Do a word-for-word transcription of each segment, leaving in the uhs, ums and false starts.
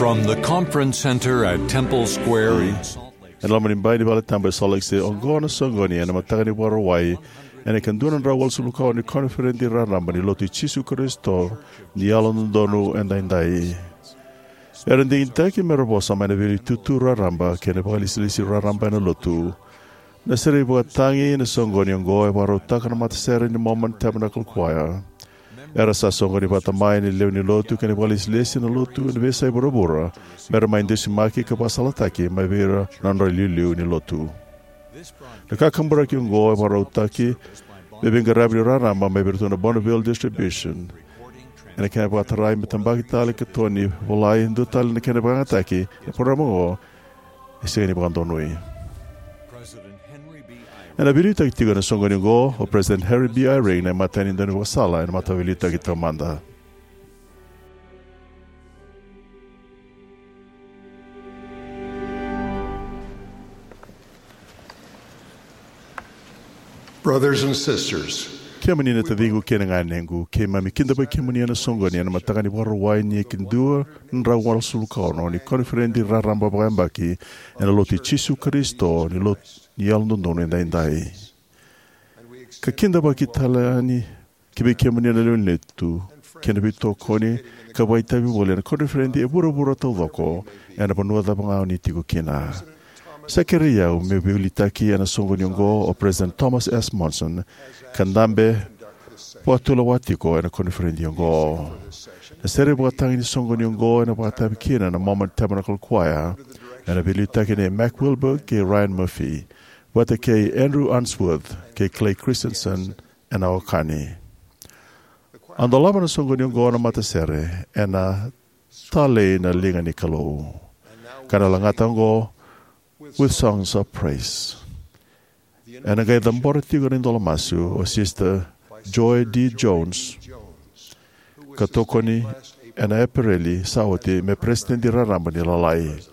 From the Conference Center at Temple Square in Salt Lake City. Ena loma ni bai ni Vale Tabu e Salt Lake City, oqo na soqoni ena mataka ni Vakarauwai ena ika dua na drau walusagavulu ka ono ni Koniferedi Raraba ni Lotu i Jisu Karisito ni Yalododonu Edaidai. Era digitaki me ra vosa mai na veileti tutu raraba kei na vakailesilesi raraba ena Lotu. Na sere ivakatagi ni soqoni oqo e vakarautaka na matasere ni Mormon Tabernacle Choir. Era sa soqoni vata mai na lewe ni Lotu kei na vakailesilesi ena Lotu ena veiyasai vuravura me ra mai dusimaki ka vakasalataki mai vei ira na nodra iliuliu ni Lotu. Na kakaburaki oqo e vakarautaki me veiqaravi ni raraba mai vei iratou na Bonneville Distribution. Ena kena vakatarai me tabaki tale ka toni volai, dua tale na kena vakayagataki na parokaramu oqo e sega ni vakadonui. Ena veiliutaki tiko ena soqoni oqo o President Henry B. Eyring, na imatai ni daunivakasala ena Mataveiliutaki Taumada. Brothers and sisters, kemuni na taciqu kei na ganequ, keimami kidavaki kemuni ena soqoni ena mataka ni Vakarauwai ni ika dua na drau walusagavulu ka ono ni Koniferedi Raraba Vakayabaki ena Lotu i Jisu Karisito ni Lotu ni Yalododonu Edaidai. Ka kidavaki tale yani ki vei kemuni na lewe ni Lotu kei na veitokoni ka vakaitavi voli ena koniferedi e vuravura taucoko ena vanua cava ga o ni tiko kina. Sa kerei au meu veiliutaki ena soqoni oqo o President Thomas S. Monson ka dabe vakatulewa tiko ena koniferedi oqo. Na sere ivakatagi ni soqoni oqo ena vakaitavi kina na Mormon Tabernacle Choir ena veiliutaki nei Mac Wilberg kei Ryan Murphy, vata kei Andrew Unsworth kei Clay Christensen ena okani. A dolava na soqoni oqo na matasere ena Talei na Liga ni Kalou, ka na lagata oqo With Songs of Praise. Ena qai cabora tiko na idola masu o Sister Joy D. Jones, ka tokoni ena Epereli sa oti me Peresitedi Raraba ni Lalai.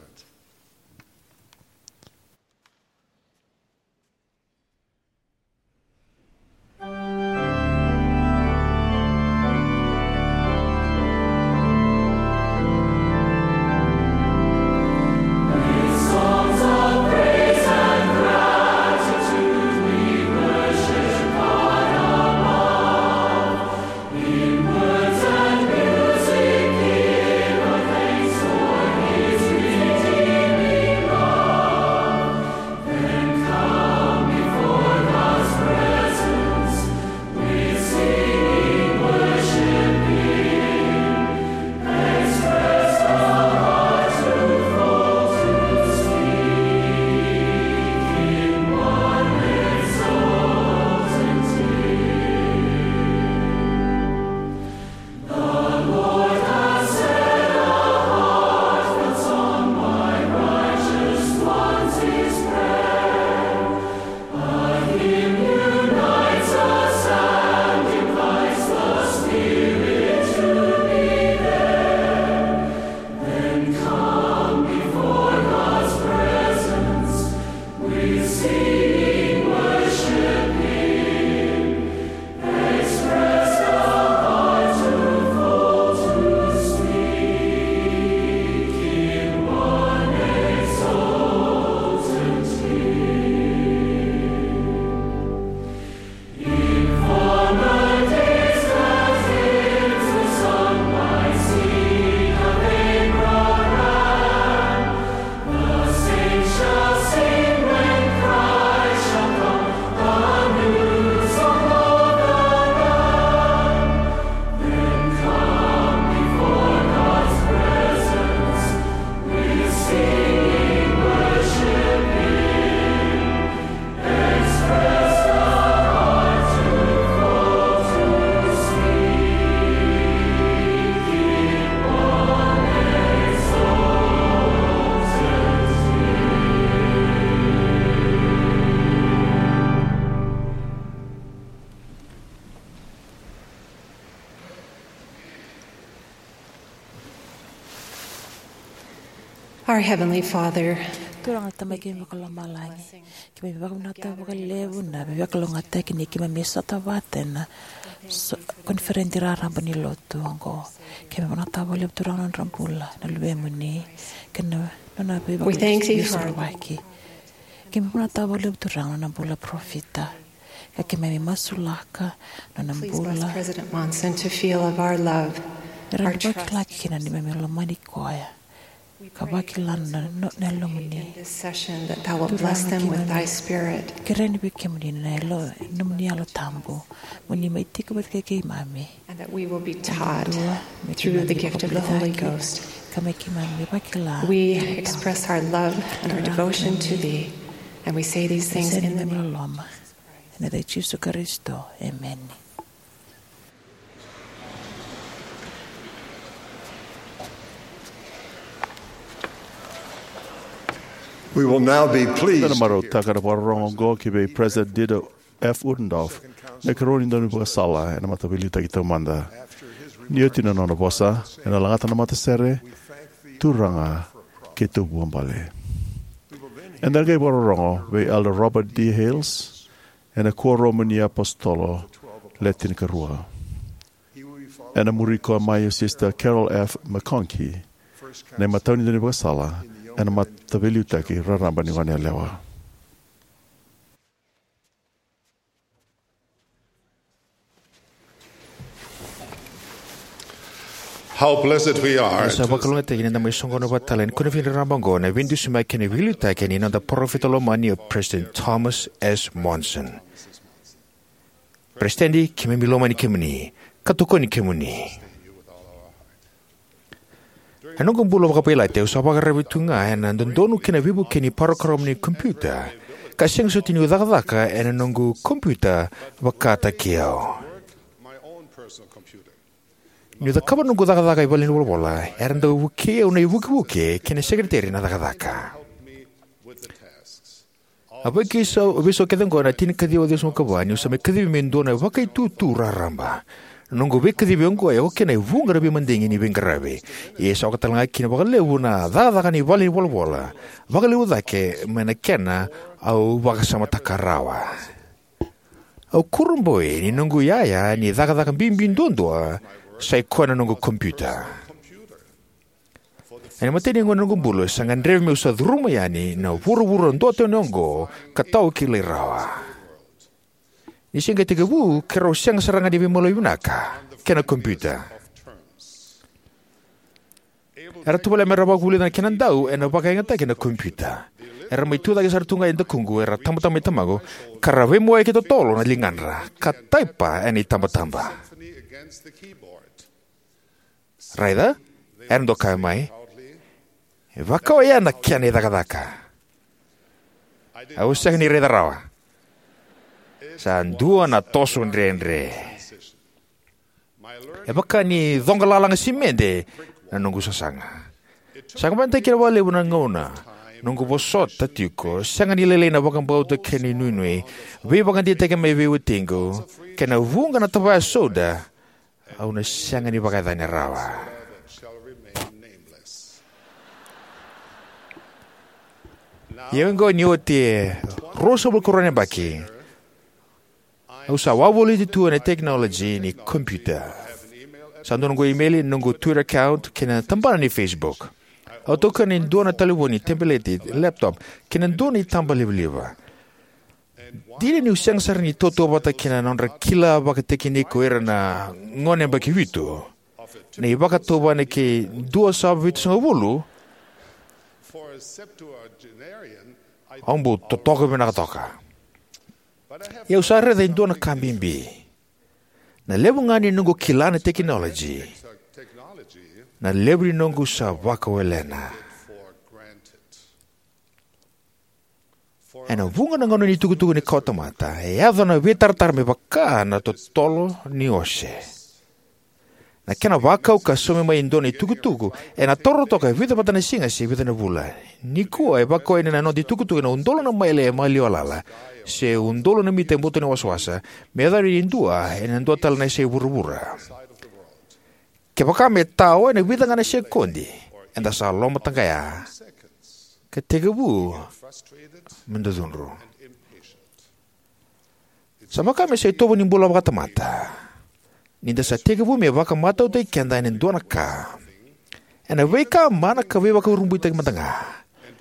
Our Heavenly Father, Turaga na Tamai keimami vakalomalagi, keimami vakavinavinaka vakalevu na veivakalougatataki ni keimami sota vata ena so-, koniferedi raraba ni lotu oqo. Keimami vakavinavinaka vakalevu Turaga na nodra bula na luvemuni kei na nona We thank thee for veivakasosovaki. Keimami vakavinavinaka vakalevu Turaga na nona bula parofita. Ka keimami masulaka na nona Please bless bula. President Monson to feel of our love, Era our ni vakilaki trust. Kina ni keimami lomani koya. Ka vakila na, na, na lomuni. In this session that thou wilt bless them with thy spirit. Kereni vei kemuni na yalo, nomuni Yalo Tabu. Mo ni mai tiko vata kei keimami. And that we will be taught Dua, me through the keimami gift of the Holy vakavinavinaka. Ghost. Ka me keimami vakila. We express our love and our devotion to thee, and we say these things in the name. Loloma. Ena yaca i Jisu Karisito. Emeni. We will now be pleased Ena to hear marautaka na vakarorogo oqo ki vei President Dieter F. Uchtdorf, na ikarua ni daunivakasala ena Mataveiliutaki Taumada. Ni oti na nona vosa, ena lagata na matasere, Turaga, keitou vuabale. Eda qai vakarorogo vei Elder Robert D. Hales, ena Kuoramu ni iApositolo Le Tinikarua. Ena muri koya mai o Sister Carol F. McConkie, na imatai ni daunivakasala ena Mataveiliutaki Raraba ni Goneyalewa. How blessed we are. Sa vakalougatataki ni da mai soqona vata tale ena koniferedi raraba oqo na veidusimaki kei na veiliutaki ni noda parofita lomani o President Thomas S. Monson. President, keimami lomani kemuni ka tokoni kemuni. Ena noqu bula vakavailati au sa vakararavi tu ga ena dodonu kei na veivuke ni parokaramu ni kompiuta, ka sega soti niu cakacaka ena noqu kompiuta vakataki au. Niu cakava noqu cakacaka e valenivolavola, era dau vukei au na ivukevuke kei na sekereteri na cakacaka. A vakaisau, veisau kece oqo ena tinikaciwa ciwasagavulu ka va, niu sa mai kacivi meu dua na vakaitutu raraba. Na noqu veikacivi oqo e oka kina e vuqa na veimadigi ni veiqaravi. Ia sa oka tale ga kina vakalevu na cakacaka ni valenivolavola, vakalevu cake mai na kena au vakasamataka rawa. Au kurabui ni noqu iyaya ni cakacaka bibi duadua sa i koya na noqu kompiuta. Ena imatai ni gauna ni noqu bula, sa gadrevi meu sa curuma yani na vuravura duatani oqo ka tau kilai rawa. Ni se qai tekivu, keirau sega sara ga ni veimaliwai vinaka kei na kompiuta. Era tovolea mera vakavulica na kena dau ena vakayagataki na kompiuta. Era mai tucake sara tu ga e dakuqu, era tabataba mai tamaqu, ka ra veimawaki totolo na ligadra ka taipa ena itabataba. Raica, era dau kaya mai, e vaka oya na kena icakacaka. Au sega ni raica rawa. Sa dua na toso dredre. E vaka ni coqa lalaga simede na noqu sasaga. Sa qabataki kina vakalevu na gauna, noqu vosota tiko, sega ni lailai na vakabauta kei na inuinui, veivakadeitaki mai vei watiqu, kei na vuqa na tavaya soda, au na sega ni vakayacani rawa. Ia oqo ni oti e ruasagavulu ka rua na yabaki, au sa wavoliti tu ena tekinoloji ni kompiuta. Sa dua noqu imeli, noqu Twitter account, kei na tabana ni Facebook. Au taukena e dua na talevoni, tabeleti, laptop, kei na dua na itaba livaliva. Dina niu sega sara ni tautauvata kina na nodra kila vakatekiniki o ira na gone yabaki vitu, na ivakatautauvana kei dua sa vitusagavulu, au bau totoka vinaka toka. Ia au sa raica e dua na ka bibi. Na levu ga ni noqu kila na tekinoloji, na levu ni noqu sa vakawelena. Ena vuqa na gauna ni tukutuku ni kawatamata, e yaco na veitaratara me vaka na totolo ni ose. Na kena vakau ka saumi mai e dua na itukutuku, ena taura toka e vica vata na siga se vica na vula. Nikua e vakaoya ni na noda itukutuku ena udolu na maile e maliwa lala, se udolu na mita e buto ni wasawasa, me yacova ni dua ena dua tale na yasai vuravura. Kevaka me tao ena vica ga na sekodi, eda sa lomata ga ya, ka tekivu me da cudru. Sa vaka me sa itovo ni bula vakatamata ni da sa tekivu me vakamatautaki keda ena dua na ka, ena veika mana ka veivakurabuitaki mada ga,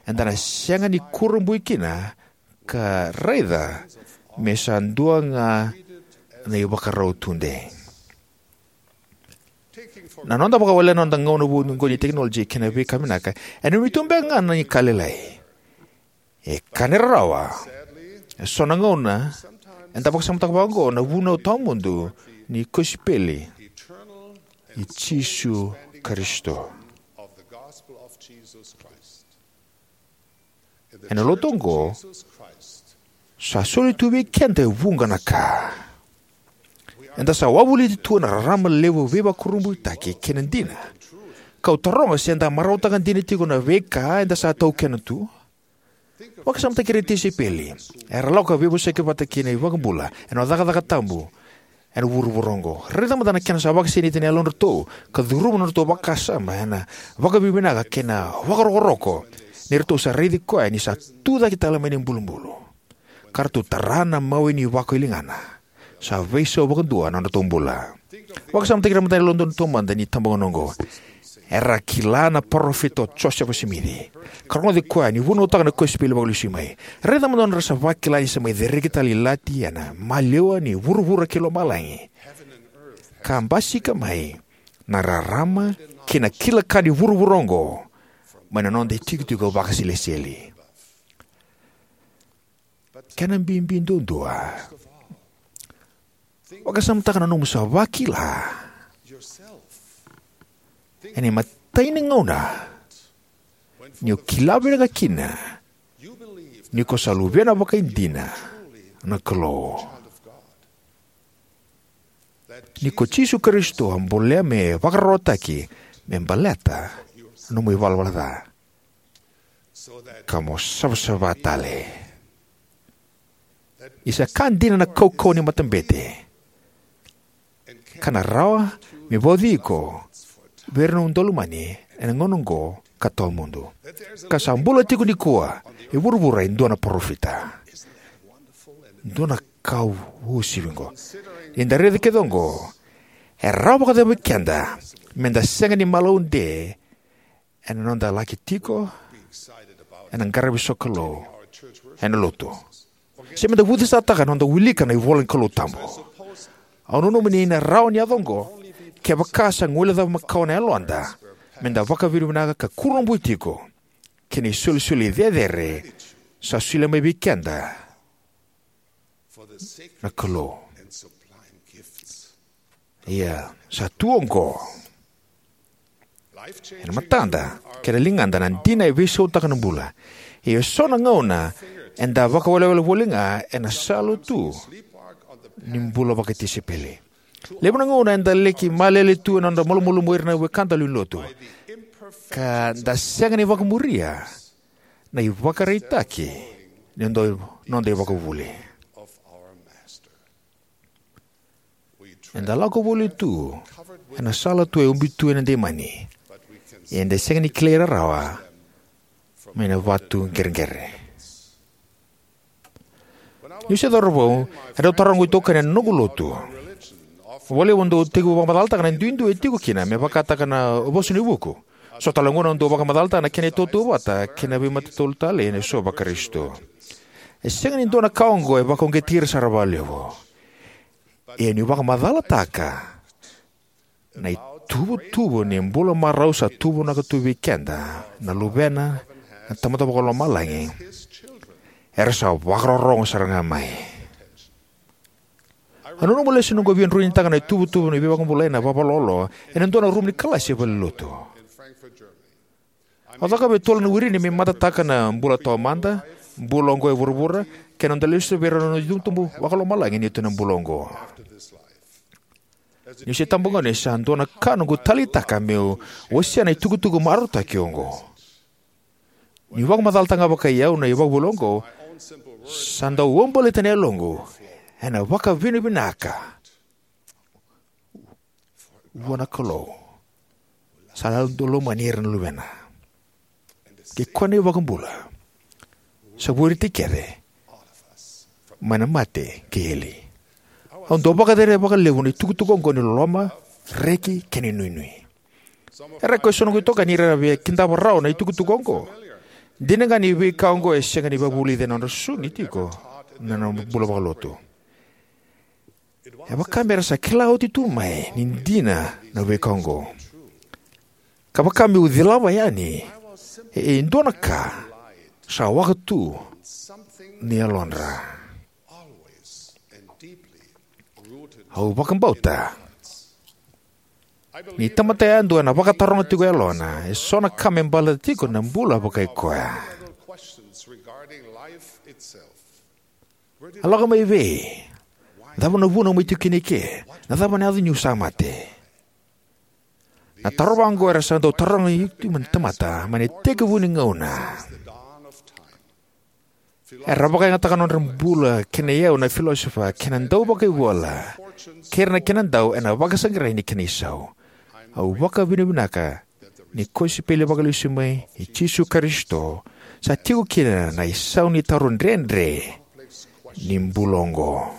eda na sega ni kurabui kina ka raica me sa dua ga na ivakarau tudei. Na noda vakawalena na noda gauna vou oqo ni tekinoloji kei na veika vinaka, ena nanumi tu beka ga na ka lailai. E ka ni rarawa, e so na gauna eda vakasamataka vakaoqo na vunau tawamudu ni kosipeli i Jisu Karisito. Ena lotu oqo, sa soli tu vei keda e vuqa na ka. Eda sa wavoliti tu ena rarama levu veivakurabuitaki kei na dina. Kau taroga se eda marautaka dina tiko na veika eda sa taukena tu. Vakasamataki ira na tisaipeli era lako ka veivosaki vata kei na iVakabula ena cakacaka tabu ena vuravura oqo. Raica mada na kena sa vakasinaiti na yalodratou ka curuma na nodratou vakasama ena vakavinavinaka kei na vakarokoroko ni ratou sa raici koya ni sa tu cake tale mai na ibulubulu, ka ratou tara na mawe ni vako i ligana. Sa veisau vakadua na nodratou bula. Vakasamataki ira mada na yalododonu taumada ni tabagauna oqo. Era kila na parofita o Josefa Simici ka rogoci koya ni vunautaka na kosipeli vakalesui mai. Raica mada na nodra sa vakila ni sa mai cereki tale ilati ena maliwa ni vuravura kei lomalagi, ka basika mai na rarama kei na kila ka ni vuravura oqo mai na noda itikotiko vakaseleseli. Kena bibi duadua, vakasamataka na nomu sa vakila ena imatai ni gauna ni o kila vinaka kina ni ko sa luvena vakaidina na Kalou, ni ko Jisu Karisito a bolea me vakararawataki me baleta na nomu ivalavala ca, ka mo savasava tale. Ni sa ka dina na kaukauwa ni matabete, ka na rawa me vauci iko vei ira na nomu daulomani ena gauna oqo ka tawamudu, ka sa bula tiko nikua e vuravura e dua na parofita. Dua na ka uasivi oqo. Ni da raica kece oqo, e rawa vakacava vei keda me da sega ni malaude ena noda laki tiko ena qaravi sokalou ena lotu, se me da vucesataka na noda wilika na ivola ni Kalou tabu. Au nanuma ni na rawa ni yaco oqo kevaka sa guilecava makawa na yaloda me da vakavinavinaka ka kurabui tiko kei na isolisoli cecere sa solia mai vei keda na Kalou. Ia, sa tu oqo ena matada kei na ligada na dina e veisautaka na bula. Ia, e so na gauna eda vakawelewele voli ga ena sala tu ni bula vakatisaipeli. Levu na gauna eda laki malele tu ena noda malumalumu o ira na wekada lewe ni lotu, ka da sega ni vakamuria na ivakaraitaki ni noda, noda ivakavuvuli. Eda lako voli tu ena sala tu e ubi tu ena deimani, ia eda sega ni kilai ira rawa mai na vatu qereqere. Niu se cauravou, e dau taroga na itokani ena noqu lotu. Vakalevu au dau tekivu vakamacalataka na duidui e tiko kina, me vakataka na vosa ni vuku. So tale na gauna au dau vakamacalataka na kena itautauvata kei na veimatau talei ena sovo va-Karisito. E sega ni dua na ka oqo e vakauqeti ira sara vakalevu. Ia niu vakamacalataka na ituvatuva ni bula marau sa tuvanaka tu vei keda na Luvena na Tamada Vakalomalagi, era sa vakarorogo sara ga mai. Au nanuma lesu ni noqu a via druinitaka na ituvatuva ni veivakabulai ena vavalolo ena dua na rumu ni kalasi e valenilotu. Au cakava e tolu na wiri ni me matataka na bula taumada, bula oqo e vuravura, kei na noda lesu vei rau na itubutubu vakalomalagi ni tu ena bula oqo. Niu se tabagone, sa dua na ka noqu taleitaka meu wasea na itukutuku marautaki oqo. Niu vakamacalataka ga vakai au na ivakavuvuli oqo, sa dau uabaleta na yaloqu ena vakavinavinaka vua na Kalou sa yalododonu lomani ira na luvena. kei koya na iVakabula sa vueti kece mai na mate kei eli. Au dau vakacereca vakalevu na itukutuku oqo ni loloma, reki, kei na inuinui. Era koi so noqu itokani era via kidava rawa na itukutuku oqo. Dina ga ni veika oqo e sega ni vakavulici ena nodra sui tiko na nodra bula vakalotu. E vaka me ra sa kila oti tu mai ni dina na veika oqo, ka vaka meu cilava yani e dua na ka sa waka tu ni yalodra. Au vakabauta ni tamata yadua ena vakataroga tiko e yalona e so na ka me baleta tiko na bula vakaikoya. A lako mai vei? Cava na vuna mai tiko kina ike? Na cava na yaco niu sa mate? Na taro vaqo era sa dau tarogi iko mai na tamata mai na itekivu ni gauna. Era vakayagataka nodra bula kei na iyau na filosofa kei na dauvakaivola kei ira na kenadau ena vakasaqarai ni kena isau. Au vakavinavinaka ni kosipeli vakalesui mai i Jisu Karisito sa tiko kina na isau ni taro dredre ni bula oqo.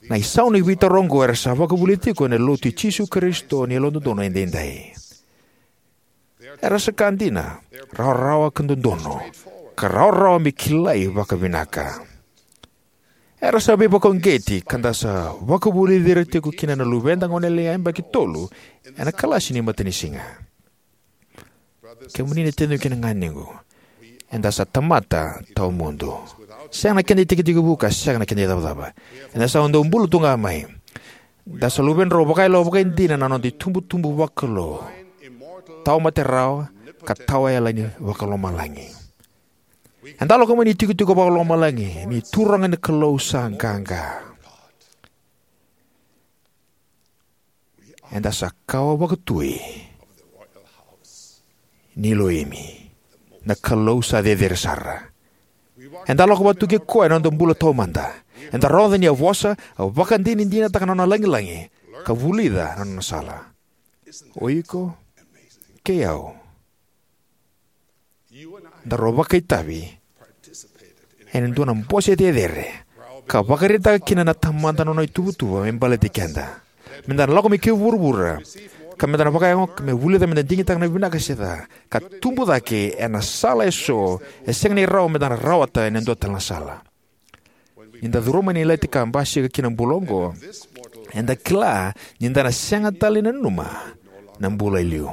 Na isau ni veitaro oqo era sa vakavulici tiko ena Lotu i Jisu Karisito ni Yalododonu Edaidai. Era sa ka dina, rawarawa ka dodonu, ka rawarawa me kilai vakavinaka. Era sa veivakauqeti ka da sa vakavulici ira tiko kina na luveda goneyalewa yabaki tolu ena kalasi ni matanisiga. Kemuni na taciqu kei na ganequ, eda sa tamata tawamudu, sega na keda itekitekivu ka sega na keda icavacava. Eda sa dau bula tu ga mai. Da sa luvedrau vakayalo vakaidina na noda itubutubu vakalou, tawamate rawa ka tawayalani vakalomalagi. Eda lako mai ni tikotiko vakalomalagi ni Turaga na Kalou sa qaqa. Eda sa kawa vakatui ni Iloimi, na Kalou sa cecere sara. Eda lako vata tu kei koya ena noda bula taumada. Eda rogoca ni a vosa, a vakadinadinataka na nona lagilagi, ka vulica na nona sala. O iko kei au daru vakaitavi ena dua na bose cecere ka vakaraitaka kina na Tamada na nona ituvatuva me baleti keda. Meda na lako mai ki vuravura ka meda na vakayago ka me vulica meda digitaka na vinaka se ca ka tubu cake ena sala eso e sega ni rawa meda na rawata ena dua tale na sala. Ni da curuma na ilati ka basika ki na bula oqo, eda kila ni da na sega tale ni nanuma na bula e liu.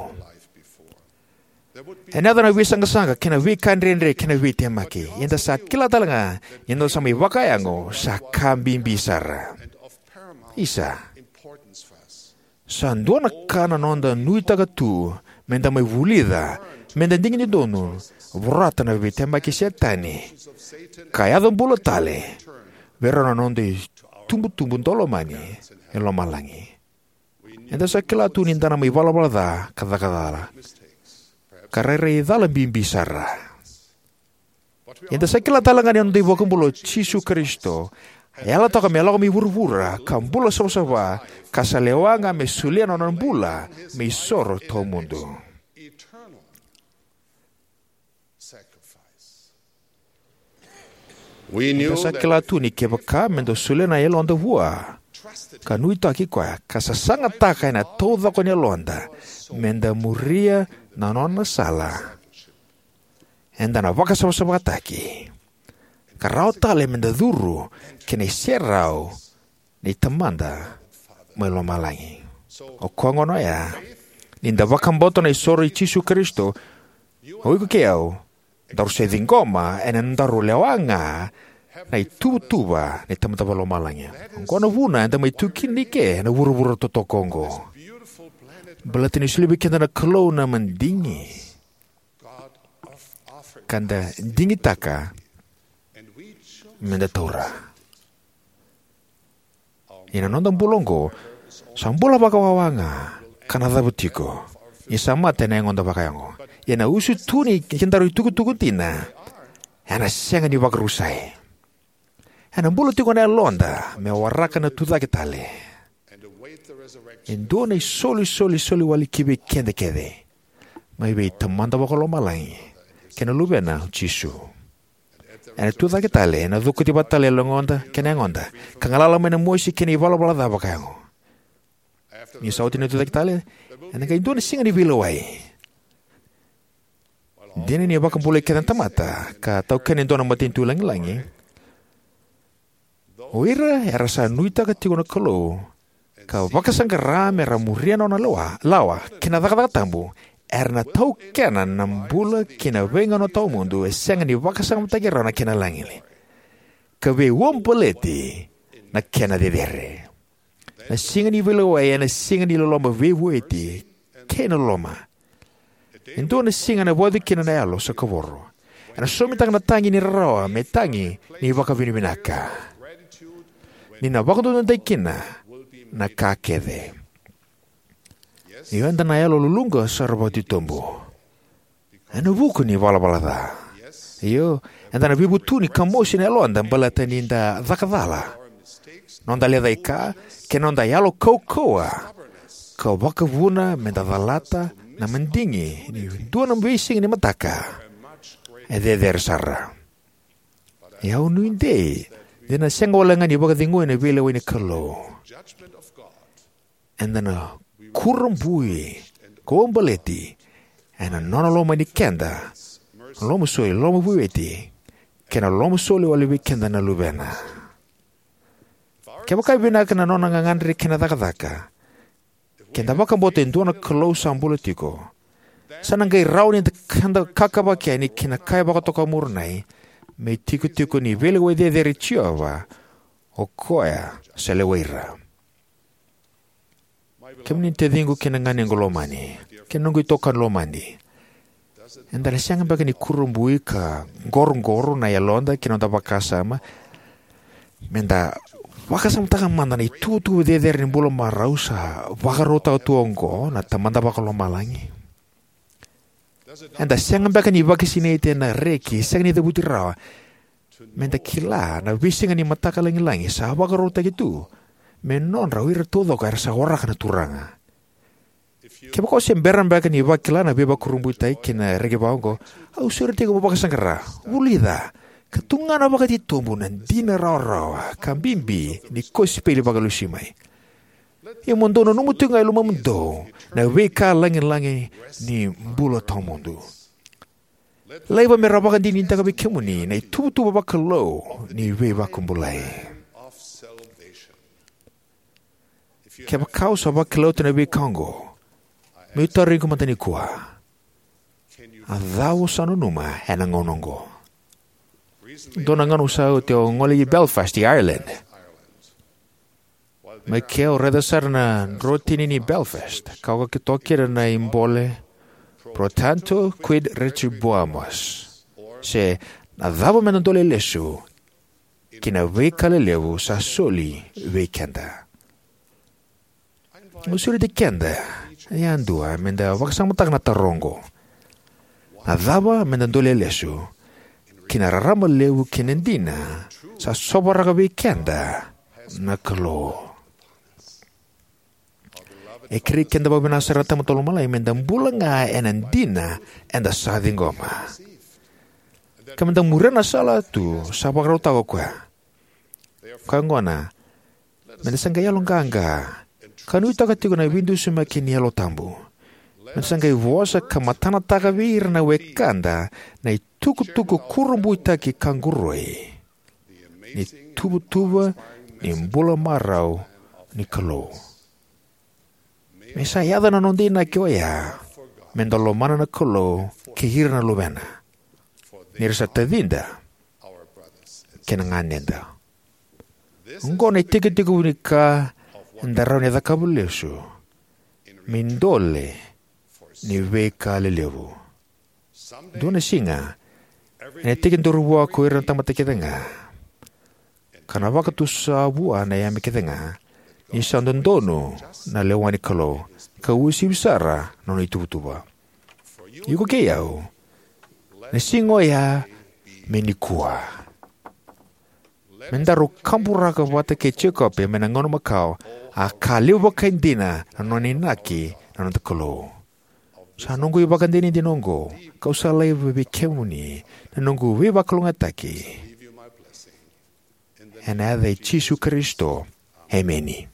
Ena yaco na veisaqasaqa kei na veika dredre kei na veitemaki. Ia eda sa kila tale ga ni noda sa mai vakayago sa ka bibi sara. Isa, sa dua na ka na noda nuitaka tu meda mai vulica, meda digidonu, vorata na veitemaki Setani ka yaco bula tale vei rau na noda itubutubu daulomani e lomalagi. Eda sa kila tu ni da na mai valavala ca ka caka cala, ka rairai cala bibi sara. Eda sa kila tale ga ni noda iVakabula o Jisu Karisito a yalataka me lako mai vuravura ka bula savasava ka sa lewa ga me solia na nona bula me isoro tawamudu. Eda sa kila tu ni kevaka meda solia na yaloda vua ka nuitaki koya ka sasagataka ena taucoko ni yaloda meda muria na nona sala, eda na vakasavasavataki ka rawa tale meda curu ki na iserau ni Tamada mai lomalagi. O koya gona oya, ni da vakabauta na isoro i Jisu Karisito, o iko kei au daru se ciqoma ena nodaru lewa ga na ituvatuva ni Tamada Vakalomalagi. Oqo na vuna eda mai tu kina ike ena vuravura totoka oqo, baleta ni solia vei keda na Kalou na madigi ka da digitaka meda taura. Ia na noda bula oqo sa bula vakawawa ga ka na cava tiko ni sa mate ena yagoda vakayago. Ia na usutu ni kedaru itukutuku dina ena sega ni vakarusai. Ena bula tiko na yaloda me waraka na tucake tale. E dua na isolisoli soli wale ki vei keda kece mai vei Tamada Vakalomalagi kei na Luvena, o Jisu. Ena tucake tale, ena cokoci vata tale na yagoda kei na yagoda, ka galala mai na mosi kei na ivalavala ca vakayago. Ni sa oti na tucake tale, ena qai dua na Siga ni Veilewai. Dina ni vakabulai kece na tamata ka taukena e dua na matanitu lagilagi, o ira era sa nuitaka tiko na Kalou ka vakasaqara me ra muria na nona lawa, lawa kei na cakacaka tabu, era na taukena na bula kei na veigauna tawamudu e sega ni vakasamataki rawa na kena lagilagi, ka veiuabaleti na kena cecere. Na Siga ni Veilewai ena siga ni loloma veivueti kei na loloma. E dua na siga ena vauci kina na yalo sa kavoro. Ena sosomitaka na tagi ni rarawa me tagi ni vakavinavinaka, ni na vakadodonutaki kina na ka kece. Io, eda na yaloluluqa sara vakatitobu ena vuku ni valavala ca. Io, eda na veivutuni ka mosi na yaloda baleta ni da caka cala, noda lecaika, kei na noda yalo kaukauwa ka vakavuna me da calata na madigi ni dua na veisiga ni mataka e cecere sara. Ia au nuidei ni na sega wale ga ni vakacegui na veilewai ni Kalou. Eda na kurabui ka uabaleti ena nona lomani keda, na loloma soli, loloma veivueti, kei na loloma soli wale vei keda na Luvena. Kevaka e vinaka na nona gagadre kei na cakacaka, ke da vakabauta e dua na Kalou sa bula tiko, sa na qai rawa ni da kakavaki yani ki na ka e vakatoka o Moronai me itikotiko ni veilewai cecere i Jiova, o koya sa lewai ira. Kemuni na taciqu kei na ganequ lomani, kei na noqu itokani lomani, eda na sega beka ni kurabui ka qoroqoro na yaloda kei na noda vakasama me da vakasamataka mada na ituvatuva cecere ni bula marau sa vakarautaka tu oqo na Tamada Vakalomalagi? Eda sega beka ni vakasinaiti ena reki sega ni cavuti rawa me da kila na veisiga ni mataka lagilagi sa vakarautaki tu me nodra o ira taucoko era sa waraka na Turaga? Kevaka o se bera beka ni vakila na veivakurabuitaki kei na reki vaqo, au sureti iko mo vakasaqara, vulica, ka tugana vakatitobu na dina rawarawa ka bibi ni kosipeli vakalesui mai. Ia mo dou nanuma tiko ga e lomamudou na veika lagilagi ni bula tawamudu. Laiva me ra vakadinadinataka vei kemuni na ituvatuva vakalou ni veivakabulai. Kevaka o sa vakila oti na veika oqo, meu tarogi iko mada nikua: a cava o sa nanuma ena gauna oqo? Dua na gauna sa oti au a gole i Belfast, i Ireland. Mai ke au raica sara na drotini ni Belfast, ka oka toka kina na ibole Pro tanto quid retribuamus, se na cava me da dolea lesu ki na veika lelevu sa soli vei keda. Au sureti keda yadua me da vakasamataka na taro oqo: na cava me da dolea lesu ki na rarama levu kei na dina sa sovaraka vei keda na Kalou? E kerei keda vakavinaka sara na Tamada Vakalomalagi me da bula ga ena dina eda sa ciqoma, ka me da muria na sala tu sa vakarautaka o koya. Koya gona, me da sa qai yaloqaqa ka nuitaka tiko na veidusimaki ni Yalo Tabu. Me da sa qai vosa ka matanataka vei ira na wekada na itukutuku kurabuitaki ka qoroi ni tuvatuva ni bula marau ni Kalou. Me sa yaco na noda inaki oya me da lomana na Kalou kei ira na Luvena, ni ra sa tacida kei na ganeda. Oqo na itekitekivu ni ka eda rawa ni cakava lesu me idole ni veika lelevu. Dua na siga ena tekiduru vua ko ira na tamata kece ga, ka na vakatusa vua na yame kece ga, ni sa dodonu na lewa ni Kalou, ka uasivi sara na nona ituvatuva. Iko kei au, na siga oya me nikua. Me daru kaburaka vata kei Jekope mai na gauna makawa, a ka levu vakaidina na nona inaki na noda Kalou. Sa noqu ivakadinadina oqo, kau sa laiva vei kemuni na noqu veivakalougatataki. Ena yaca i Jisu Karisito, emeni.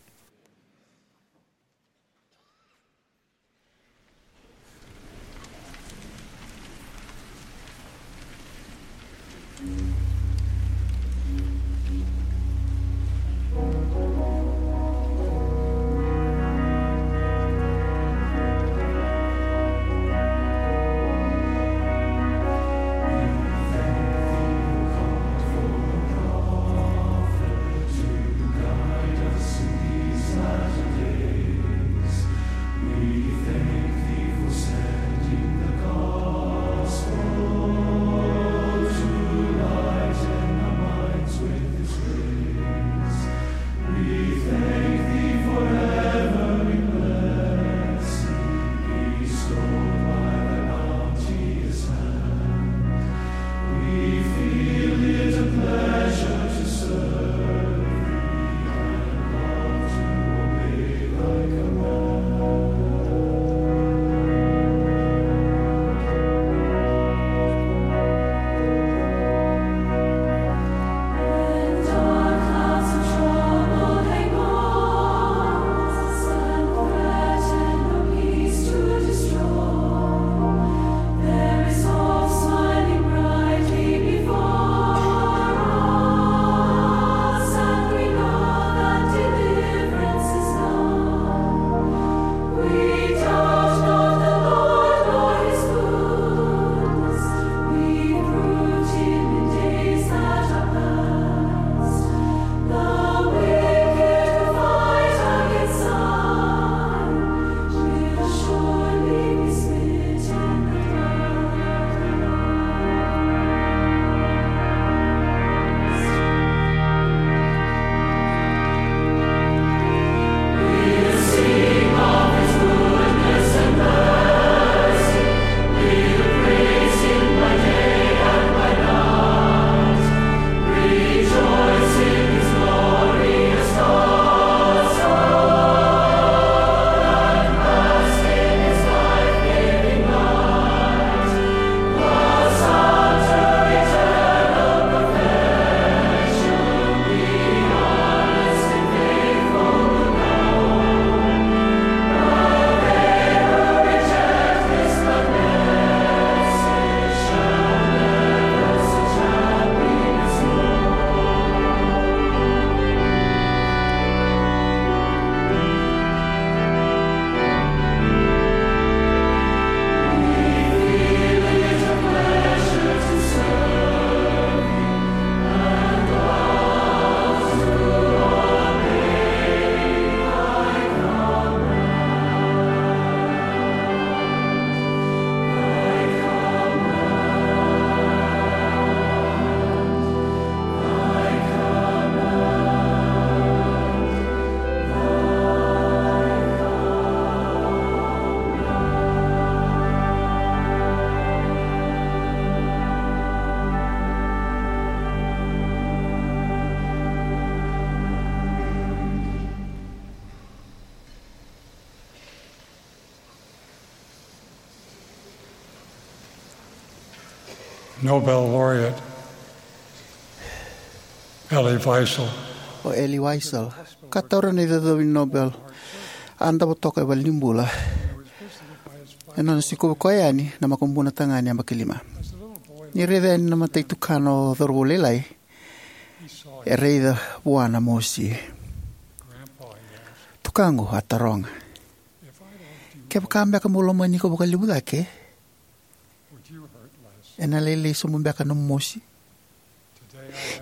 Nobel laureate Elie Wiesel. O Elie Wiesel, ka taura na icocovi Nobel, a davo toka e valenibula ena nona sikovi koya yani na makubuna tagane yabaki lima. Ni raica yani na mata i tukana o cauravou lailai, e raica vua na mosi. "Tukaqu," a taroga, "kevaka beka meu lomani iko vakalevu cake, ena lailai sobu beka na mosi?"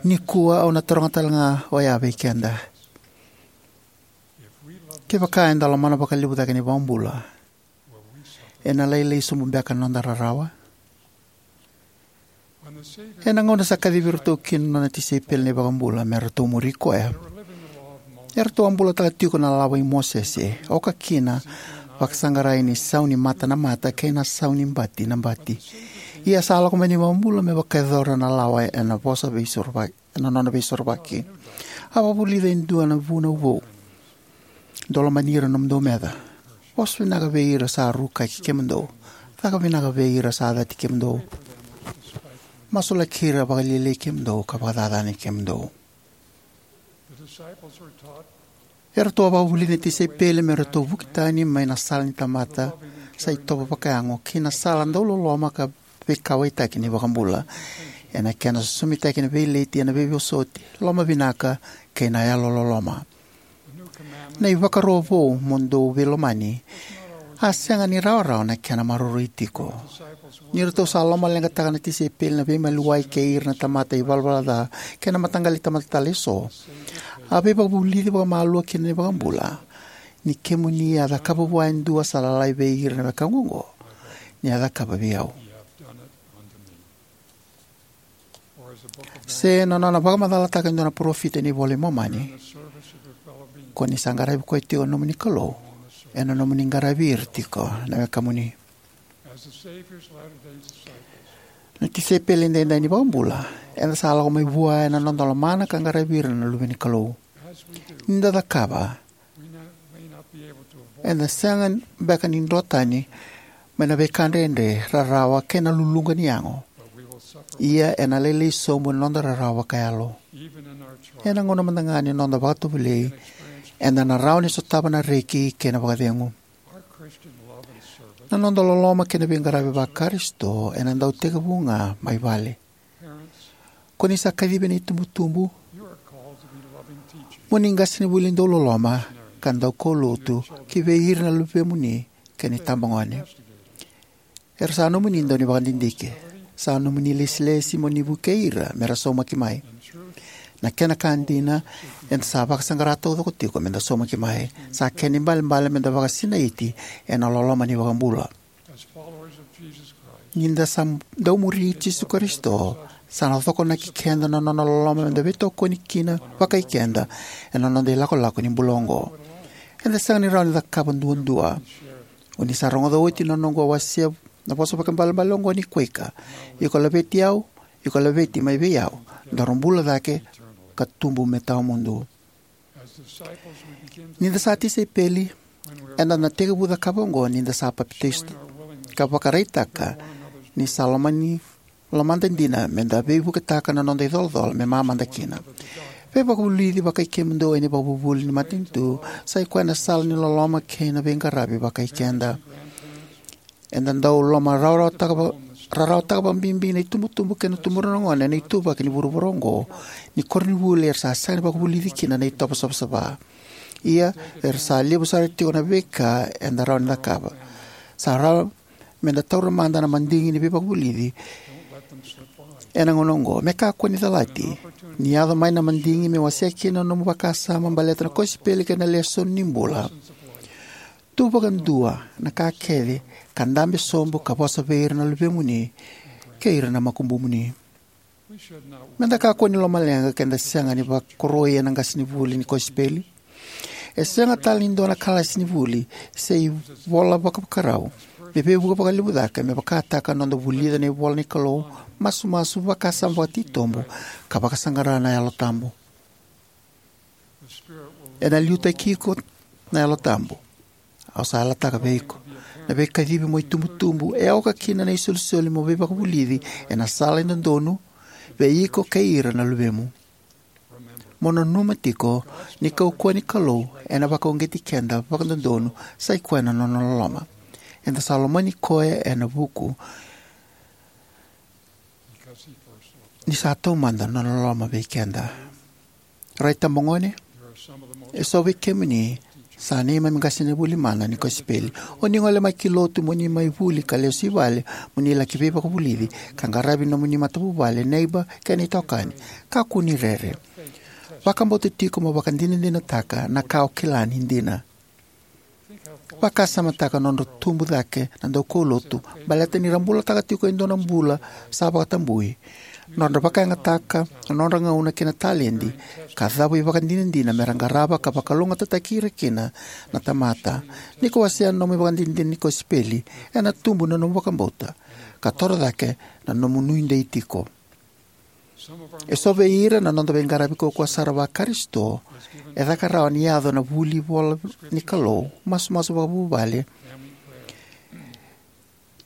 Nikua au na taroga tale ga oya vei keda. Kevaka eda lomana vakalevu cake na iVakabula, ena lailai sobu beka na noda rarawa? Ena gauna sa kacivi iratou kina na nona tisaipeli na iVakabula me ratou muri koya, eratou a bulataka tiko na lawa i Mosese, oka kina vakasaqarai ni sau ni mata na mata kei na sau ni bati na bati. Ia sa lako mai na iVakabula me vakayacora na lawa ena vosa veisorovaki, ena nona veisorovaki. A vakavulica e dua na vunau vou: "Dou lomani ira na nomudou meca." Vosa vinaka vei ira sa rukaki kemudou. Caka vinaka vei ira sa cati kemudou. Masulaki ira vakalialiai kemudou ka vakacacani kemudou. Eratou a vakavulici na tisaipeli me ratou vuki tani mai na sala ni tamata sa itovo vakayago ki na sala dauloloma ka veikauwaitaki ni iVakabula, ena kena sosomitaki na veileti ena veivosoti, lomavinaka, kei na yalololoma. Na ivakaro vou, mo dou veilomani, a sega ni rawarawa na kena maroroi tiko. Ni ratou sa lomaleqataka na tisaipeli na veimaliwai kei ira na tamata ivalavala ca kei na mataqali tamata tale eso, a veivakavulici vakamalua kina na iVakabula: Ni kemuni a cakava vua e dua sa lalai vei ira na wekaqu oqo, ni a cakava vei au. Se na nona vakamacalataka e dua na parofita ena iVola i Momani: Ko ni sa qaravi koya tiko na nomuni Kalou ena nomuni qaravi ira tiko na wekamuni. Na tisaipeli edaidai ni iVakabula, eda sa lako mai vua ena noda lomana ka qaravi ira na luve ni Kalou. Ni da cakava, eda sega beka ni drotani mai na veika dredre, rarawa, kei na luluqa ni yago. Ia ena lailai sobu na noda rarawa vakayalo. Ena gauna mada ga ni noda vakatovolei, eda na rawa ni sotava na reki kei na vakacegu. Na noda loloma kei na veiqaravi va-Karisito ena dau tekivu ga mai vale. Ko ni sa kacivi na itubutubu mo ni qasenivuli dauloloma ka daukaulotu ki vei ira na luvemuni kei na itabagone. Era sa nomuni daunivakadidike. Sa nomuni ilesilesi mo ni vukei ira me ra saumaki mai. Na kena ka dina, eda sa vakasaqara taucoko tiko me da saumaki mai. Sa kena ibalebale me da vakasinaiti ena loloma ni iVakabula. Ni da sa daumuri Jisu Karisito, sa na cokonaki keda na nona loloma me da veitokoni kina vakai keda ena noda ilakolako ni bula oqo. Eda sega ni rawa ni cakava duadua. O ni sa rogoca oti na noqu a wasea na vosa vakaibalebale oqo ni Quaker: Iko laveti au, iko laveti mai vei au, dou bula cake ka tubu me tawamudu. Ni da sa tisaipeli, eda na tekivu cakava oqo ni da sa papitaiso ka vakaraitaka ni sa lomani, lomada dina me da veivuketaka na noda icolacola me mamada kina. Veivakavulici vakai kemudou ena ivakavuvuli ni matanitu sa i koya na sala ni loloma kei na veiqaravi vakai keda. Eda dau loma rarawataka va-, rarawataka vakabibi na itubutubu kei na tubu ni gone ena ituvaki ni vuravura oqo ni koronivuli era sa sega ni vakavulici kina na itovo savasava. Ia, era sa levu sara tiko na veika eda rawa ni cakava. Sa rawa me da taura mada na madigi ni veivakavulici ena gauna oqo. Me kakua ni calati ni yaco mai na madigi me wasea kina na nomu vakasama baleta na kosipeli kei na lesoni ni bula. Tu vakadua na ka kece ka dabe sobu ka vosa vei ira na luvemuni kei ira na makubumuni. Me da kakua ni lomaleqa ke da sega ni vakoroi ena qasenivuli ni kosipeli. E sega tale ni dua na kalasi ni vuli se ivola vakavakarau me veivuke vakalevu cake me vakataka na noda vulica na ivola ni Kalou, masumasu, vakasama vakatitobu, ka vakasaqara na Yalo Tabu. Ena liutaki iko na Yalo Tabu. Au sa yalataka vei iko, na veikacivi mo itubutubu e oka kina na isolisoli mo veivakavulici ena sala e dodonu vei iko kei ira na luvemu. Mo nanuma tiko ni kaukauwa ni Kalou ena vakauqeti keda vakadodonu sa i koya na nona loloma. Eda sa lomani koya ena vuku ni sa taumada na nona loloma vei keda. Rai, itabagone, eso vei kemuni sa neimami qasenivuli mana ni kosipeli. O ni gole mai ki lotu mo ni mai vuli ka lesu i vale mo ni laki veivakavulici ka qaravi nomuni matavuvale, neiba, kei na itokani. Kakua ni rere. Vakabauta tiko mo vakadinadinataka na ka o kila ni dina. Vakasamataka na nodra tubu cake na daukaulotu baleta ni ra bulataka tiko e dua na bula sa vakatabui. Nodra vakayagataka na nodra gauna kei na taledi ka cavu ivakadinadina me ra qarava ka vakalougatataki ira kina na tamata. Ni ko wasea na nomu ivakadinadina ni kosipeli, ena tubu na nomu vakabauta ka toro cake na nomu nuidei tiko. E so vei ira na noda veiqaravi kaukauwa sara va-Karisito e caka rawa ni yaco na vuli ivola ni Kalou, masumasu vakavuvale,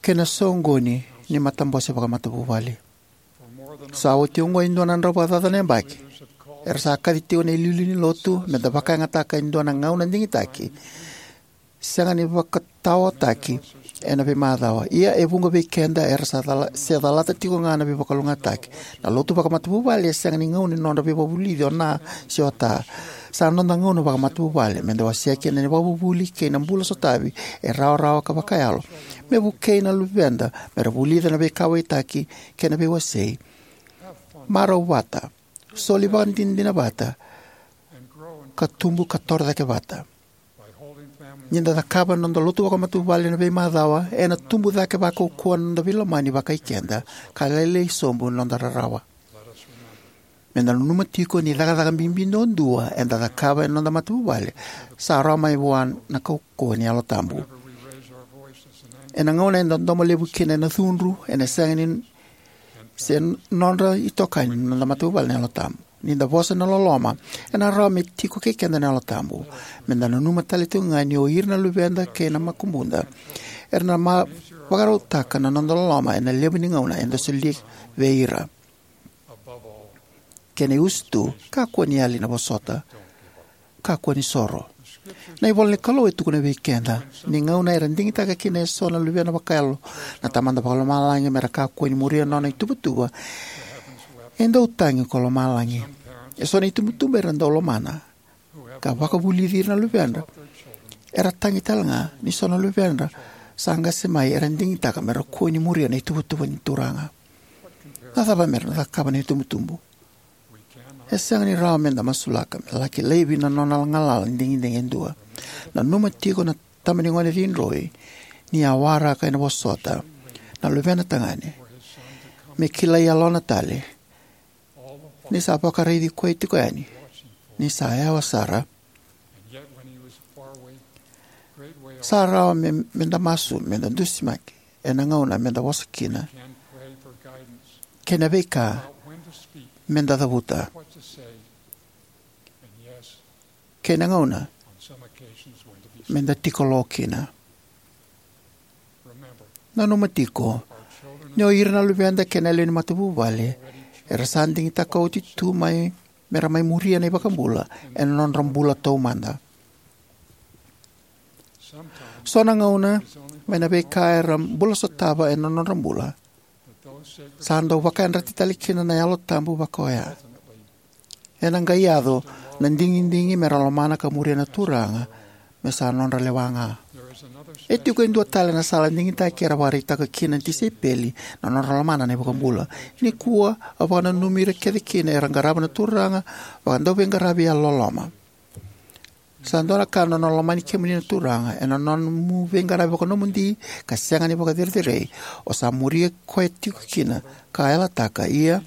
kei na soqoni ni matabose vakamatavuvale. Sa oti oqo e dua na drau vakacaca na yabaki era sa kaci tiko na iliuliu ni Lotu me da vakayagataka e dua na gauna digitaki sega ni vakataotaki ena veimacawa. Ia e vuqa vei keda era sa cala, se calata tiko ga na veivakalougatataki. Na lotu vakamatavuvale e sega ni gauna ni nodra veivakavulici o na se o ta. Sa noda gauna vakamatavuvale me da wasea kina na ivakavuvuli kei na bula sotavi e rawarawa ka vakayalo, me vukei na luveda me ra vulica na veikauwaitaki kei na veiwasei, marau vata, soli vakadinadina vata, ka tubu ka toro cake vata. Ni da cakava na noda lotu vakamatavuvale ena veimacawa, ena tubu cake vakaukauwa na noda veilomani vakai keda, ka lailai sobu na noda rarawa. Me da nanuma tiko ni cakacaka bibi duadua eda cakava ena noda matavuvale sa rawa mai vua na kaukauwa ni Yalo Tabu. Ena gauna eda domo levu kina ena cudru, ena sega ni se nodra itokani na noda matavuvale na Yalo Tabu. Ni da vosa na loloma, ena rawa me tiko kei keda na Yalo Tabu. Me da nanuma tale tiko ga ni o ira na luveda kei na makubuda era na ma-, vakarautaka na noda loloma ena levu ni gauna eda solia vei ira. Kena iusutu, kakua ni yali na vosota. Kakua ni soro. Na ivola ni Kalou e tukuna vei keda ni gauna era digitaka kina eso na luvena vakayalo na Tamada Vakalomalagi me ra kakua ni muria na nona ituvatuva, e dau tagi ko lomalagi. Eso na itubutubu era dau lomana ka vakavulici ira na luvedra era tagi tale ga ni so na luvedra sa qase mai era digitaka me ra kua ni muria na ituvatuva ni Turaga. Na cava me ra na cakava na itubutubu? E sega ni rawa me da masulaka me laki laivi na nona galala ni digidigi e dua. Nanuma tiko na tama ni gone cidroi ni a waraka ena vosota na luvena tagane me kilai yalona tale ni sa vakaraici koya tiko yani ni sa yawa sara. Sa rawa me, me da masu, me da dusimaki ena gauna me da vosa kina, kei na veika me da cavuta, kei na gauna me da tiko lo kina. Nanuma tiko ni o ira na luveda kei na lewe ni matavuvale era sa digitaka oti tu mai me ra mai muria na iVakabula ena nodra bula taumada. So na gauna, mai na veika era bula sotava ena nodra bula, sa dau vakayadrati tale kina na Yalo Tabu vaka oya. Ena qai yaco na digidigi me ra lomana ka muria na Turaga me sa nodra lewa ga. E tiko e dua tale na sala digitaki era vakaraitaka kina na tisaipeli na nodra lomana na iVakabula. Nikua, au vakananumi ira kece kina era qarava na Turaga vakadauveiqaravi yalololoma. Sa dua na ka na nona lomani kemuni na Turaga, ena nomu veiqaravi vakanomodi ka sega ni vakacerecerei, o sa muria koya tiko kina ka yalataka, ia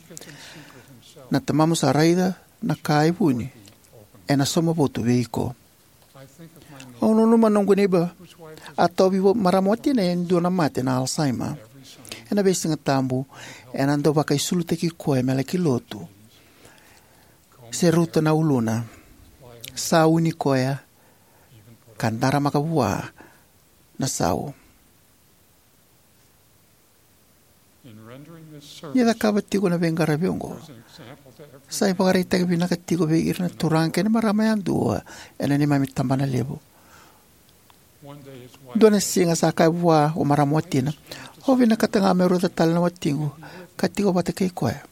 na Tamamu sa raica na ka e vuni ena sauma votu vei iko. Au nanuma noqu neiba a tauvi vo-, marama watina e dua na mate na Alzheimer. Ena veisiga tabu, ena dau vakaisulutaki koya me laki lotu. Se ruta na uluna. Sauni koya ka daramaka vua na sau. Ni cakava tiko na veiqaravi oqo, sa ivakaraitaki vinaka tiko vei ira na turaga kei na marama yadua ena neimami tabana levu. Dua na siga sa kaya vua o marama watina, "Au vinakata ga meu raica tale na watiqu ka tiko vata kei koya."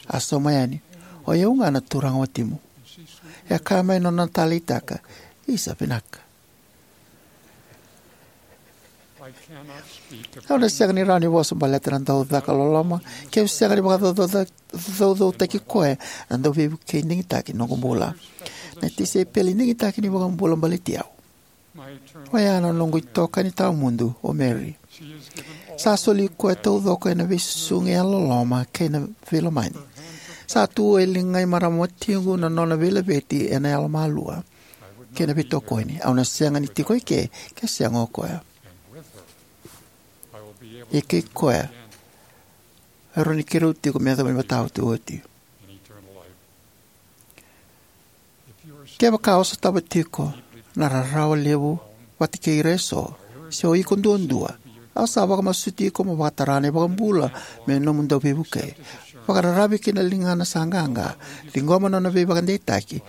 A sauma yani, "O i au ga na turaga watimu." E a kaya mai na nona taleitaka, "Isa, vinaka." Au na sega ni rawa ni vosa baleta na dau caka loloma, keu sega ni vakacaucautaki koya na dau veivukei digitaki ni noqu bula. Na tisaipeli digitaki ni iVakabula baleti au, oya na noqu itokani tawamudu, o Mary. Sa soli koya taucoko ena veisusugi yalololoma kei na veilomani. Sa tu e ligai marama watiqu na nona veilaveti ena yalomalua kei na veitokoni. Au na sega ni tiko eke ke sega o koya. Ia kei koya Rawa ni keirau tiko me yacova ni matau tu oti. Kevaka o sotava tiko na rarawa levu vata kei ira eso, se o iko duadua, au sa vakamasuti iko mo vakatara na iVakabula me nomu dauveivukei. Vakararavi ki na ligana sa qaqa, ciqoma na nona veivakadeitaki.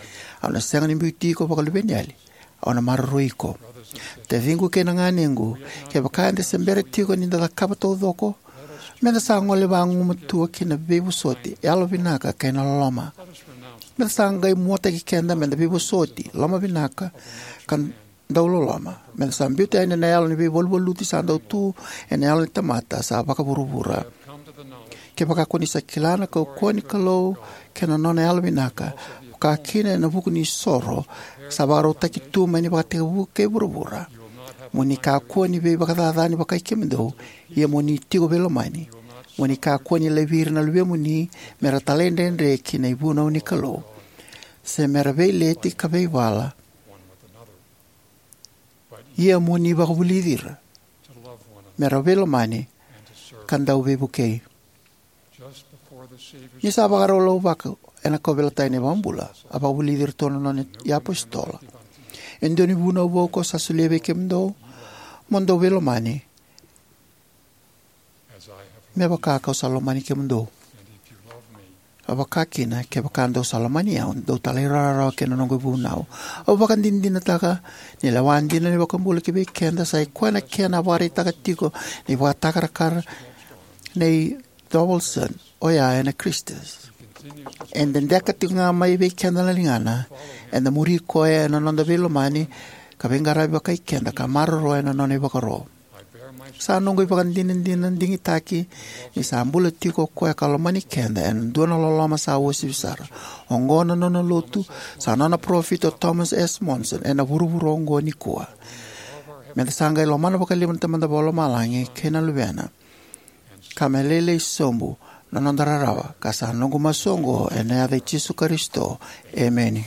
Au na sega ni biuti iko vakaluveniyali. Au na maroroi iko. Taciqu kei na ganequ, kevaka eda se bera tiko ni da cakava taucoko, meda sa gole vagumatua ki na veivosoti, yalovinaka kei na loloma. Meda sa qai muataki keda meda veivosoti, lomavinaka, ka dauloloma. Meda sa biuta yani na yalo ni veivaluvaluti sa dau tu ena yalo ni tamata sa vakavuravura. Kevaka ko ni sa kila na kaukauwa ni Kalou kei na nona yalovinaka, vaka kina ena vuku ni soro sa vakarautaki tu mai na ivakatekivu kei vuravura, mo ni kakua ni veivakacacani vakai kemudou, ia mo ni tiko veilomani. Mo ni kakua ni laivi ira na luvemuni mera talaidredre ki na ivunau ni Kalou, se mera veileti ka veivala. Ia mo ni vakavulici ira mera veilomani ka dauveivukei. Ni sa vakarau lauvako ena kauveilatai ni iVakabula, a vakavulici iratou na nona iapositolo: E dua ni vunau vou kau sa solia vei kemudou, mo dou veilomani, me vaka kau sa lomani kemudou. A vaka kina, kevaka dou sa lomani au, dou talairawarawa ki na noqu ivunau. Au vakadinadinataka ni lewa dina ni iVakabula kivei keda sa i koya na kena a vakaraitaka tiko na ivakatakarakara nei Thorvaldsen, oya ena Christus. E dedeka tiko ga mai vei keda na ligana. Eda muri koya ena noda veilomani ka veiqaravi vakai keda ka maroroya na nona ivakaro. Sa noqu ivakadinadina digitaki ni sa bula tiko o koya ka lomani keda ena dua na loloma sa uasivi sara. Oqo na nona lotu, sa nona parofita o Thomas S. Monson ena vuravura oqo nikua. Meda sa qai lomana vakalevu na Tamada Vakalomalagi kei na Luvena, ka me lailai sobu na noda rarawa. Ka sa noqu masu oqo ena yaca i Jisu Karisito, emeni.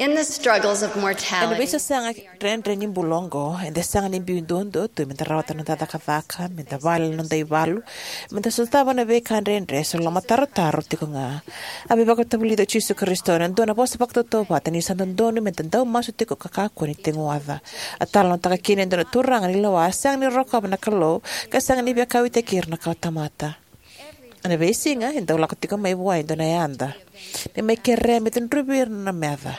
In the struggles of mortality, ena veisasaga dredre ni bula oqo, eda sega ni biu duadua tu meda rawata na noda cakacaka, meda vale na noda ivalu, meda sotava na veika dredre se lomatarotaro tiko ga. A veivakavulici o Jisu Karisito ena dua na vosa vakatautauvata ni sa dodonu meda dau masu tiko ka kakua ni teguaca. A talanoataka kina e dua na turaga ni lewa a sega ni rokova na Kalou ka sega ni via kauwaitaki ira na kawatamata. Ena veisiga e dau lako tiko mai vua e dua na yada me mai kerea me cudruvi ira na nona meca.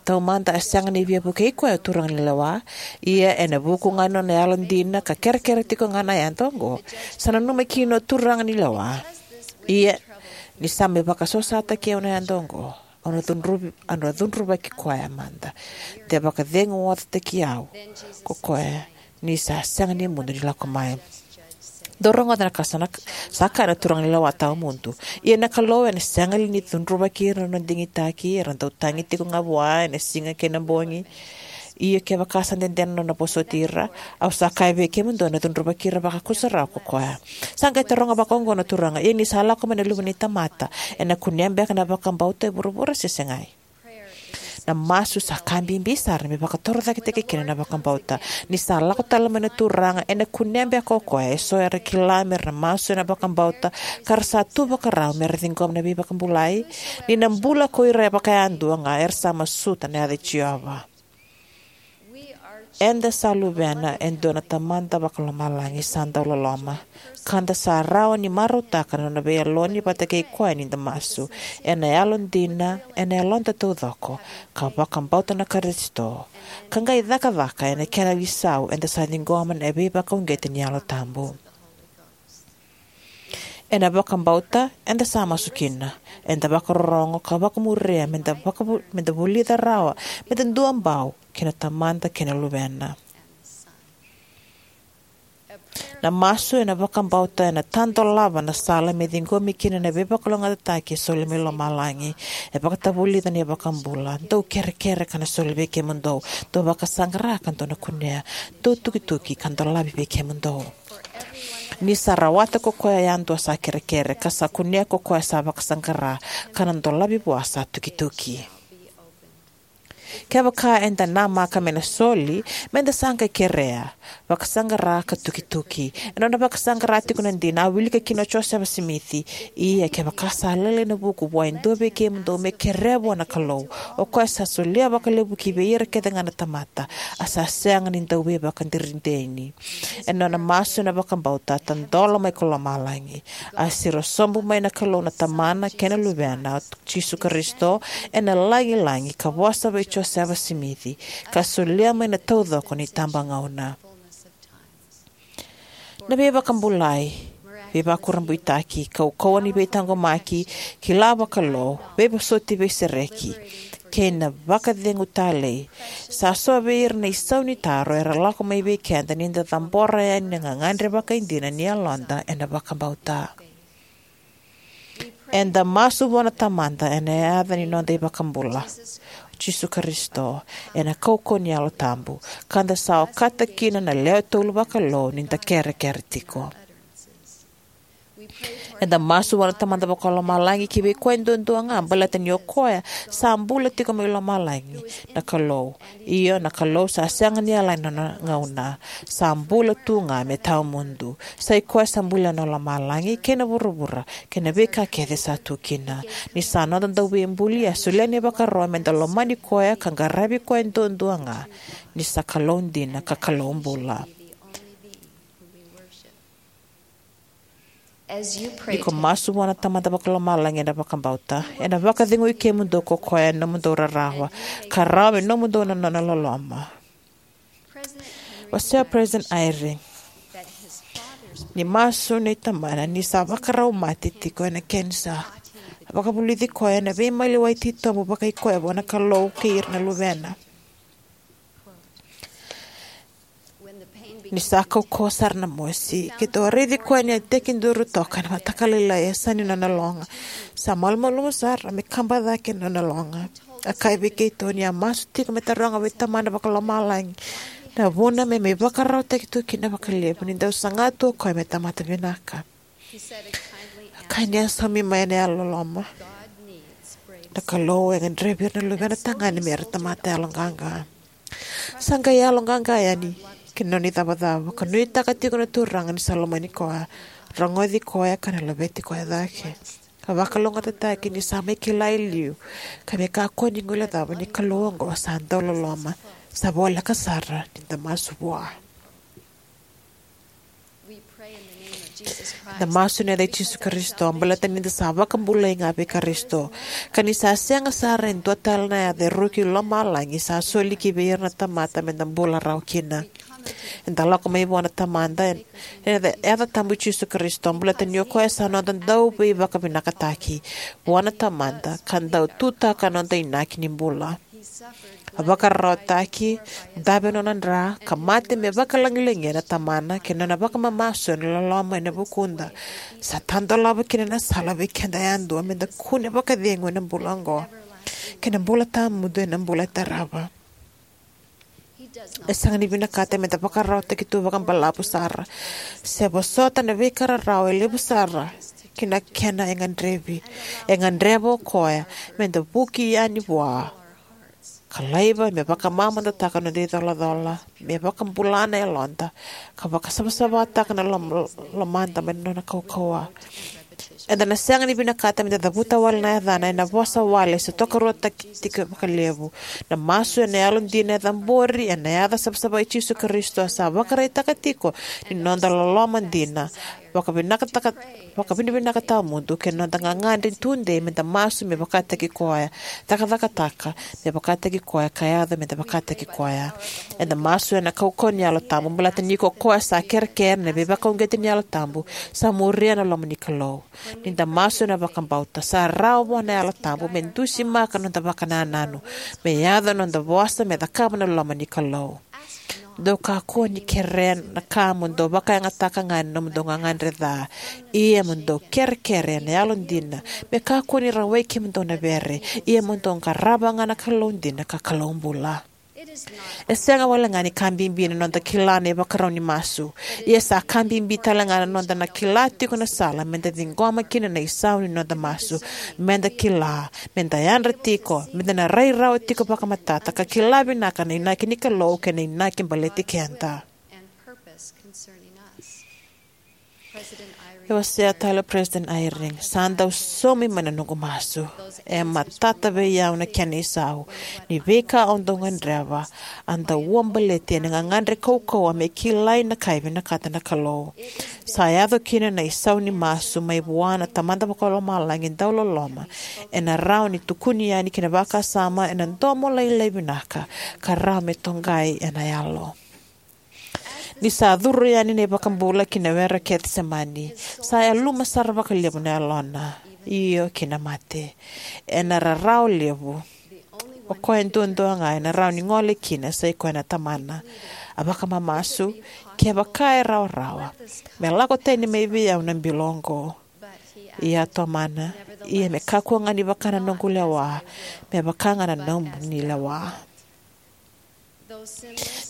Taumada a sega ni via vukei koya o turaga ni lewa, ia ena vuku ga ni nona yalodina ka kerekere tiko ga na yada oqo, sa nanuma kina o turaga ni lewa. Ia ni sa mai vakasosataki au na yada oqo, au na cudruvi, au na cudruvaki koya mada, de vakaceguocataki au ko koya, ni sa sega ni mudu ni lako mai. Dou rogoca na ka sa na, sa kaya na turaga ni lewa tawamudu: Ia na Kalou ena sega li ni cudruvaki ira na nona digitaki, era dau tagi tiko ga vua ena siga kei na bogi? Ia kevaka sa dede na nona vosoti ira, au sa kaya vei kemudou, ena cudruvaki ira vakakusarawa ko koya. Sa qai taroga vakaoqo na turaga: Ia ni sa lako mai na Luve ni tamata, ena kunea beka na vakabauta e vuravura se segai? Na masu sa ka bibi sara me vakatorocaketaki kina na vakabauta. Ni sa lako tale mai na turaga, ena kunea beka o koya eso era kila mera masu ena vakabauta, ka ra sa tu vakarau mera ciqoma na veivakabulai? Ni na bula ko ira vakayadua ga era sa masuta na yaca i Jiova. Eda sa luvena e dua na Tamada Vakalomalagi sa dau loloma, ka da sa rawa ni marautaka na nona veiyaloni vata kei koya ni da masu ena yalodina, ena yaloda taucoko, ka vakabauta na Karisito, ka qai cakacaka ena kena isau eda sa ciqoma na veivakauqeti ni Yalo Tabu. Ena vakabauta eda sa masu kina. Eda vakarorogo ka vakamuria meda, vakavu, meda vulica rawa meda duabau kei na Tamada kei na Luvena. Na masu ena vakabauta ena tadolava na sala me ciqomi kina na veivakalougatataki e soli mai lomalagi. E vakatavulica na iVakabula: Dou kerekere ka na soli vei kemudou. Dou vakasaqara ka dou na kunea. Dou tukituki ka dolavi vei kemudou. Ni sa rawata ko koya yadua sa kerekere, ka sa kunea ko koya sa vakasaqara, ka na dolavi vua sa tukituki. Kevaka eda namaka me na soli, meda sa qai kerea, vakasaqara ka tukituki. Ena nona vakasaqara tiko na dina, a wilika kina o Josefa Simici: Ia kevaka sa lailai na vuku vua e dua vei kemudou, me kerea vua na Kalou, o koya sa solia vakalevu ki vei ira kece ga na tamata, a sa sega ni dau veivakadinadina. Ena nona masu ena vakabauta, a tadola mai ko lomalagi. A siro sobu mai na Kalou na Tamana kei na Luvena, o Jisu Karisito, ena lagilagi ka vosa vei Josefa Simici, ka solia mai na taucoko ni itabagauna. Na veivakabulai, veivakurabuitaki, kaukauwa ni veitaqomaki, kila vakalou, veivosoti veisereki, kei na vakacegu talei, sa so vei ira na isau ni taro era lako mai vei keda ni da cabora yani na gagadre vakaidina ni yaloda ena vakabauta. Eda masu vua na Tamada ena yaca ni noda iVakabula, o Jisu Karisito, ena kaukauwa ni Yalo Tabu, ka da sa okata kina na lewe tolu vakalou ni da kerekere tiko. Eda masu vua na Tamada Vakalomalagi ki vei koya duadua ga, baleta ni o koya sa bula tiko mai lomalagi, na Kalou. Io, na Kalou sa sega ni yalani nona gauna. Sa bula tu ga me tawamudu. Sa i koya sa bulia na lomalagi kei na vuravura kei na veika kece sa tu kina. Ni sa noda Dauveibuli, a solia na ivakaro meda lomani koya ka qaravi koya duadua ga, ni sa Kalou dina ka Kalou bula. Ni ko masu vua na Tamada Vakalomalagi ena vakabauta, ena vakacegui kemudou ko koya ena nomudou rarawa, ka rawa me nomudou na nona loloma. Wasea o President Eyring ni masu nei tamana ni sa vakarau mate tiko ena kenisa. A vakavulici koya ena veimaliwai titobu vakaikoya vua na Kalou kei ira na luvena. Ni sa kaukauwa sara na mosi, keitou a raici koya ni a tekiduru toka ena mataka lailai e yasa ni nona loga. Sa malumalumu sara me kaba cake na nona loga. A kaya vei keitou ni a masu tiko me taroga vei Tamana Vakalomalagi na vuna me mai vakararawataki tu kina vakalevu ni dau saga tu o koya me tamata vinaka. A kaya ni a saumi mai ena yalololoma, na Kalou e gadrevi ira na luvena tagane me ra tamata yaloqaqa. Sa qai yaloqaqa yani ki na nona icavacava, ka nuitaka tiko na Turaga ni sa lomani koya, rogoci koya ka na laveti koya cake. Ka vakalougatataki ni sa mai kila e liu, ka me kakua ni guilecava ni Kalou oqo sa dauloloma, sa voleka sara ni da masu vua. Da masu ena yaca i Jisu Karisito, baleta ni da sa vakabulai ga vei Karisito. Ka ni sa sega sara e dua tale na yaca e ruki lomalagi sa soli ki vei ira na tamata me da bula rawa kina. Eda lako mai vua na Tamada ena yaca tabu i Jisu Karisito, baleta ni o koya sa noda dauveivakavinakataki vua na Tamada, ka dau tutaka na noda inaki ni bula. A vakararawataki, dave nona dra, ka mate me vakalagilagia na Tamana kei na nona vakamamasu ena loloma ena vukuda. Sa tadolava kina na sala vei keda yadua me da kune vakacegu ena bula oqo kei na bula tawamudu ena bula e tarava. E sega ni vinakata me da vakararawataki tu vakabalavu sara se vosota na veika rarawa e levu sara ki na kena e gadrevi. E gadreva o koya me da vuki yani vua, ka laiva me vakamamadataka na noda icolacola, me vakabula na yaloda, ka vakasavasavataka na lom-, lomada mai na nona kaukauwa. Eda na sega ni vinakata me da cavuta wale na yacana ena vosa wale se tokaruataki tiko vakalevu. Na masu ena yalodina e cabori ena yaca savasava i Jisu Karisito sa vakaraitaka tiko ni noda loloma dina, vakavinakataka, vakavinavinaka tawamudu kei na noda gagadre tudei me da masu me vakataki koya, cakacakataka me vakataki koya, ka yaco me da vakataki koya. Eda masu ena kaukauwa ni Yalo Tabu, baleta ni ko koya sa kerekere ena veivakauqeti ni Yalo Tabu sa muria na loma ni Kalou. Ni da masu ena vakabauta, sa rawa vua na Yalo Tabu me dusimaka na noda vakanananu, me yaco na noda vosa, me cakava na loma ni Kalou. Dou kakua ni kerea na ka mo dou vakayagataka ga ena nomudou gagadre ca. Ia mo dou kerekere ena yalodina, me kakua ni rawai kemudou na vere. Ia mo dou qarava ga na Kalou dina ka Kalou bula. E sega walega ni ka bibi na noda kila na ivakarau ni masu. Ia sa ka bibi talega na noda na kila tiko na sala meda ciqoma kina na isau ni noda masu. Meda kila, meda yadra tiko, meda na rai rawa tiko vakamatata ka kila vinaka na inaki ni Kalou kei na inaki baleti keda. E wasea tale o President Eyring, sa dau saumi mai na noqu masu. E matata vei au na kena isau ni veika au dau gadreva a dau ua baleti ena gagadre kaukauwa me kilai na ka e vinakata na Kalou. Sa yaco kina na isau ni masu mai vua na Tamada Vakalomalagi dau loloma, ena rawa ni tukuni yani ki na vakasama ena domo lailai vinaka ka rawa me toqai ena yalo. Ni sa curu yani na iVakabula ki na Were o Kecisemani, sa yaluma sara vakalevu na yalona, io ki na mate. Ena rarawa levu, o koya duadua ga ena rawa ni gole kina sa i koya na Tamana. A vakamamasu, kevaka e rawarawa, me lako tani mai vei au na bilo oqo. Ia a tomana, ia me kakua ga ni vaka na noqu lewa, me vaka ga na nomuni lewa.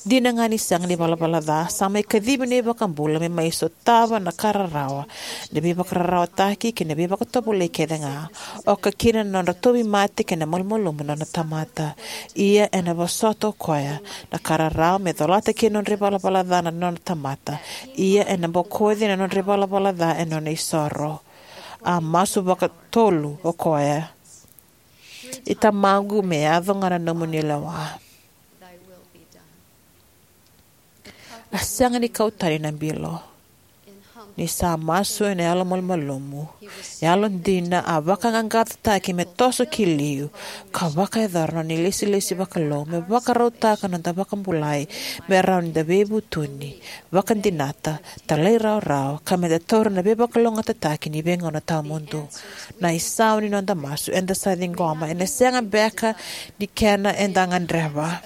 Dina ga ni sega ni valavala ca, sa mai kacivi na iVakabula me mai sotava na ka rarawa, na veivakararawataki kei na veivakatovolei kece ga, oka kina na nodra tauvimate kei na malumalumu na nona tamata. Ia ena vosota o koya na ka rarawa me colata kina na nodra ivalavala ca na nona tamata. Ia ena bokoci na nodra ivalavala ca ena nona isoro. A masu vakatolu o koya: I Tamaqu, me yaco ga na nomuni lewa. A sega ni kau tani na bilo. Ni sa masu ena yalomalumalumu, yalodina, a vakaqaqacotaki me toso ki liu, ka vakayacora na nona ilesilesi vakalou me vakarautaka na noda vakabulai, me rawa ni da veivutuni, vakadinata, talairawarawa, ka meda taura na veivakalougatataki ni veigauna tawamudu. Na isau ni noda masu eda sa ciqoma ena sega beka ni kena eda gadreva.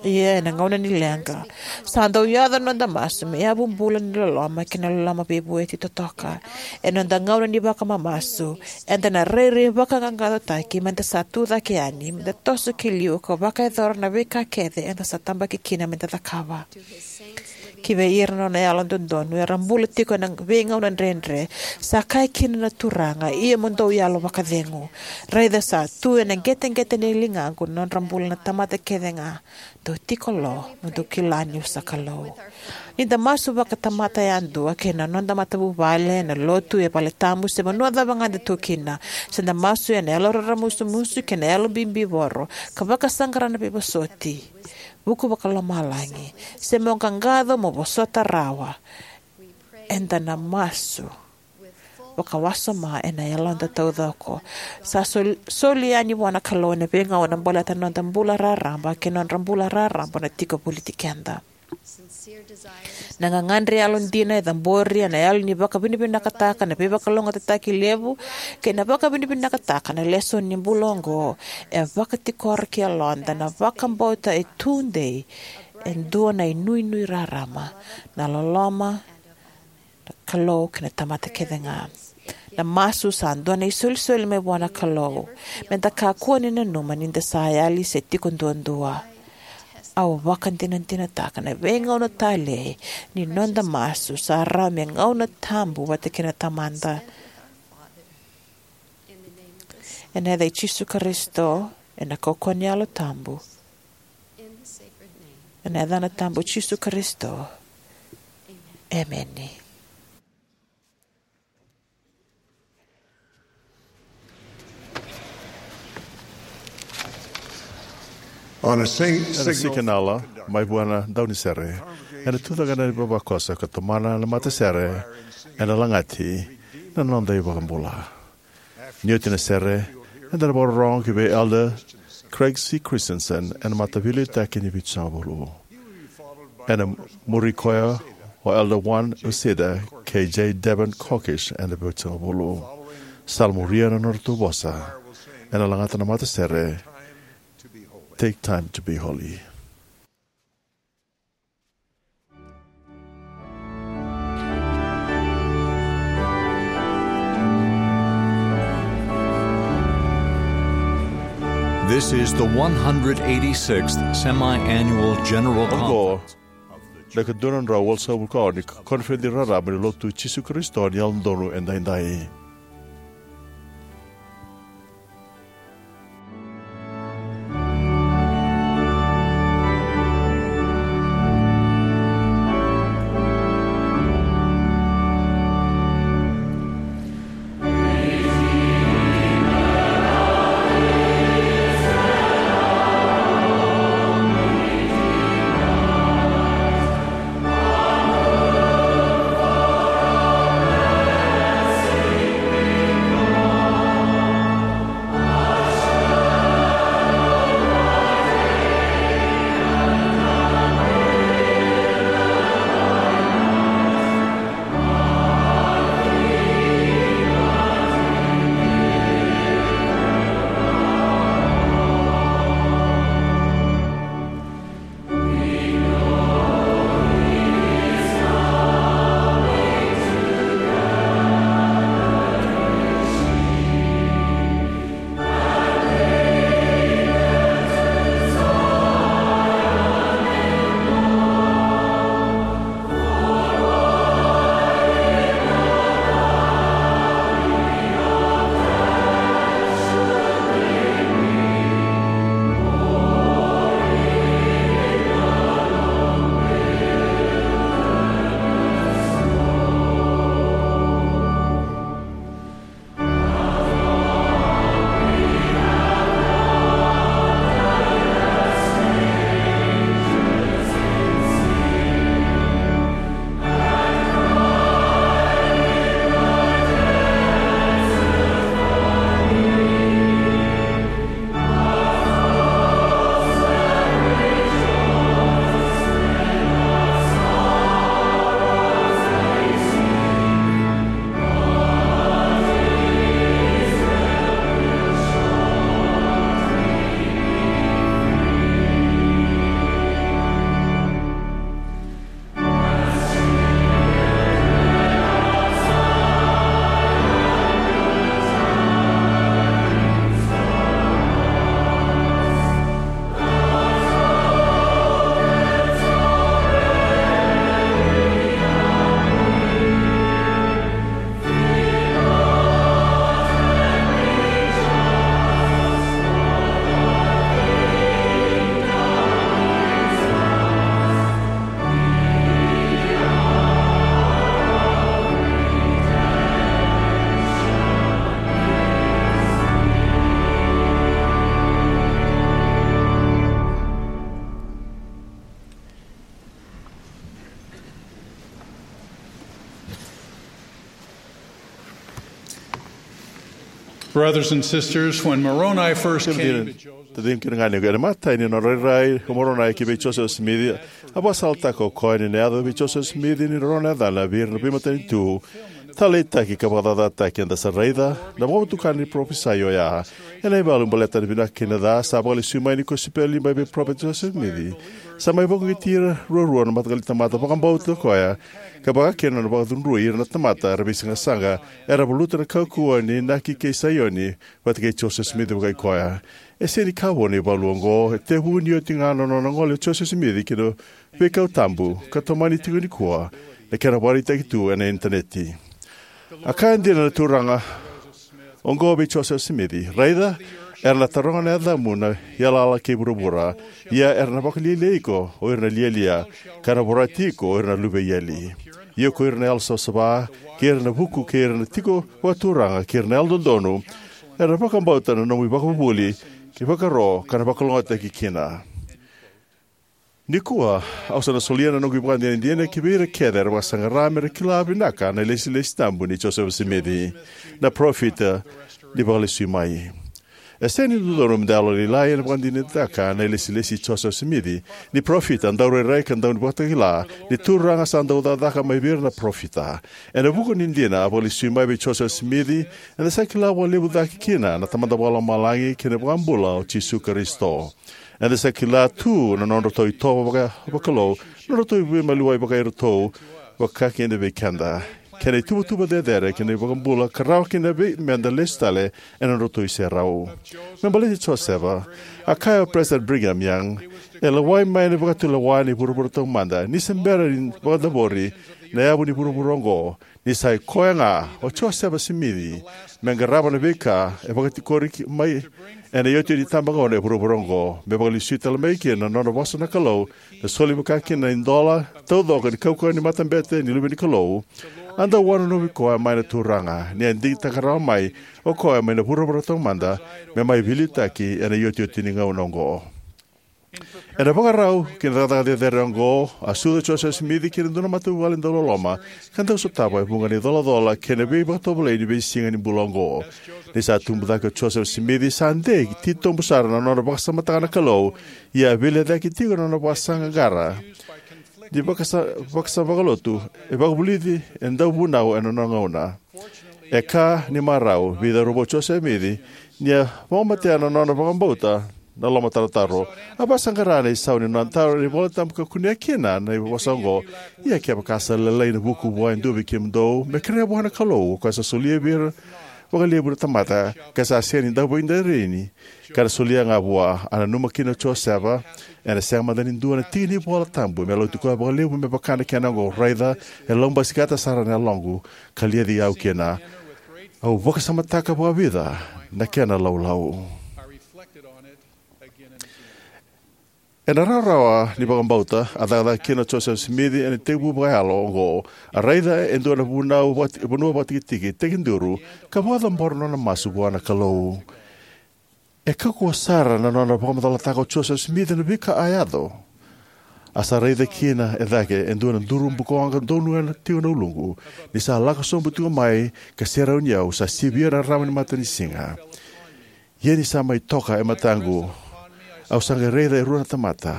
Ia ena gauna ni leqa, sa dau yaco na noda masu me yavu bula ni loloma kei na loloma veivueti totoka. Ena noda gauna ni vakamamasu, eda na rairai vakaqaqacotaki meda sa tu cake yani, meda toso ki liu ka vakayacora na veika kece eda sa tabaki kina meda cakava. Ki vei ira na nona yalododonu era bula tiko ena veigauna dredre, sa kaya kina na Turaga: Ia mo dou yalo vakacegu. Raica sa tu ena qeteqete ni ligaqu na nodra bula na tamata kece ga. Dou tiko lo, mo dou kila niu sa Kalou. Ni da masu vakatamata yadua kei na noda matavuvale, na lotu, e valetabu, se vanua cava ga da tu kina, se da masu ena yalo raramusumusu kei na yalo bibivoro, ka vakasaqara na veivosoti vuku vakalomalagi, se mo qaqaco mo vosota rawa, eda na masu vakawasoma ena yaloda taucoko. Sa sol-, soli yani vua na Kalou ena veigauna baleta na noda bula raraba kei na nodra bula raraba na tiko voliti keda. Na gagadre yalodina e cabori ena yalo ni vakavinavinakataka na veivakalougatataki levu kei na vakavinavinakataka na lesoni ni bula oqo e vakatikora ki yaloda na vakabauta e tudei e dua na inuinui rarama, na loloma, na Kalou kei na tamata kece ga. Na masu sa dua na isolisoli mai vua na Kalou. Meda kakua ni nanuma ni da sa yali se tiko duadua. Au vakadinadinataka na veigauna talei ni noda masu sa rawa me gauna tabu vata kei na Tamada. Ena yaca i Jisu Karisito, ena kaukauwa ni Yalo Tabu, ena yacana tabu Jisu Karisito. Emeni. On a sing-, Ena signal sikanala mai vua na daunisere, ena tucake na ivavakoso ka tomana na matasere ena lagati na noda iVakabula. Ni oti na sere, eda na vakarorogo ki vei Elder Craig C. Christensen ena mataveiliutaki ni Vitusagavulu. Ena muri koya o Elder Juan Uceda kei J. Devin Kokish ena Vitusagavulu. Sa muria na nodratou vosa. Ena lagata na matasere. Take time to be holy. This is the one hundred eighty-sixth Semi-Annual General Conference. Na ikaduadrau walusagavulu ka ono ni koniferedi raraba ni Lotu i Jisu Karisito ni Yalododonu Edaidai. Brothers and sisters, when Moroni first came to Joseph, taciqu kei na ganequ, ena imatai ni nona rairai o Moronai ki vei Josefa Simici, a vakasalataka o koya ni na yaco vei Josefa Simici ni nona yacana vei ira na veimatanitu. Taleitaki ka vakacacataki. Eda sa raica na vakavotukana ni parofisai oya ena ivalu baleta na vinaka kei na ca sa vakalesui mai ni kosipeli mai vei Parofita Josefa Simici. Sa mai vakauqeti ira ruarua na mataqali tamata vakabauta o koya, ka vaka kina na nona vakacudrui ira na tamata era veisaqasaqa era valuta na kaukauwa ni inaki kei Saioni vata kei Josefa Simici vakai koya. E sega ni ka vou na ivalu oqo, e tekivu ni oti ga na nona gole o Josefa Simici ki na veikau tabu, ka tomani tiko nikua na kena vakaraitaki tu ena initaneti. A kaya dina na Turaga oqo vei Josefa Simici: Raica, era na taroga na yacamu na iyalayala kei vuravura, ia era na vakalialiai iko o ira na lialia, ka na vorati iko o ira na luve i eli. Ia ko ira na yalosavasava, kei ira na vuku, kei ira na tiko vakaturaga, kei ira na yalododonu, era na vakabauta na nomu ivakavuvuli kei ivakaro, ka na vakalougatataki kina. Nikua au sa na solia na noqu ivakadinadina ki vei ira kece era vakasaqara me ra kila vinaka na ilesilesi tabu nei Josefa Simici, na parofita ni Vakalesui Mai. E sega ni dodonu me da yalolailai ena vakadinadinataka na ilesilesi i Josefa Simici ni parofita, daurairai, ka dauvakatakila ni Turaga sa dau cakacaka mai vei ira na parofita. Ena vuku ni dina a vakalesui mai vei Josefa Simici, eda sa kila vakalevu cake kina na Tamada Vakalomalagi kei na iVakabula o Jisu Karisito. Eda sa kila tu na nodratou itovo vaka, vakalou, nodratou veimaliwai vakairatou, vaka kina vei keda, kei na ituvatuva cecere kei na iVakabula ka rawa kina vei meda lesu tale ena nodratou iserau. Me baleti Josefa, a kaya o Peresitedi Brigham Young, e lewai mai na vakatulewa ni vuravura taumada ni se bera ni vakacavori na yavu ni vuravura oqo, ni sa i koya ga o Josefa Simici me qarava na veika e vakatikori ki- mai ena iotioti ni itabagauna e vuravura oqo, me vakalesui tale mai kina na nona vosa na Kalou, na soli vaka kina na idola taucoko ni kaukauwa ni matabete ni Luve ni Kalou. A dau wanonovi koya mai na Turaga ni a digitaka rawa mai o koya mai na vuravura taumada me mai veiliutaki ena iotioti ni gauna oqo. Ena ivakarau ki na cakacaka cecere oqo, a sucu o Josefa Simici ki na dua na matavuvale dauloloma ka dau sotava e vuqa na icolacola kei na veivakatovolei ni veisiga ni bula oqo. Ni sa tubu cake o Josefa Simici, sa dei titobu sara na nona vakasamataka na Kalou, ia a veilecayaki tiko na nona vakasaqaqara ni vakasa, vakasama vakalotu e vakavulici e dauvunau ena nona gauna. E ka ni marau, veicauravou o Josefa Simici, ni a vakamatea na nona vakabauta na lomatarotaro. A vakasaqara na isau ni nona taro ena iVolatabu ka kunea kina na vosa oqo: Ia kevaka sa lailai na vuku vua e dua vei kemudou, me kerea vua na Kalou, o koya sa solia vei ira vakalevu na tamata, ka sa sega ni dau veidreireini, ka na solia ga vua. A nanuma kina o Josefa, ena sega mada ni dua na tiki ni iVolatabu me lauti koya vakalevu me vaka na kena oqo: Raica, e laubasikata sara na yaloqu, ka liaci au kina. Au vakasamataka vakavica na kena laulau. Ena rawarawa ni vakabauta a cakacaka kina o Josefa Simici ena itekivu vakayalo oqo, a raica e dua na vunau vakati, vanua vakatikitiki tekiduru, ka vakacabora na nona masu vua na Kalou. E kaukauwa sara na nona vakamacalataka o Josefa Simici na veika a yaco. A sa raica kina e cake e dua na duru bukawaqa donuya tiko na uluqu, ni sa lako sobu tiko mai ka serauni au, sa sivia na rarama ni matanisiga. Ia ni sa mai toka e mataqu, au sa qai raica e rua na tamata,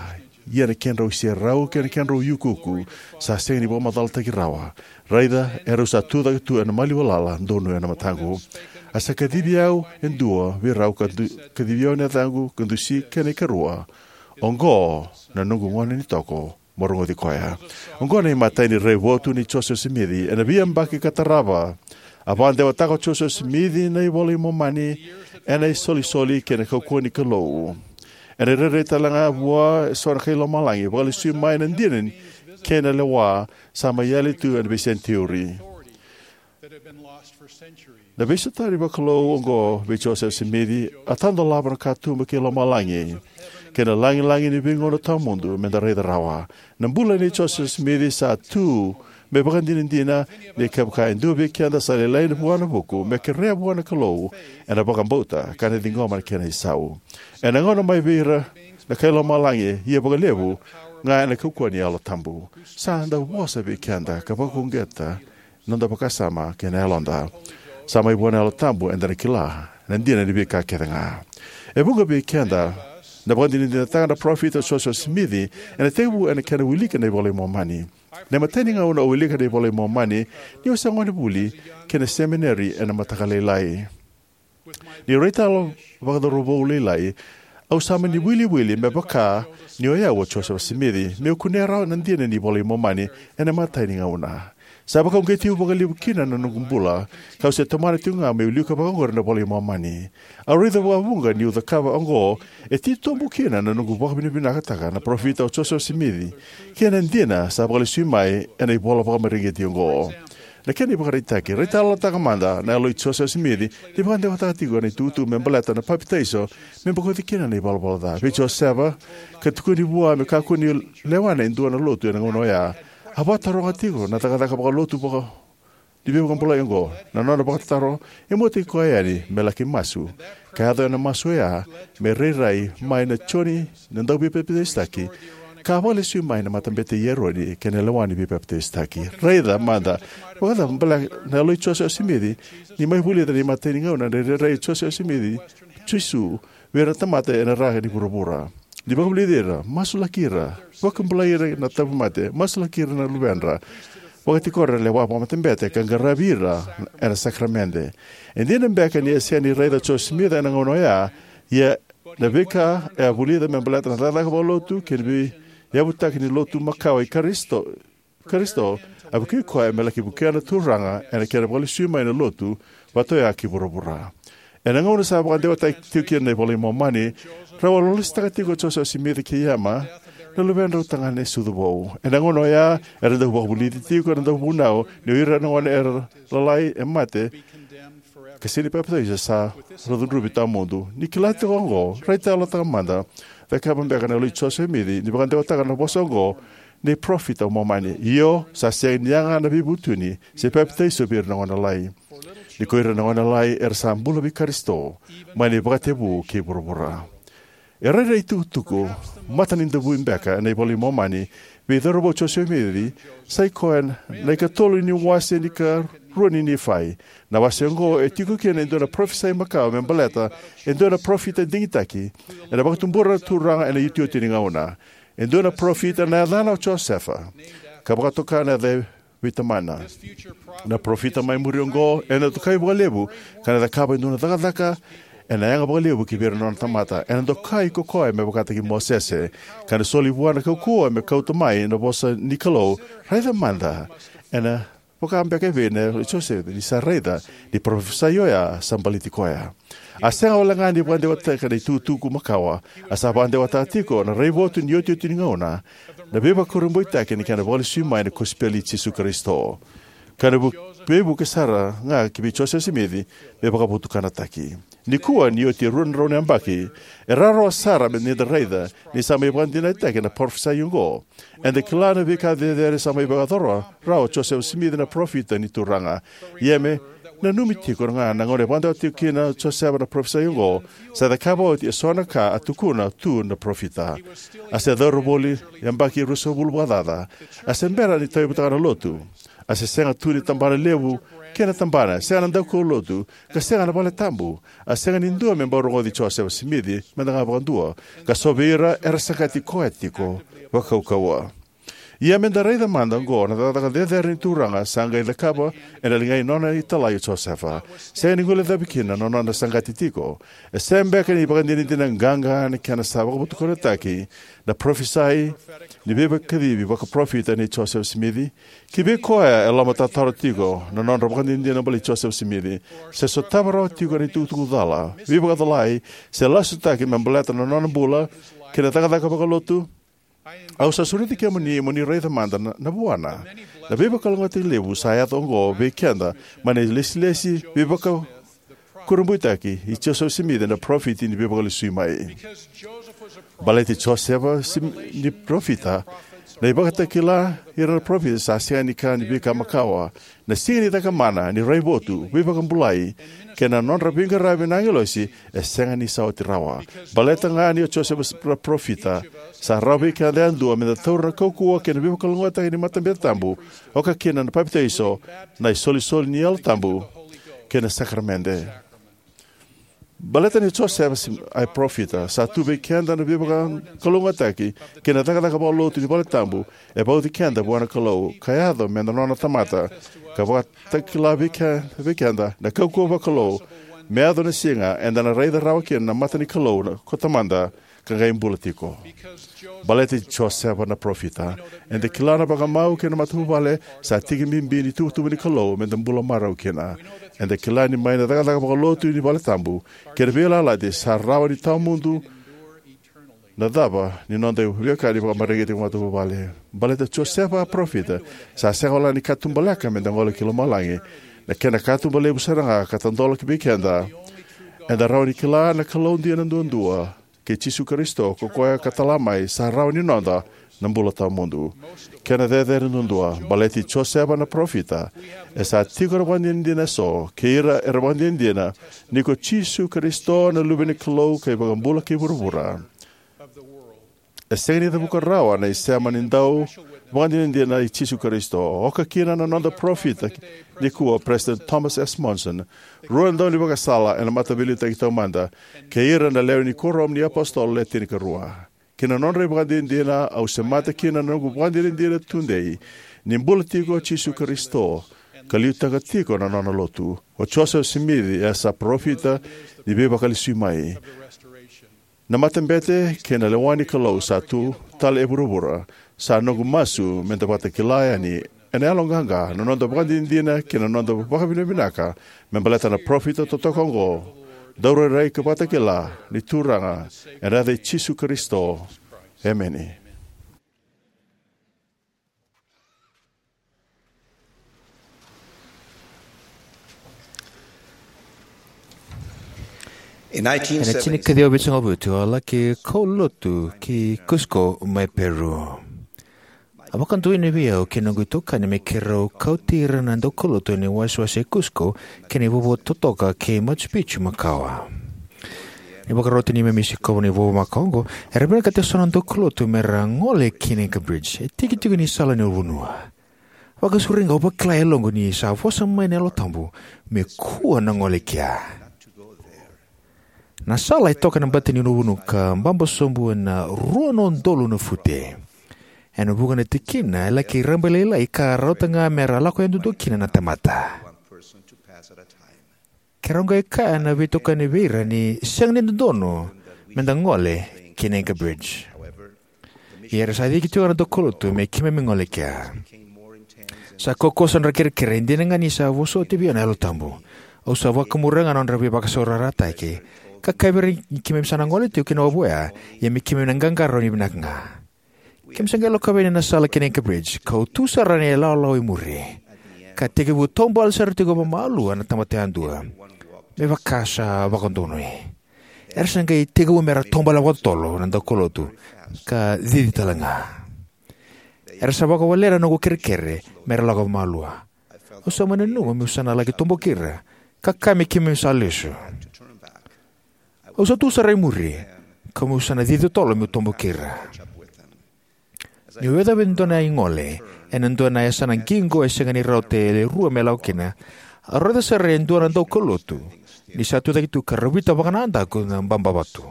ia na kedrau iserau kei na kedrau iukuuku sa sega ni vakamacalataki rawa. Raica, erau sa tu cake tu ena maliwa lala donuya na mataqu. A sa kacivi au e dua vei rau, ka du, kacivi au na yacaqu, ka dusi kei na ikarua: Oqo na noqu gone ni toko, mo rogoci koya. Oqo na imatai ni raivotu nei Josefa Simici ena veiyabaki ka tarava. A vakadewataka o Josefa Simici na iVola i Momani ena isolisoli kei na kaukauwa ni Kalou. Ena irairai tale ga vua eso na kai lomalagi, vakalesui mai na dina kei na lewa sa mai yali tu ena veisenitiuri. Na veisotavi vakalou oqo vei Josefa Simici a tadolava na katuba kei lomalagi kei na lagilagi ni veigauna tawamudu me da raica rawa. Na bula nei Josefa Simici sa tu me vakadinadina ni kevaka e dua vei keda sa lailai vua na vuku, me kerea vua na Kalou ena vakabauta ka na ciqoma na kena isau. Ena gauna mai vei ira na kai lomalagi, ia vakalevu ga ena kaukauwa ni Yalo Tabu, sa dau vosa vei keda ka vakauqeta na noda vakasama kei na yaloda. Sa mai vua na Yalo Tabu eda na kila na dina ni veika kece ga. E vuqa vei keda na vakadinadinataka na parofita o Josefa Simici ena tekivu ena kena wiliki na iVola i Momani. Na imatai ni gauna au wilika na iVola i Momani, niu se gonevuli ki na semineri ena mataka lailai. Niu raitayalo vakacauravou lailai, au sa mani wiliwili me vaka ni o yau o Josefa Simici, meu kunea rawa na dina ni iVola i Momani ena imatai ni gauna. Sa vakauqeti au vakalevu kina na noqu bula, kau se tomana tiko ga meu wilika vakaoqori na iVola i Momani. Au raica vakavuqa niu cakava oqo e titobu kina na noqu vakavinavinakataka na parofita o Josefa Simici kei na dina sa vakalesui mai ena ivola vakamareqeti oqo. Na kena ivakaraitaki, raitayalotaka mada na yalo i Josefa Simici ni vakadewataka tiko na itukutuku me baleta na papitaiso me bokoci kina na ivalavala ca. Vei Josefa, ka tukuni vua me kakua ni lewa e dua na lotu ena gauna oya, a vakataroga tiko na cakacaka vakalotu vaka ni veivakabulai oqo. Na nona vakatataro, e muataki koya yani me laki masu, ka yaco ena masu oya me rairai mai na Joni na Dauveipapitaisotaki, ka vakalesui mai na matabete i Eroni kei na lewa ni veipapitaisotaki. Raica mada vakacava baleta na yalo i Josefa Simici ni mai vulica na imatai ni gauna na irairai i Josefa Simici, Jisu vei ira na tamata ena ra ni vuravura. Ni vakavulici ira, masulaki ira, vakabulai ira na tauvimate, masulaki ira na luvedra, vakatiko ira na lewa vakamatabete, ka qaravi ira ena sakaramede. E dina beka ni a sega ni raica o Josefa Simici ena gauna oya, ia na veika e a vulica me baleta na cakacaka vakalotu kei na veiyavutaki ni lotu makawa i Karisito, Karisito, a vukei koya me laki vukea na Turaga ena kena vakalesui mai na lotu vata oya ki vuravura. Ena gauna sa vakadewataki tiko kina na iVola i Momani, rau a lolositaka tiko o Josefa Simici kei Ema, na luvedrau tagane sucu vou. Ena gauna oya, era dau vakavulici tiko na dauvunau ni o ira na gone era lalai e mate, ka sega ni papitaiso sa ra cudruvi tawamudu. Ni kila tiko oqo, raica yalotaka mada, cakava beka na yalo i Josefa Simici ni vakadewataka na vosa oqo ni parofita o Momani: Io, sa sega ni yaga na veivutuni se papitaiso vei ira na gone lalai. Ni ko ira na gone lalai era sa bula vei Karisito, mai na ivakatekivu kei vuravura. E rairai tukutuku matanidavui beka ena iVola i Momani vei cauravou o Josefa Simici, sa i koya na ikatolu ni wase ni karua ni Nifai. Na wase oqo e tiko kina e dua na parofisai makawa me baleta e dua na parofita digitaki ena vakatubura na Turaga ena iotioti ni gauna. E dua na parofita na yacana o Josefa, ka vakatoka na yaca vei tamana. Na parofita mai muri oqo ena dokai vakalevu ka na cakava e dua na cakacaka ena yaga vakalevu ki vei ira na nona tamata. Ena dokai ko koya me vakataki Mosese, ka na soli vua na kaukauwa me kauta mai na vosa ni Kalou. Raica mada, ena vaka beka e vei na yalo i Josefa ni sa raica ni parofisai oya sa baleti koya. A sega wale ga ni vakadewataka na itukutuku makawa, a sa vakadewataka tiko na raivotu ni iotioti ni gauna, na veivakurabuitaki ni kena vakalesui mai na kosipeli i Jisu Karisito, ka na vu-, veivuke sara ga ki vei Josefa Simici me vakavotukanataki. Nikua, ni oti e rua na drau na yabaki, e rawarawa sara me ni da raica ni sa mai vakadinadinataki na parofisai oqo. Eda kila na veika cecere sa mai vakayacora rawa o Josefa Simici na parofita ni Turaga. Ia me nanumi tiko ga na gauna e vakadewataka tiko kina o Josefa na parofisai oqo, sa cakava oti eso na ka a tukuna tu na parofita. A se cauravou yabaki ruasagavulu vakacaca. A se bera ni tauyavutaka na lotu. A se sega tu ni tabana levu kei na tabana, sega na daukaulotu, ka sega na valetabu. A sega ni dua me bau rogoci Josefa Simici, meda ga vakadua, ka so vei ira era saqati koya tiko vakaukauwa. Ia meda raica mada oqo na cakacaka cecere ni Turaga sa qai cakava ena ligai nona italai o Josefa. Sega ni guilecavi kina na nona saqati tiko. E sega beka ni vakadinadina qaqa na kena sa vakavotukanataki na parofisai ni veivakacivi vakaparofita nei Josefa Simici? Ki vei koya e lomatarotaro tiko na nodra vakadinadina balei Josefa Simici, se sotava rawa tiko na itukutuku cala, veivakacalai, se lasutaki me baleta na nona bula kei na cakacaka vakalotu, au sa sureti kemuni mo ni raica mada na, na vuana. Na veivakalougatataki levu sa yaco oqo vei keda mai na ilesilesi veivakakurabuitaki i Josefa Simici na parofita ni Veivakalesui mai. Baleti Josefa Sim-, ni parofita, na ivakatakila ira na parofita sa sega ni ka ni veika makawa. Na siga ni cakamana, ni raivotu, veivakabulai, kei na nodra veiqaravi na agilosi, e sega ni sa oti rawa. Baleta ga ni o Josefa na parofita, sa rawa vei keda yadua meda taura na kaukauwa kei na veivakalougatataki ni matabete tabu, oka kina na papitaiso, na isolisoli ni Yalo Tabu, kei na sakaramede. Baleta ni Josefa Sim-, a parofita, sa tu vei keda na veivakalougatataki kei na cakacaka vakalotu ni valetabu e vauci keda vua na Kalou, ka yaco meda nona tamata, ka vakatakila vei ke-, vei keda na kaukauwa vakalou, me yaco na siga eda na raica rawa kina na mata ni Kalou na ko Tamada, ka qai bula tiko. Baleti Josefa na parofita, eda kila na vakamau kei na matavuvale sa tiki bibi ni tuvatuva ni Kalou meda bula marau kina. Eda kila ni mai na cakacaka vakalotu ni valetabu kei na veiyalayalati sa rawa ni tawamudu na cava ni noda veiwekani vakamareqeti vakamatavuvale. Baleta Josefa a parofita, sa sega wale ni katubaleka meda gole ki lomalagi. Na kena katuba levu sara ga ka tadola ki vei keda, eda rawa ni kila na Kalou dina duadua, kei Jisu Karisito, ko koya ka tala mai, sa rawa ni noda na bula tawamudu. Kena cecere duadua, baleti Josefa na parofita, e sa tiko na vakadinadina eso kei ira era vakadinadina ni ko Jisu Karisito na Luve ni Kalou ka iVakabula kei vuravura. E sega ni cavuka rawa na isema ni dau Vakadinadina i Jisu Karisito, oka kina na noda parofita nikua, President Thomas S. Monson, rua na daunivakasala ena Mataveiliutaki Taumada, kei ira na lewe ni Kuoramu ni iApositolo Le Tinikarua. Ki na nodra ivakadinadina, au semata kina na noqu vakadinadina tudei ni bula tiko o Jisu Karisito ka liutaka tiko na Nona Lotu. O Josefa Simici e sa parofita ni veivakalesui mai. Na matabete kei na lewa ni Kalou sa tu tale e vuravura sa noqu masu me da vakatakila yani ena yaloqaqa na noda vakadinadina kei na noda vakavinavinaka me baleta na parofita totoka oqo, Daurairai ka Vakatakila ni Turaga, ena yaca i Jisu Karisito, emeni. Ena tinikaciwa vitusagavulu ka vitu, a laki kaulotu ki Cusco mai Peru. A vakaduina vei au kei noqu itokani me keirau kauti ira na daukaulotu ena iwasewase e Cusco ki na ivovo totoka kei Machu Picchu makawa. Ni vakarau tu ni me mai sikova na ivovo makawa oqo, era vinakata eso na daukaulotu me ra gole ki na Inca Bridge, e tiki tiko ni sala ni ulunivanua. Vakasauri ga, au vakila e yaloqu ni sa vosa mai na Yalo Tabu me kua na gole kea. Na sala e toka ena bati ni ulunivanua ka baba sobu ena rua na udolu na fute. Ena vuqa na tikina e laki rabailailai ka rauta ga me ra lako yadudua kina na tamata. Keirau qai kaya na veitokani vei ira ni sega ni dodonu me da gole ki na Inca Bridge. Ia era sa ciki tiko na daukaulotu me keimami gole kea. Sa kaukauwa sara na kerekere, e dina ga ni sa vosoti vei au na Yalo Tabu. Au sa vakamuria ga na nodra veivakasaurarataki ka kaya vei ira ni keimami sa na gole tiko ki na wavoya, ia me keimami na qaqarauni vinaka ga. Keimami sa qai lakova yani na sala ki na Inca Bridge, kau tu sara ena ilawalawa i muri. Ka tekivu taubale sara tiko vakamalua na tamata yadua, me vaka sa vakadonui. Era sa qai tekivu me ra taubale vakatotolo na daukaulotu, ka cici tale ga. Era sa vakawalena na noqu kerekere me ra lako vakamalua. Au sa mai nanuma meu sa na laki toboki ira, ka kaya me keimami sa lesu. Au sa tu sara i muri, ka meu sa na cici totolo meu toboki ira. Niu yacova e dua na igole ena dua na yasana qiqo e sega ni rauta e rua me lako kina, au raica sara e dua na daukaulotu ni sa tu cake tu ka ravita vakanadaku na baba vatu.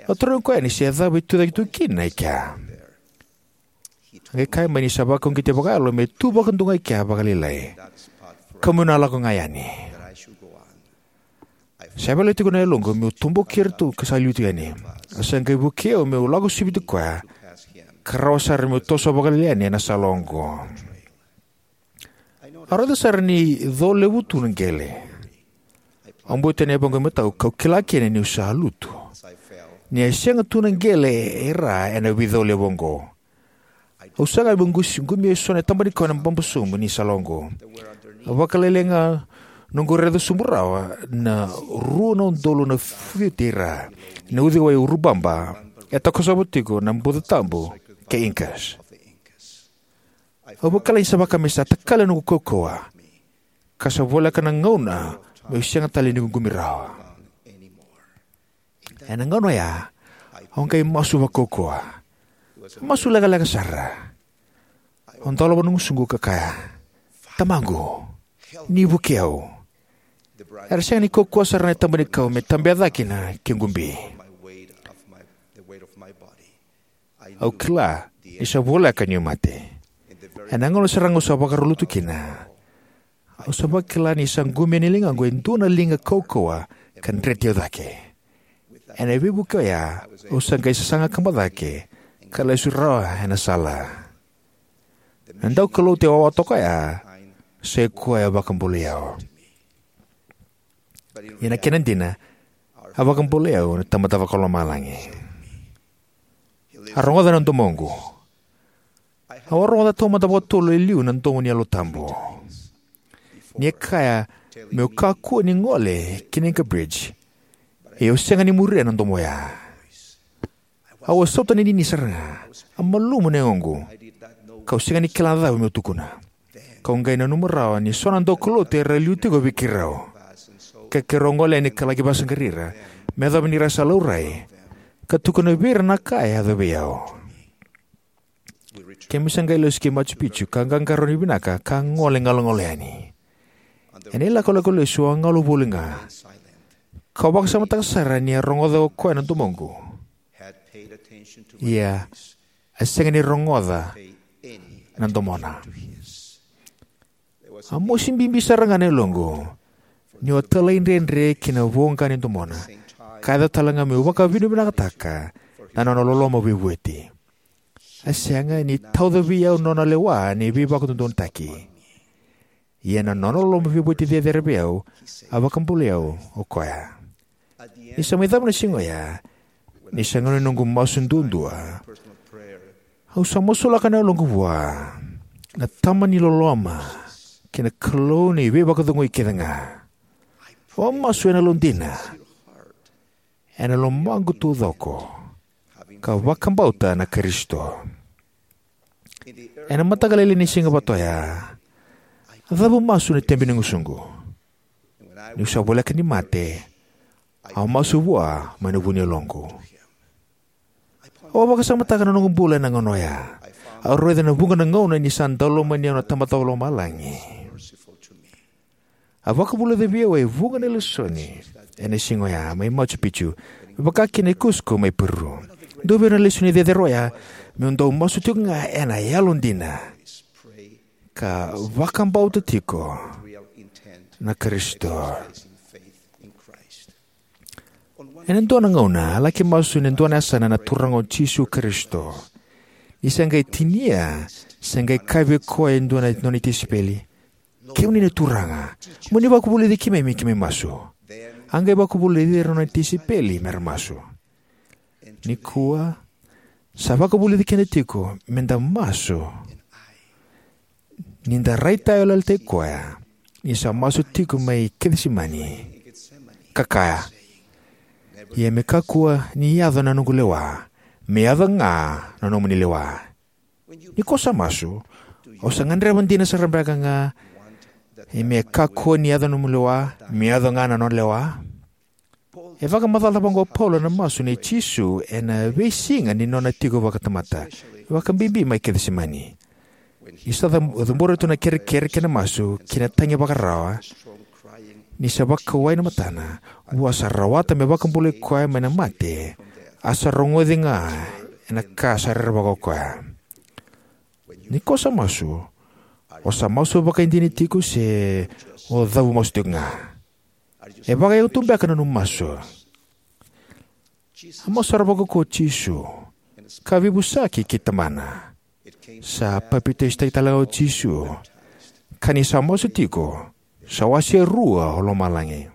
Au tarogi koya ni se cava e tu cake tu kina e kea. A qai kaya mai ni sa vakauqeti vakayalo me tu vakadua ga e kea vakalailai, ka meu na lako ga yani. Sa yavala tiko na yaloqu meu toboki ira tu ka sa liu tu yani. A sa qai vukei au meu lako siviti koya, ka rawa sara meu toso vakalailai yani ena sala oqo. Au raica sara ni co levu tu na qele. Au bau tani yavaqu e matau kau kila kina niu sa lutu, ni a sega tu na qele e ra ena veico levu oqo. Au saga meu qumia eso na taba ni kau ena baba sobu ni sala oqo. A vakalailai ga noqu raica sobu rawa na rua na udolu na fute i ra ena uciwai o Urubamba, e takosova tiko na Buca Tabu kei Incas. Au vakila ni sa vaka me sa takali na noqu kaukauwa, ka sa voleka na gauna meu sega tale ni qumi rawa. Ena gauna oya, au qai masu vakaukauwa. Masu lekaleka sara. Au dolava na gusuqu ka kaya, "Tamaqu, ni vukei au." Era sega ni kaukauwa sara na taba ni kau me tabea cake na kequ bi. Au kila ni sa voleka niu mate. Ena gauna sara ga au sa vakarau lutu kina, au sa vakila ni sa qumia na ligaqu e dua na liga kaukauwa ka dreti au cake. Ena veivuke oya, au sa qai sasaga kaba cake ka lesu rawa ena sala. Na daukaulotu e wawa toka oya, sa i koya a vakabulai au. Ia na kena dina, a vakabulai au na Tamada Vakalomalagi. A rogoca na domoqu. Au a rogoca taumada vakatolu e liu na domo ni Yalo Tabu. Ni a kaya meu kakua ni gole ki na Inca Bridge, ia au sega ni muria na domo oya. Au a sautaninini sara ga, a malumu na yagoqu, kau sega ni kila na cava meu tukuna. Kau qai nanuma rawa ni so na daukaulotu era liu tiko vei keirau, ka keirau gole yani ka laki vakasaqarai ira me yacova ni ra sa laurai, ka tukuna vei ira na ka e yaco vei au. Keimami sa qai lesu ki Machu Picchu ka qaqarauni vinaka ka gole galugalu yani. Ena ilakolako lesu au a galu voli ga, kau vakasamataka sara ni a rogoca o koya na domoqu, ia a sega ni rogoca na domona. A mosi bibi sara ga na yaloqu niu a talaidredre ki na voqa ni domona, ka yaco tale ga meu vakavinavinakataka na nona loloma veivueti. A sega ni tauca vei au na nona lewa ni veivakadodonutaki, ia na nona loloma veivueti cecere vei au. A vakabulai au o koya. Ni sa mai cava na siga oya, ni sa gauna ni noqu masu duadua, au sa masulaka na yaloqu vua na Tama ni loloma kei na Kalou ni veivakacegui kece ga. Au a masu ena yalodina, ena lomaqu taucoko, ka vakabauta na Karisito. Ena mataka lailai ni siga vata oya, a cavu masu na tebenigusuqu. Niu sa voleka ni mate, au a masu vua mai na vu ni yaloqu. Au a vakasamataka na noqu bula ena gauna oya. Au raica na vuqa na gauna ni sa daulomani au na Tamada Vakalomalagi. A vakavulica vei au e vuqa na lesoni ena siga oya mai Machu Picchu, vakakina e Cusco mai Peru. Dua vei ira na lesoni cecere oya meu dau masu tiko ga ena yalodina, ka vakabauta tiko na Karisito. Ena dua na gauna a laki masu ena dua na yasana na Turaga o Jisu Karisito. Ni sa qai tinia, sa qai kaya vei koya e dua na nona tisaipeli, "Kemuni na Turaga, mo ni vakavulici keimami me keimami masu." A qai vakavulici ira na nona tisaipeli me ra masu. Nikua, sa vakavulici keda tiko me da masu ni da raitayaloyalotaki koya ni sa masu tiko mai Kecisemani, ka kaya, "Ia me kakua ni yaco na noqu lewa, me yaco ga na nomuni lewa." Ni ko sa masu, o sa gadreva dina sara beka ga me kakua ni yaco na nomu lewa, me yaco ga na nona lewa? E vakamacalataka vaqo o Paula na masu nei Jisu ena veisiga ni nona tiko vakatamata, vakabibi mai Kecisemani. Ni sa ca-, cabora tu na kerekere kei na masu kei na tagi vakarawa, ni sa vakawai na matana, vua sa rawata me vakabulai koya mai na mate, a sa rogoci ga ena ka sa rerevaka o koya. Ni ko sa masu, o sa masu vakaidina tiko se o cavu masu tiko ga? E vakayago tu beka na nomu masu? A masu sara vakaukauwa o Jisu, ka veivosaki kei Tamana. Sa papitaisotaki tale ga o Jisu, ka ni sa masu tiko, sa wase rua o lomalagi.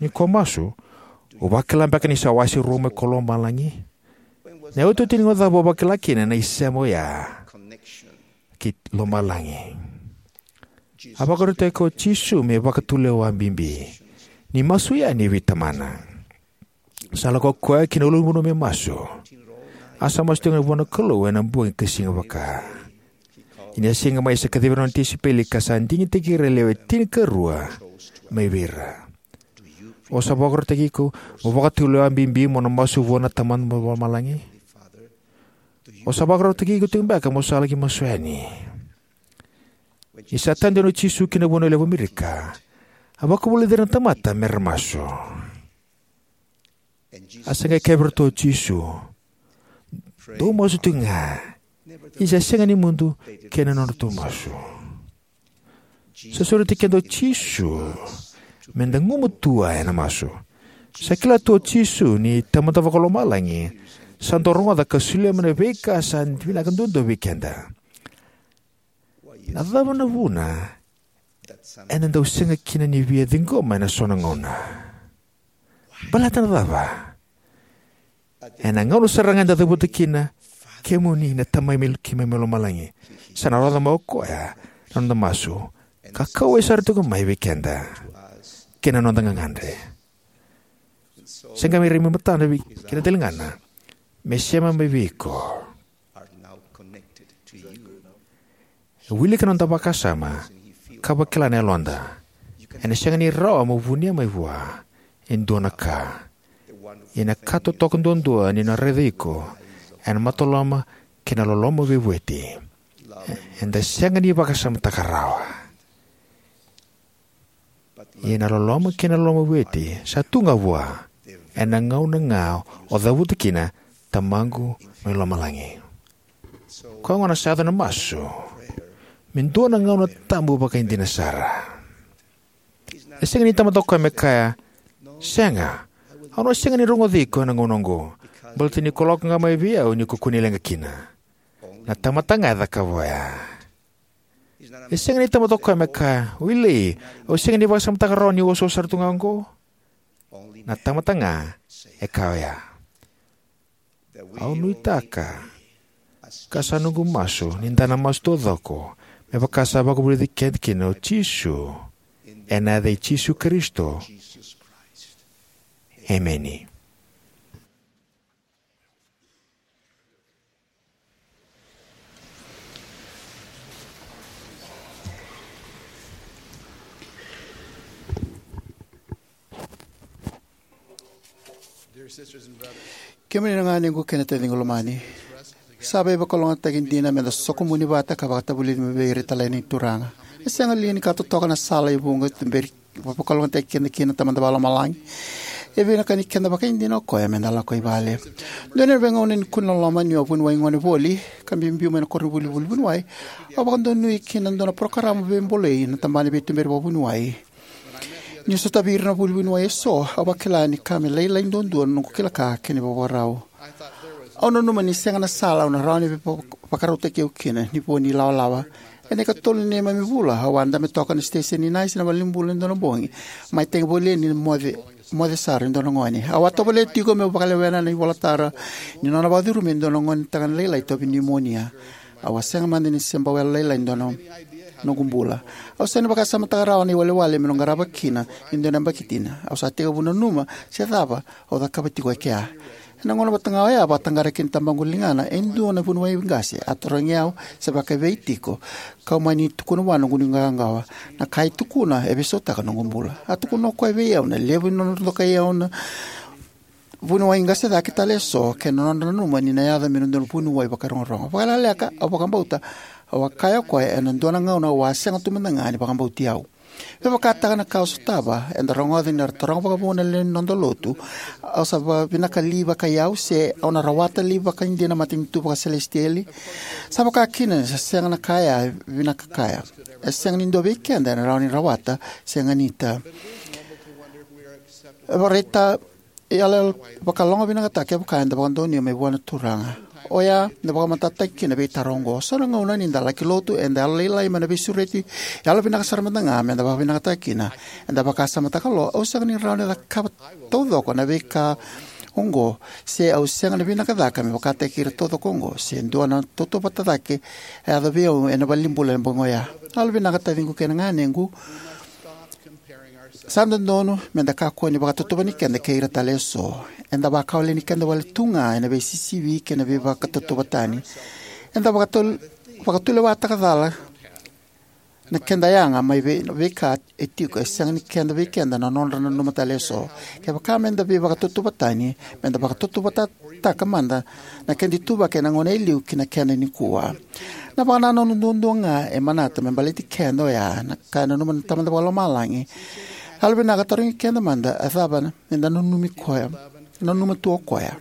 Ni ko masu, o vakila beka ni sa wase rua mai ko lomalagi? Na iotioti ni gauna cava o vakila kina na isema oya kei lomalagi? A vakarautaki koya o Jisu me vakatulewa bibi ni masu yani vei Tamana. Sa lako koya ki na ulunivanua me masu. A sa masu tiko vua na Kalou ena bogi ka siga vaka. Ia ni a siga mai, sa kacivi ira na nona tisaipeli ka sa digitaki ira e lewe tinikarua mai vei ira. O sa vakarautaki iko mo vakatulewa bibi mo na masu vua na Tamada Vakalomalagi? O sa vakarautaki iko tiko beka mo sa laki masu yani? Ni sa tadu yani o Jisu ki na vanua levu o Amerika, a vakavulici ira na tamata me ra masu. A sa qai kaya vei iratou o Jisu, "Dou masu tiko ga, ia sa sega ni mudu kei na nodratou masu." Sa sureti keda o Jisu me da gumatua ena masu. Sa kila tu o Jisu ni Tamada Vakalomalagi sa dau rogoca ka solia mai na veika sa vinaka duadua vei keda. Na cava na vuna eda dau sega kina ni via ciqoma ena so na gauna? Baleta na cava? Ena gauna sara ga eda cavuta kina, "Kemuni na Tamai mai, keimami mai lomalagi," sa na rogoca mai o koya na noda masu, ka kauwai sara tiko mai vei keda kei na noda gagadre. Sa qai mai rai mai matana vei keda na daligana me sema mai vei iko. E wilika na noda vakasama ka vakila na yaloda. Ena sega ni rawa mo vunia mai vua e dua na ka. Ia na ka totoka duadua ni na raica iko ena mataloma kei na loloma veivueti. Eda sega ni vakasamataka rawa. Ia na loloma kei na loloma veivueti sa tu ga vua ena gauna ga o cavuta kina Tamaqu mai lomalagi. Koya gona sa yaco na masu me dua na gauna tabu vakaidina sara. E sega ni tamata o koya me kaya, "Sega, au na sega ni rogoci iko ena gauna oqo, baleta ni ko lako ga mai vei au ni ko kune leqa kina." Na tamata ga e cakava oya. E sega ni tamata o koya me kaya, "Willie, au sega ni vakasamataka rawa niu wasawasa sara tu ga oqo." Na tamata ga e kaya oya. Au nuitaka, ka sa noqu masu, ni da na masu taucoko me vaka sa vakavulici keda kina o Jisu, ena yaca i Jisu Karisito. Emeni. Kemuni na ganequ kei na taciqu lomani, sa veivakalougatataki dina meda sokomuni vata ka vakatavulici mai vei ira tale na Turaga. E sega li ni ka totoka na sala e vuqa e tuberi, veivakalougatataki keda kina na Tamada Vakalomalagi? E vinakati keda vakaidina o koya meda lako i vale. Dua na veigauna ni kune loloma, niu a vuniwai gone voli ka biubiu mai na koronivuli vuniwai, au vakadonui ki na dua na parokaramu veibolei na tabana veituberi vakavuniwai. Niu sotavi ira na vuniwai eso, au vakila ni ka me lailai duadua na noqu kila ka kei na vakavakarau. Au nanuma ni sega na sala au na rawa ni vaka-, vakarautaki au kina ni vo ni lawalawa. Ena ikatolu ni neimami vula, au a dabe toka na siteseni ni nasi ena valenibula ena dua na bogi, mai tagi voli yani ni moce, moce sara e dua na gone. Au a tovolea tiko meu vakalewena na ivolatara ni nona vakacurumi e dua na gone tagane lailai tauvi niumonia. Au a sega mada ni se bau yalolailai e dua na noqu bula. Au sega ni vakasamataka rawa na iwalewale meu qarava kina e dua na yabaki dina. Au sa tekivu nanuma se cava au cakava tiko e kea. Ena gauna vata ga oya, a vakataqara kina tabaqu ligana e dua na vuniwai qase, a tarogi au se vakaevei tiko, kau mani tukuna vua na noqu nuiqawaqawa. Na ka e tukuna e veisautaka na noqu bula. A tukuna o koya vei au na levu ni nodra dokai au na vuniwai qase cake tale eso kei na nodra nanuma ni na yaco me na dua na vuniwai vakarogorogo. Vakalekaleka, au vakabauta, au a kaya o koya ena dua na gauna au a sega tu mada ga ni vakabauti au. Me vakataka na ka au sotava, eda rogoca ni ra taroga vakavuna na lewe ni noda lotu, au sa va-, vinaka li vakaiyau se au na rawata li vakaidina na matanitu vakaselesitieli. Sa vaka kina ni sa sega na ka ya e vinaka kaya. E sega ni dua vei keda ena rawa ni rawata se ganita. E vakaraitaka, e yalo, yalo vakalogavinakataki kevaka eda vakadonuya mai vua na Turaga. Oya na vakamatatataki kina veitaro oqo. So na gauna ni da laki lotu, eda yalolailai mai na veisureti yalovinaka sara mada ga meda vakavinakataka kina. Eda vakasamataka lo, au sega ni rawa ni cakava taucoko na veika oqo, se au sega na vinaka cake me vakataki ira taucoko oqo, se dua na tautauvata cake e yaco vei au ena valenibula ena bogi oya. Yalovinaka taciqu kei na ganequ. Sa dodonu meda kakua ni vakatauvatani keda kei ira tale eso. Eda vakawaleni keda wale tu ga ena veisisivi kei na veivakatauvatani. Eda vakatul-, vakatulewataka cala na keda yaga mai vei, veika e tiko e sega ni keda vei keda na nodra nanuma tale eso. Kevaka meda veivakatauvatani, meda vakatauvataka mada na keda ituvaki ena gauna e liu ki na keda nikua. Na vakanananu duadua ga e manata me baleti keda oya na ka e nanuma na Tamada Vakalomalagi. Yalovinaka tarogi keda mada, a cava meda nanumi koya, nanuma tu o koya.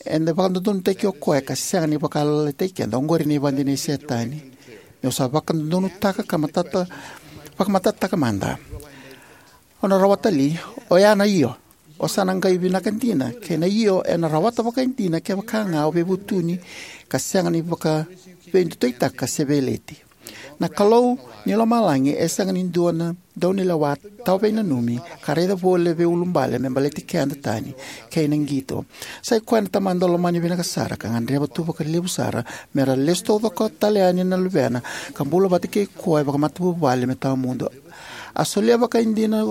Eda vakadodonutaki o koya ka sega ni vakalalataki keda. Oqori na ivakadinadina i Setani. Niu sa vakadodonutaka ka matata, vakamatatataka mada. O na rawata li, oya na io. O sa na qai vinaka dina, kei na io ena rawata vakaidina kevaka ga o veivutuni ka sega ni vakaveidutuitaka se veileti. Na Kalou ni lomalagi e sega ni dua na daunilewa tawa veinanumi ka raica voli e veiulubale me baleti keda tani kei na qito. Sa i koya na Tamada lomani vinaka sara ka gadreva tu vakalevu sara me ra lesu taucoko tale yani na luvena ka bula vata kei koya vakamatavuvale me tawamudu. A solia vakaidina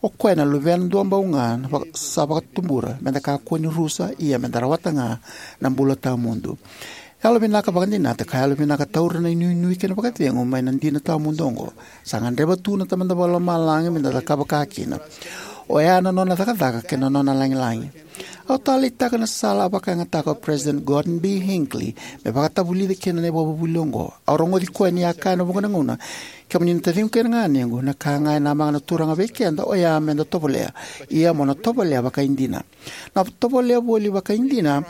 o koya na Luvena duabau ga na vaka-, sa vakatubura, meda kakua ni rusa, ia meda rawata ga na bula tawamudu. Yalovinaka vakadinata ka yalovinaka taura na inuinui kei na vakacegu mai na dina tawamudu oqo. Sa gadreva tu na Tamada Vakalomalagi meda cakava ka kina. Oya na nona cakacaka kei na nona lagilagi. Au taleitaka na sala a vakayagataka o President Gordon B. Hinckley me vakatavulica kina na ivakavuvuli oqo. Au rogoci koya ni a kaya ena vuqa na gauna, kemuni na taciqu kei na ganequ, na ka ga e namaka na Turaga vei keda oya meda tovolea, ia mo na tovolea vakaidina. Na tovolea voli vakaidina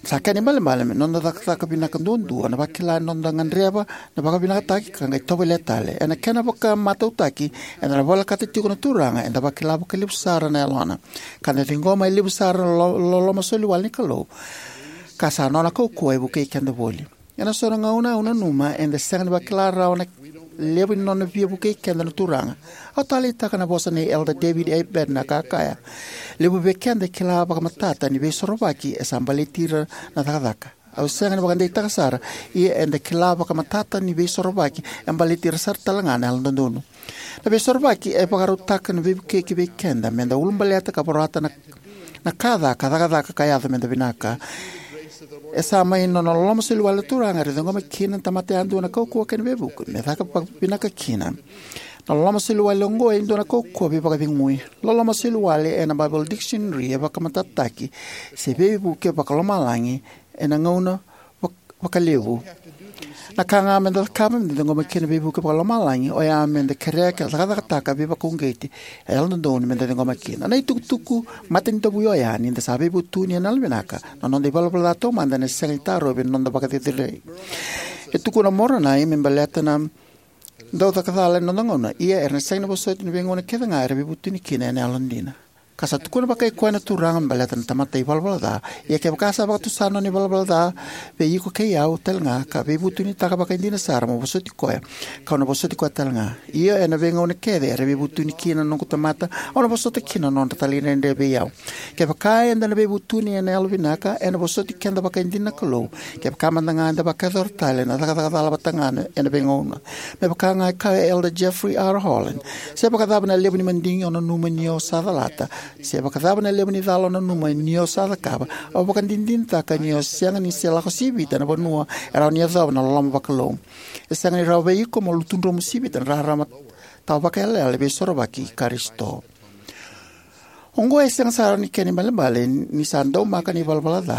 sa kena ibalebale me noda cakacaka vinaka duadua, na vakila ni noda gadreva na vakavinakataki ka qai tovolea tale. Ena kena vakamatautaki, eda na volekata tiko na Turaga, eda vakila vakalevu sara na Yalona, ka da ciqoma e levu sara na lo- loloma soli wale ni Kalou, ka sa Nona kaukauwa e vukei keda voli. Ena so na gauna au nanuma eda sega ni vakila rawa na levu ni Nona via vukei keda na Turaga. Au taleitaka na vosa nei Elder David A. Bednar ka kaya: Levu vei keda e kila vakamatata ni Veisorovaki e sa baleti ira na cakacaka. Au sega ni vakadeitaka sara, ia eda kila vakamatata ni Veisorovaki e baleti ira sara talega na Yalododonu. Na Veisorovaki e vakarautaka na veivukei kivei keda meda ulabaleta ka vorata na, na ka ca ka cakacaka ka yaco meda vinaka. E sa mai na nona loloma soli wale na Turaga era ciqoma kina na tamata yadua na kaukauwa kei na veivuke me caka vakavinaka kina. Na loloma soli wale oqo e dua na kaukauwa veivakacegui. Loloma soli wale ena Bible Dictionary e vakamatatataki se veivuke vakalomalagi ena gauna vak- vakalevu. Na ka ga meda cakava meda ciqoma kina na veivuke vakalomalagi oya meda kerea ka cakacakataka veivakauqeti e yalododonu meda ciqoma kina. Na itukutuku matanidavui oya ni da sa veivutuni ena yalovinaka, na noda ivalavala ca taumada ena sega ni tarovi ena noda vakacerecerei. E tukuna o Moronai me baleta na dau caka cala ena noda gauna, ia era na sega ni vosoti ena veigauna kece ga era veivutuni kina ena yalodina. Ka sa tukuna vakai koya na Turaga me baleta na tamata ivalavala ca: Ia kevaka sa vakatusa na nona ivalavala ca vei iko kei au talega, ka veivutunitaka vakaidina sara, mo vosoti koya, kau na vosoti koya talega. Io, ena veigauna kece era veivutuni kina na noqu tamata, au na vosota kina na nodra talaidredre vei au. Kevaka eda na veivutuni ena yalovinaka, ena vosoti keda vakaidina na Kalou, kevaka mada ga eda vakayacora tale na cakacaka cala vata ga ena veigauna. Me vaka ga e kaya o Elder Jeffrey R. Holland: Se vakacava na levu ni madigi o nanuma ni o sa calata, se vakacava na levu ni cala o nanuma ni o sa cakava, au vakadinadinataka ni o sega ni se lako sivita na vanua e rawa ni yacova na loloma vakalou. E sega ni rawa vei iko mo lutudromu sivita na rarama tawa vakaiyalayala ni Veisorovaki i Karisito. Oqo e sega sara ni kena ibalebale ni sa daumaka na ivalavala ca.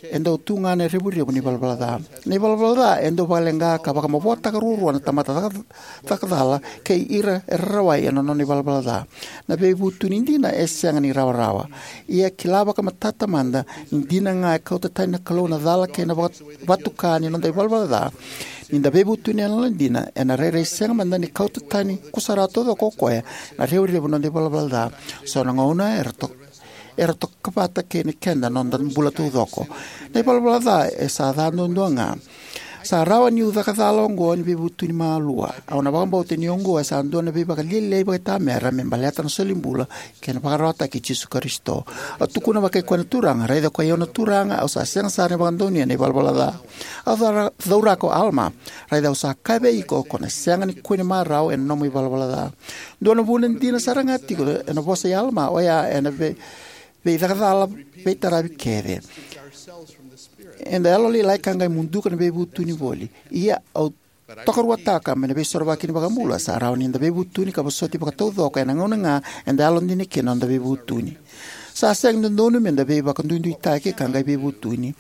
E dau tu ga na revurevu ni ivalavala ca. Na ivalavala ca e dau vakaleqa ka vakamavotaka ruarua na tamata caka, caka cala kei ira era rawai ena nona ivalavala ca. Na veivutuni dina e sega ni rawarawa. Ia kila vakamatata mada ni dina ga e kauta tani na Kalou na cala kei na vaka, vatuka ni noda ivalavala ca. Ni da veivutuni ena yalodina, ena rairai sega mada ni kauta tani kusarawa taucoko o koya na revurevu ni noda ivalavala ca. So na gauna era to, era toka vata kei na keda na noda bula taucoko. Na ivalavala ca e sa ca duadua ga. Sa rawa niu caka cala oqo ni veivutuni malua. Au na vakabauta ni oqo e sa dua na veivakalialiai vakaitamera me baleta na solibula kei na vakararawataki i Jisu Karisito. Au tukuna vakai koya na Turaga: Raica koi au na Turaga, au sa sega sara ni vakadonuya na ivalavala ca. Au caura, cauraka o Alama: Raica, au sa kaya vei iko, ko na sega ni kune marau ena nomu ivalavala ca. Dua na vuna dina sara ga tiko ena vosa i Alama oya ena vei, veicakacala veitaravi kece. Eda yalolailai ka qai muduka na veivutuni voli. Ia au tokaruataka mai na Veisorovaki ni iVakabula sa rawa ni da veivutuni ka vosoti vakataucoko ena gauna ga eda yalodina kina na noda veivutuni. Sa sega ni dodonu me da veivakaduiduitaki ka qai veivutuni.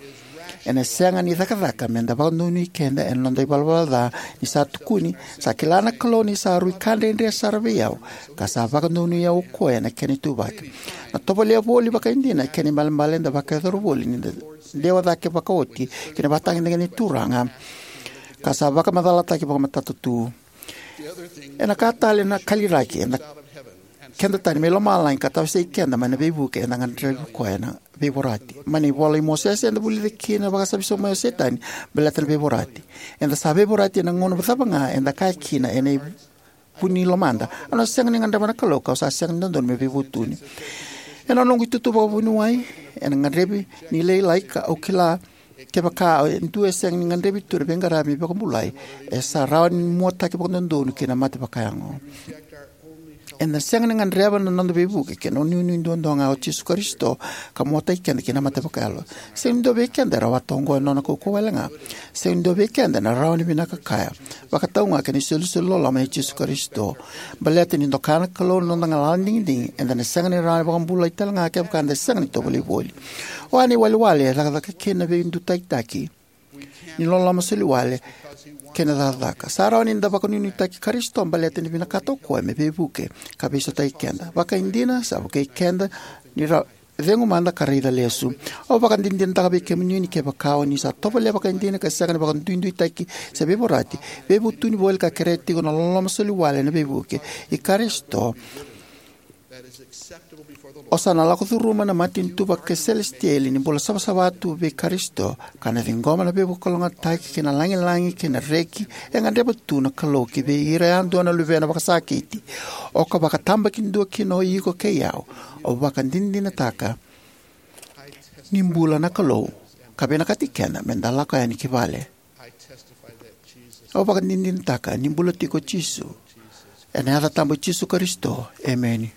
Ena sega ni cakacaka me da vakadonui keda ena noda ivalavala ca, ni sa tukuni: Sa kila na Kalou ni sa rui ka dredre sara vei au, ka sa vakadonui au o koya ena kena ituvaki. Na tovolea voli vakaidina e kena ibalebale eda vakayacora voli ni da dewa cake vakaoti ki na ivakatagedegede ni Turaga ka sa vakamacalataki vakamatata tu. Ena ka tale na kaliraki eda, keda tani mai lomalagi ka tawasei keda mai na veivuke eda gadrevi koya na veivorati. Mai na ivola i Mosese eda vulica kina na vakasavi sobu mai o Setani baleta na veivorati. Eda sa veivorati ena gauna cava ga eda kaya kina ena vu ni lomada: Au na sega ni gadreva na Kalou, kau sa sega ni dodonu me veivutuni. Ena noqu itutu vakavuniwai, ena gadrevi ni lailai ka au kila kevaka e dua e sega ni gadrevi tu na veiqaravi me vakabulai, e sa rawa ni muataki vakadodonu ki na mate vakayago. Eda sega ni gadreva na noda veivuke kei na inuinui duadua ga o Jisu Karisito ka muataki keda ki na mate vakayalo. Sega ni dua vei keda e rawata oqo ena nona kaukauwa wale ga. Sega ni dua vei keda ena rawa ni vinaka kaya, vakatau ga kei na isolisoli loloma nei Jisu Karisito. Baleta ni doka na Kalou na noda galala ni digidigi, eda na sega ni rawa ni vakabulai tale ga kevaka eda sega ni tovolei voli. O ya na iwalewale e cakacaka kina na veidutaitaki ni loloma soliwale kei na cakacaka. Sa rawa ni da vakanuinuitaki Karisito baleta ni vinakata o koya me veivuke ka veisautaki keda. Vakaidina, sa vukei keda ni ra cegu mada ka raica lesu. Au vakadinadinataka vei kemuni ni kevaka o ni sa tovolea vakaidina ka sega ni vakaduiduitaki se veivorati, veivutuni voli ka kerea tiko na loloma soliwale ena veivuke i Karisito, o sa na lako curuma na matanitu vakaselesitieli ni bula savasava tu vei Karisito, ka na ciqoma na veivakalougatataki kei na lagilagi kei na reki e gadreva tu na Kalou ki vei ira yadua na luvena vakasakiti. O ka vakatabakidua kina o iko kei au. Au vakadinadinataka ni bula na Kalou ka vinakati keda me da lako yani ki vale. Au vakadinadinataka ni bula tiko o Jisu. Ena yaca tabu i Jisu Karisito, emeni.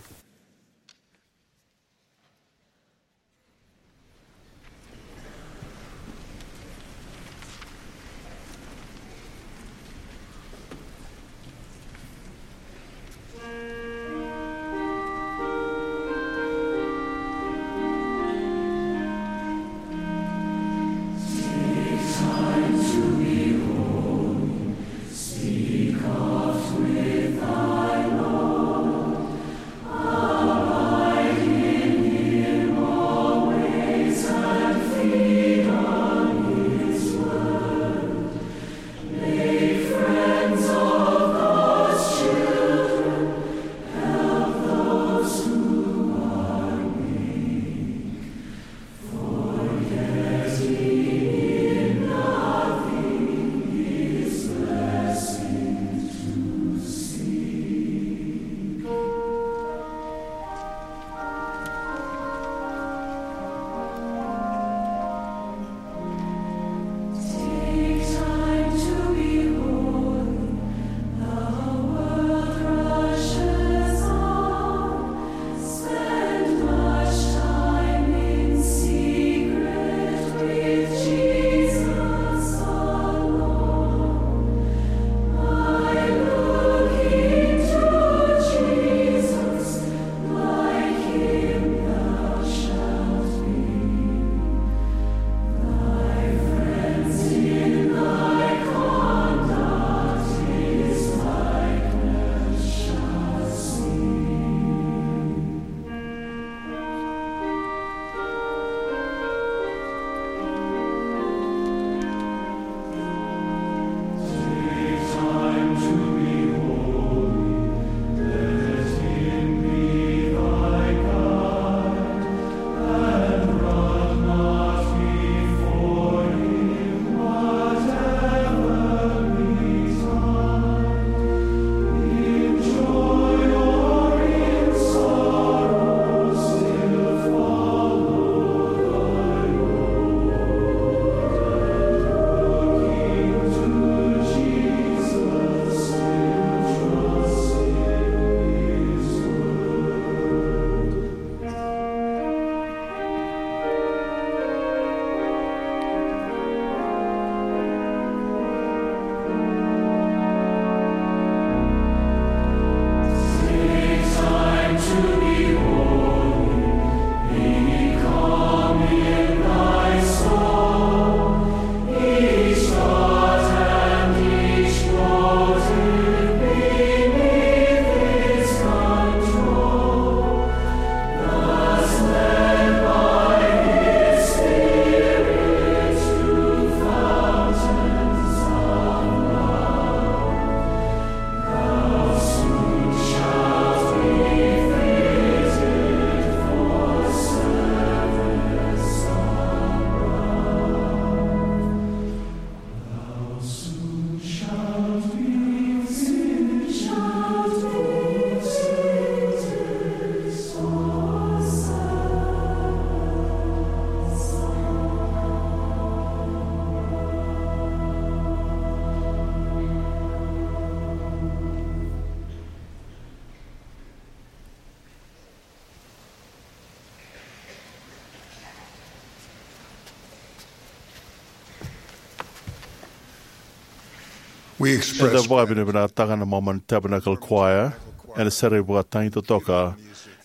We express Eda vakavinavinakataka na Mormon Tabernacle Choir ena sere vakatagi totoka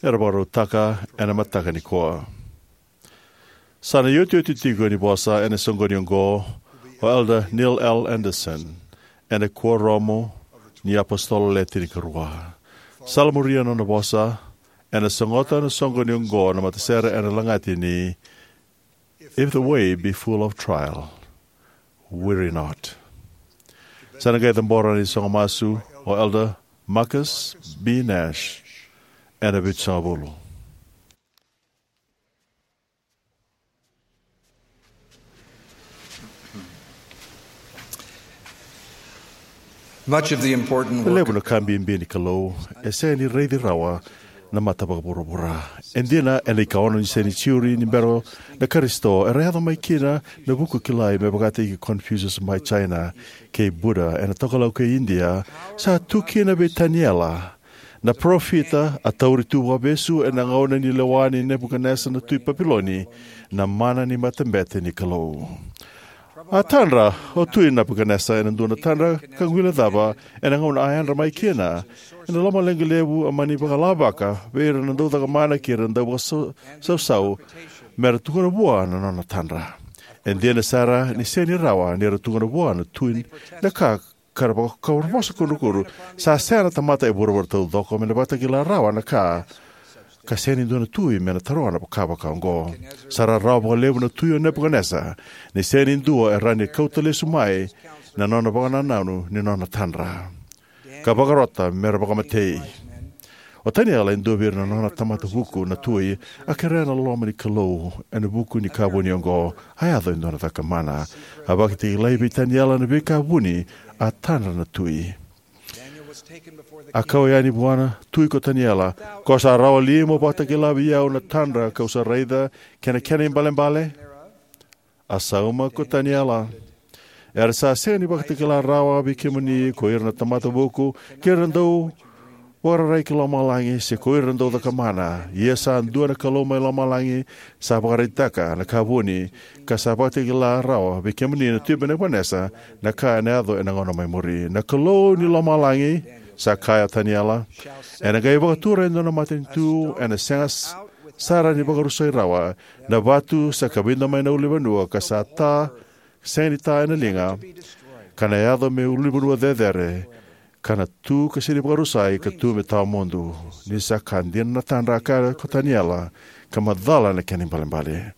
era vakarautaka ena mataka nikua. Sa na iotioti tiko ni vosa ena soqoni oqo o Elder Neil L. Andersen ena Kuoramu ni iApositolo Le Tinikarua. Sa la muria na nona vosa, ena sogota na soqoni oqo na matasere ena lagati ni If the Way Be Full of Trial, Weary Not. Sa na qai cabora na isogo masu o Elder Marcus B. Nash ena vitusagavulu. Much of the important work Levu na ka bibi ni Kalou e sega ni raici rawa na mata vakavuravura. E dina, ena ikaono ni senijiuri ni bera na Karisito, era yaco mai kina na vuku kilai me vakataki Confucius mai China kei Buddha ena Tokalau kei Idia, sa tu kina vei Taniela na parofita a tauri tu vakavesu ena gauna ni lewa nei Nepukanesa na tui Papiloni na mana ni matabete ni Kalou. A tadra o Tui Nepukanesa ena dua na tadra ka guilecava ena gauna a yadra mai kina. Ena lomaleqa levu a mani vakalavaka vei ira na daucakamana kei ira na dauvakasausau me ra tukuna vua na nona tadra. E dina sara ni sega ni rawa ni ra tukuna vua na tui na ka ka ra vaka-, ka ra vosa kudrukudru. Sa sega na tamata e vuravura taucoko me na vakatakila rawa na ka, ka sega ni dua na tui me na taroga na ka vaka oqo. Sa rarawa vakalevu na tui o Nepukanesa ni sega ni dua e rawa ni kauta lesu mai na nona vakanananu ni nona tadra ka vakarota me ra vakamatei. O Taniela e dua vei ira na nona tamata vuku na tui a kerea na loma ni Kalou ena vuku ni ka vuni oqo. A yaco e dua na caka mana. A vakatakilai vei Taniela na veika vuni a tadra na tui. A kau yani vua na tui ko Taniela, "Ko sa rawa li mo vakatakila vei au na tadra kau sa raica kei na kena ibalebale?" A sauma ko Taniela, "Era sa sega ni vakatakila rawa vei kemuni ko ira na tamata vuku, kei ira na dau vakararai ki lomalagi, se ko ira na dau cakamana. Ia sa dua na Kalou mai lomalagi sa vakaraitaka na ka vuni, ka sa vakatakila rawa vei kemuni na Tui Nepukanesa na ka ena yaco ena gauna mai muri. Na Kalou ni lomalagi," sa kaya o Taniela, "ena qai vakatura e dua na matanitu ena sega s-, sara ni vakarusai rawa. Na vatu sa kavida mai na ulunivanua ka sa ta, sega ni ta ena liga, ka na yaco me ulunivanua cecere, ka na tu ka sega ni vakarusai, ka tu me tawa mudu." Ni sa ka dina na tadra, a kaya ko Taniela, ka macala na kena ibalebale.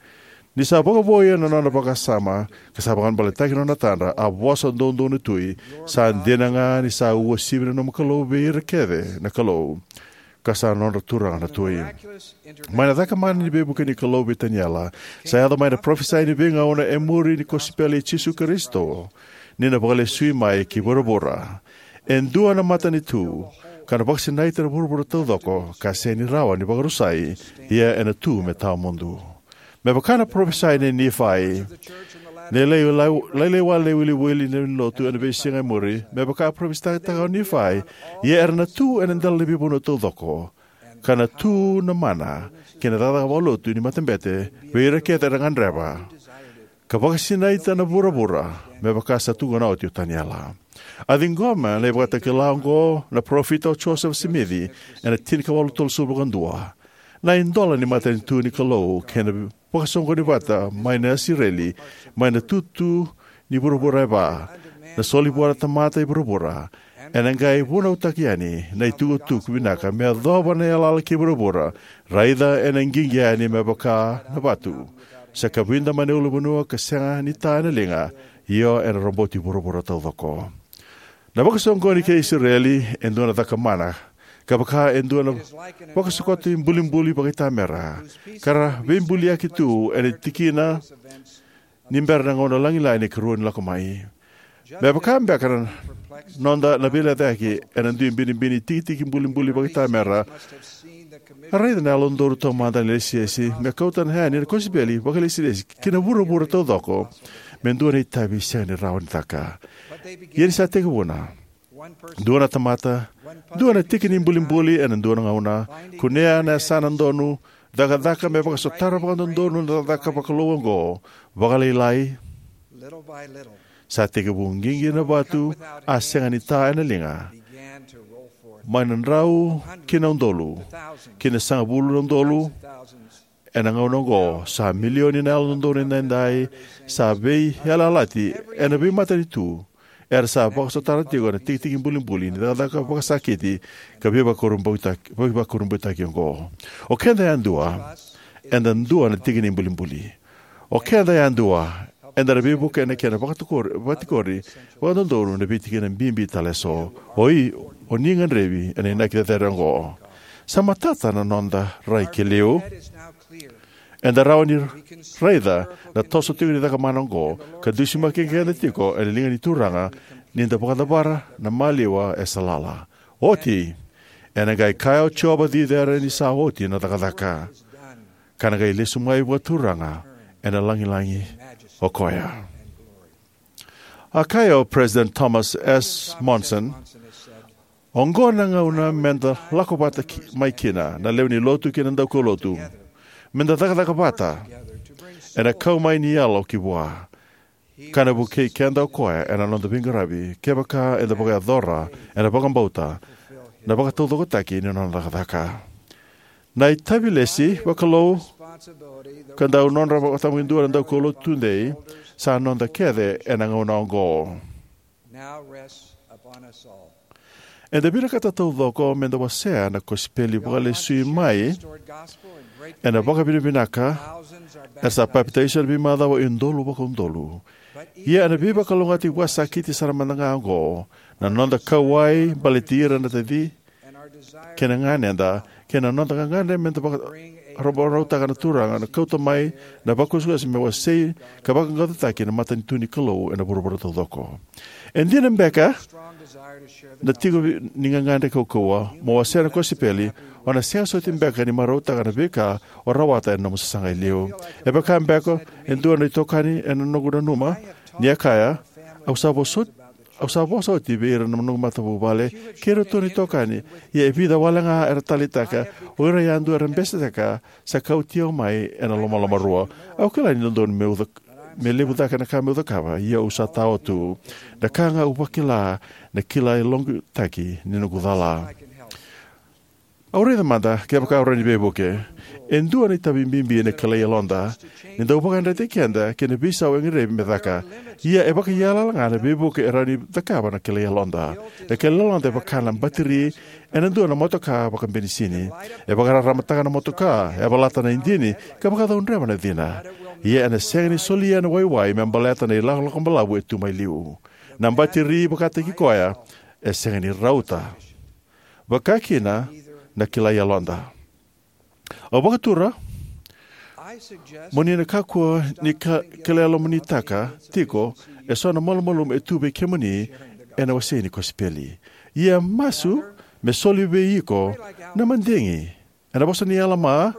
Ni sa vakavoui ena nona vakasama ka sa vakabaleitaki na nona tadra, a vosa doudou na tui, "Sa dina ga ni sa uasivi na nomu Kalou vei ira kece na kalou, ka sa nodra Turaga na tui." Mai na caka mana ni veivuke ni Kalou vei Taniela, sa yaco mai na parofisai ni veigauna e muri ni kosipeli i Jisu Karisito, ni na vakalesui mai ki vuravura e dua na matanitu ka na vakasinaita na vuravura taucoko, ka sega ni rawa ni vakarusai, ia ena tu me tawa mudu. Me vaka na parofisai nei Nifai, na lai, lai, lailai wale na iwiliwili ni lotu ena veisiga e muri, me vaka a parofisaitaka o Nifai, ia era na tu ena dela ni veivanua taucoko, ka na tu na mana kei na cakacaka vakalotu ni matabete vei ira kece era gadreva, ka vakasinaita na vuravura, me vaka sa tukuna oti o Taniela. A ciqoma na ivakatakila oqo na parofita o Josefa Simici ena tinikawalu tolusagavulu ka dua. Na idola ni matanitu ni Kalou kei na vakasoqoni vata mai na Isireli, mai na tutu ni vuravura e va, na soli vua na tamata i vuravura, ena qai vunautaki yani na itukutuku vinaka me yacova na yalayala kei vuravura. Raica, ena qiqi yani me vaka na vatu, sa kavida mai na ulunivanua ka sega ni ta ena liga, io ena roboti vuravura taucoko. Na vakasoqoni kei Isireli e dua na caka mana, ka vaka e dua na vakasokoti bulibuli vakaitamera, ka ra veibuliyaki tu ena tikina ni bera na gauna lagilagi ni karua ni lako mai. Me vaka beka na noda na veilecayaki ena dui binibini tikitiki bulibuli vakaitamera, a raica na yalododonu taumada na ilesilesi me kauta yani na kosipeli vakailesilesi ki na vuravura taucoko me dua na itavi sega ni rawa ni caka. Ia ni sa tekivuna, dua na tamata, dua na tiki ni bulibuli ena dua na gauna, kunea na yasana donu, cakacaka me vakasotara vakadodonu na cakacaka vakalou oqo, vakalailai, Sa tekivu qiqi na vatu, a sega ni ta ena liga. Mai na drau ki na udolu, ki na sagavulu na udolu, ena gauna oqo, sa milioni na Yalododonu Edaidai sa veiyalayalati ena veimatanitu era sa vakasotara tiko na tikitiki bulibuli ni cakacaka vakasakiti ka veivakurabuitaki, veivakurabuitaki oqo. O keda yadua, eda dua na tiki ni bulibuli. O keda yadua, eda na veivuke ena kena vakatikori, vakatikori vakadodonu na veitikina bibi tale eso. O i, o ni gadrevi ena inaki cecere oqo. Sa matata na noda rai ki liu. Eda rawa ni raica na toso tiko ni cakamana oqo ka dusimaki keda tiko ena liga ni Turaga ni da vakacavara na maliwa e sa lala. Oti, ena qai kaya o Jiova Cicera ni sa oti na cakacaka, ka na qai lesu mai vakaturaga ena lagilagi o koya. A kaya o President Thomas S. Monson, oqo na gauna meda lako vata ki, mai kina na lewe ni lotu kei na daukaulotu. Meda cakacaka vata ena kau mai ni yalo ki vua. Ka na vukei keda o koya ena noda veiqaravi kevaka eda vakayacora ena vakabauta na vakataucokotaki ni nona cakacaka. Na itavilesi vakalou ka dau nodra vakatabakidua na daukaulotu tudei sa noda kece ena gauna oqo. Eda vinakata taucoko meda wasea na kosipeli vakalesui mai ena vakavinavinaka era sa papitaiso ena veimacawa e udolu vakaudolu. Ia ena veivakalougatataki vakasakiti sara mada ga oqo, na noda kauwai baleti ira na taci kei na ganeda, kei na noda gagadre meda vakararamataka na Turaga na kauta mai na vakusakusa me wasei ka vaqaqacotaki na matanitu ni Kalou ena vuravura taucoko. E dina beka na tiko ni gagadre kaukauwa mo wasea na kosipeli, o na sega soti beka ni marautaka na veika o rawata ena nomu sasaga e liu. E vaka beka e dua na itokani ena noqu nanuma ni a kaya, au sa vosoti Au sa vosa oti vei ira na noqu matavuvale kei iratou na itokani, ia e vica wale ga era taleitaka, o ira yadua era besetaka sa kauti au mai ena lomalomarua. Au kila ni dodonu meu cak-, me levu cake na ka meu cakava, ia au sa tao tu. Na ka ga au vakila na kila e logutaki ni noqu cala. Au raica mada kevaka au rawa ni veivuke. E dua na itavi bibi ena kilai yaloda ni dau vakayadrati keda kei na veisau e gadrevi me caka. Ia e vakaiyalayala ga na veivuke e rawa ni cakava na kilai yaloda. Na kilai yaloda e vaka na batiri ena dua na motoka vakabenisini. E vakararamataka na motoka, e yavalata na idini, ka vakacaudreva na cina. Ia ena sega ni solia na waiwai me baleta na ilakolako balavu e tu mai liu. Na batiri vakataki koya e sega ni rauta. Vaka kina na kilai yaloda. Au vakatura mo ni na kakua ni ka-, kilai yalomunitaka tiko eso na malumalumu e tu vei kemuni ena wasei ni kosipeli. Ia masu me soli vei iko na madigi ena vosa ni Alama,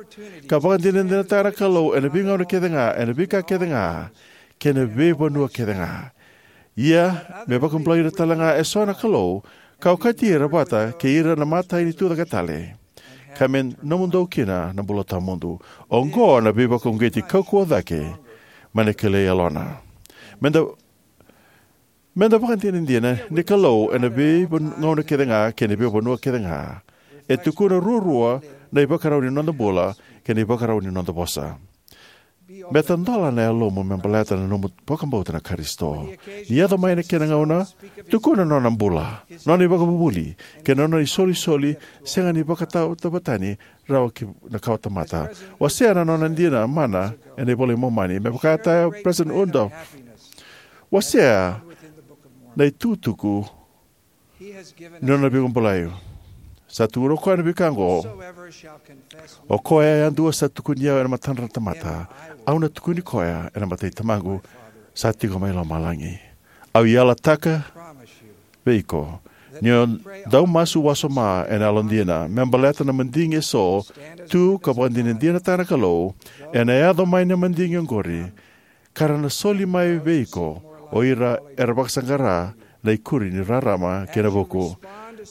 ka vakadinadinataka na Kalou ena veigauna kece ga, ena veika kece ga, kei na veivanua kece ga. Ia me vakabulai ira tale ga eso na Kalou, ka okati ira vata kei ira na matai ni tucake tale, ka me nomudou kina na bula tawamudu. Oqo na veivakauqeti kaukauwa cake mai na kilai yalona. Meda, meda vakadinadina ni Kalou ena veigauna kece ga kei na veivanua kece ga. E tukuna ruarua na ivakarau ni noda bula kei na ivakarau ni noda vosa. Me tadola na yalomu me baleta na nomu vakabauta na Karisito. Ni yaco mai na kena gauna, tukuna na nona bula, nona ivakavuvuli, kei na nona isolisoli sega ni vakatautavatani rawa ki na kawatamata. Wasea na nona dina mana ena iVola i Momani, me vaka e kaya o President Uchtdorf. Wasea na itukutuku ni nona veivakabulai. Sa tukuna o koya na veika oqo: O koya yadua sa tukuni au ena matadra na tamata, au na tukuni koya ena mata i Tamaqu sa tiko mai lomalagi. Au yalataka vei iko, ni o dau masu wasoma ena yalodina me baleta na madigi eso, tu ka vakadinadinataka na Kalou, ena yaco mai na madigi oqori, ka ra na soli mai vei iko o ira era vakasaqara na ikuri ni rarama kei na vuku.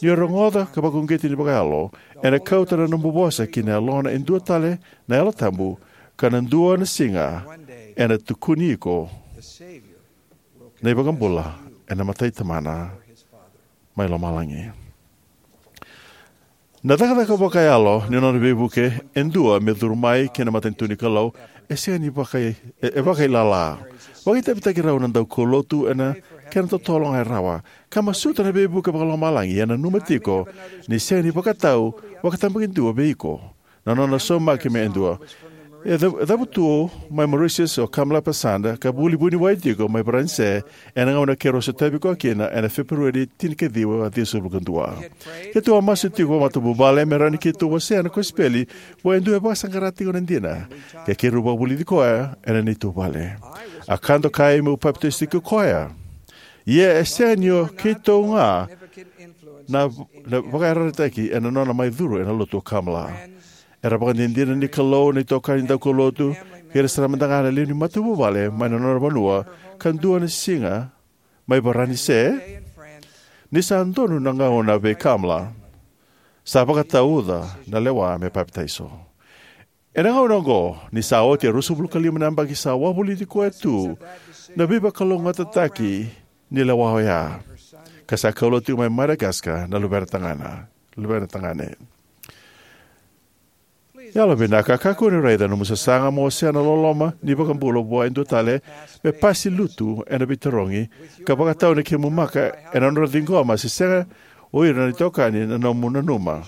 Ni o rogoca ka vakauqeti ni vakayalo, ena kauta na nomu vosa ki na yalona e dua tale na Yalo Tabu, ka na dua na siga ena tukuni iko na iVakabula ena mata i Tamana mai lomalagi. Na cakacaka vakayalo ni nona veivuke e dua me curu mai ki na matanitu ni Kalou e sega ni vaka, e, e vakailala. Vakaitavitaki rau na daukaulotu ena kena totolo ga e rawa. Ka masuta na veivuke vakalomalagi, ia nanuma tiko ni sega ni vakatau vakatabakidua vei iko na nona saumaki me dua. E ca-, cavutu mai Mauritius o Kamla Pasanda, ka vuli vuniwai tiko mai Varanise, ena gauna keirau sotavi koya kina ena Feperueri tinikaciwa, ciwasagavulu ka dua. Keitou a masu tiko vakamatavuvale me rawa ni keitou wasea na kosipeli vua e dua e vakasaqara tiko na dina, ka keirau vakavulici koya ena neitou vale. A ka dokai meu papitaiso tiko koya. Ia e sega ni o keitou ga na, na vakayarayarataki ena nona mai curu ena lotu o Kamla. Era vakadinadina ni Kalou na itokani daukaulotu, kei ira sara mada ga na lewe ni matavuvale mai na nona vanua, ka dua na siga mai Varanise, ni sa donu na gauna vei Kamla, sa vakatauca na lewa me papitaiso. Ena gauna oqo, ni sa oti e ruasagavulu ka lima na yabaki sa wavoliti koya tu na veivakalougatataki ni lewa oya, ka sa kaulotu tiko mai Madagascar na luvena tagane, luvena tagane. Yalovinaka, kakua ni raica nomu sasaga mo wasea na loloma ni iVakabula vua e dua tale me pasi lutu ena veitarogi, ka vakatau na kemu maka ena nodra ciqoma se sega o ira na itokani na nomu nanuma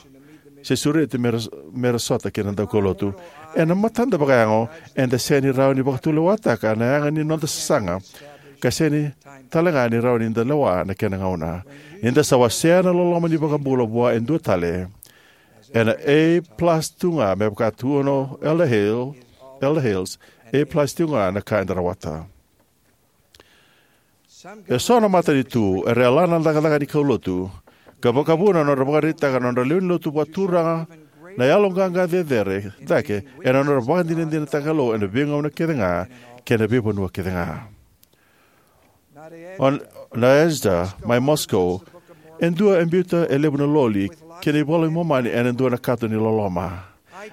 se sureti mera, mera sota kei na daukaulotu. Ena matada vakayago, eda sega ni rawa ni vakatulewataka na yaga ni noda sasaga, ka sega ni talega ni rawa ni da lewa na kena gauna. Ni da sa wasea na loloma ni iVakabula vua e dua tale, ena A plus tu ga, me vaka tukuna o Elder Hale, Elder Hales, A plus tu ga na ka eda rawata. Eso na matanitu era yalana na cakacaka ni kaulotu, ka vakavuna na nodra vakaraitaka na nodra lewe ni lotu vakaturaga na yaloqaqa cecere cake ena nodra vakadinadinataka na Kalou ena veigauna kece ga kei na veivanua kece ga. O Nadezhda mai Moscow, e dua e biuta e levu na loli kei na iVola i Momani ena dua na kato ni loloma.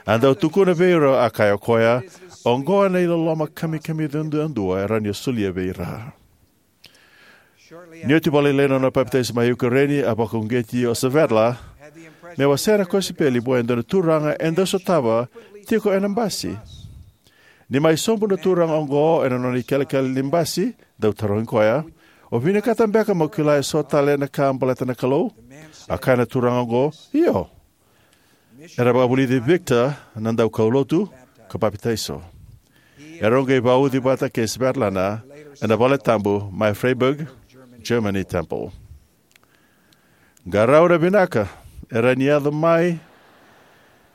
A dau tukuna vei ira, a kaya o koya, oqo na iloloma kamikamica duadua e rawa ni o solia vei ira. Ni oti vakalailai na nona papitaiso mai Ukraine, a vakauqeti o Svetla me wasea na kosipeli vua e dua na turaga e dau sotava tiko ena basi. Ni mai sobu na turaga oqo ena nona ikelekele ni basi, dau tarogi koya, o vinakata beka mo kila eso tale na ka baleta na Kalou? A kaya na turaga oqo, io. Era vakavulici Viktor na daukaulotu ka papitaiso. Erau qai vauci vata kei Svetlana ena valetabu mai Freiburg, Germany Temple. Qarauna vinaka, era ni yaco mai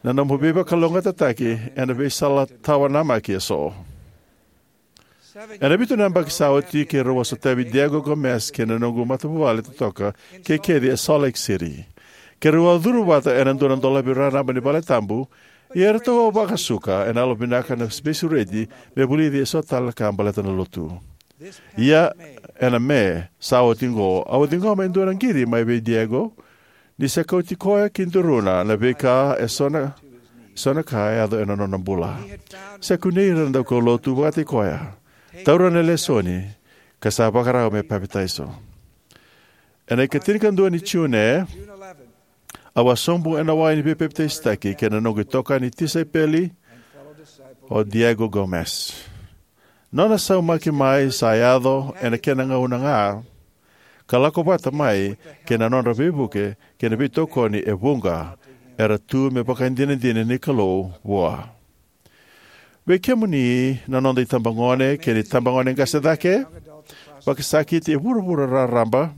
na nomu veivakalougatataki ena veisala tawa namaki eso. Ena vitu na yabaki sa oti, keirau a sotavi Diego Gomez kei na noqu matavuvale totoka kei kece e Salt Lake City. Keirau a curu vata ena dua na dolavi raraba ni valetabu, ia eratou a vakasuka ena yalovinaka na veisureti me vulici eso tale na ka baleta na lotu. Ia, ena Me sa oti oqo, au a ciqoma e dua na qiri mai vei Diego, ni sa kauti koya ki duruna na veika eso na, eso na ka e yaco ena nona bula. Sa kunei ira na daukaulotu vakataki koya, taura na lesoni, ka sa vakarau me papitaiso. Ena ikatinikadua ni June, au a sobu ena wai ni veipapitaisotaki kei na noqu itokani tisaipeli, o Diego Gomez. Nona saumaki mai sa yaco ena kena gauna ga, ka lako vata mai kei na nodra veivuke kei na veitokoni e vuqa era tu me vakadinadina ni Kalou vua. Vei kemuni na noda itabagone kei na itabagone qase cake vakasakiti e vuravura raraba,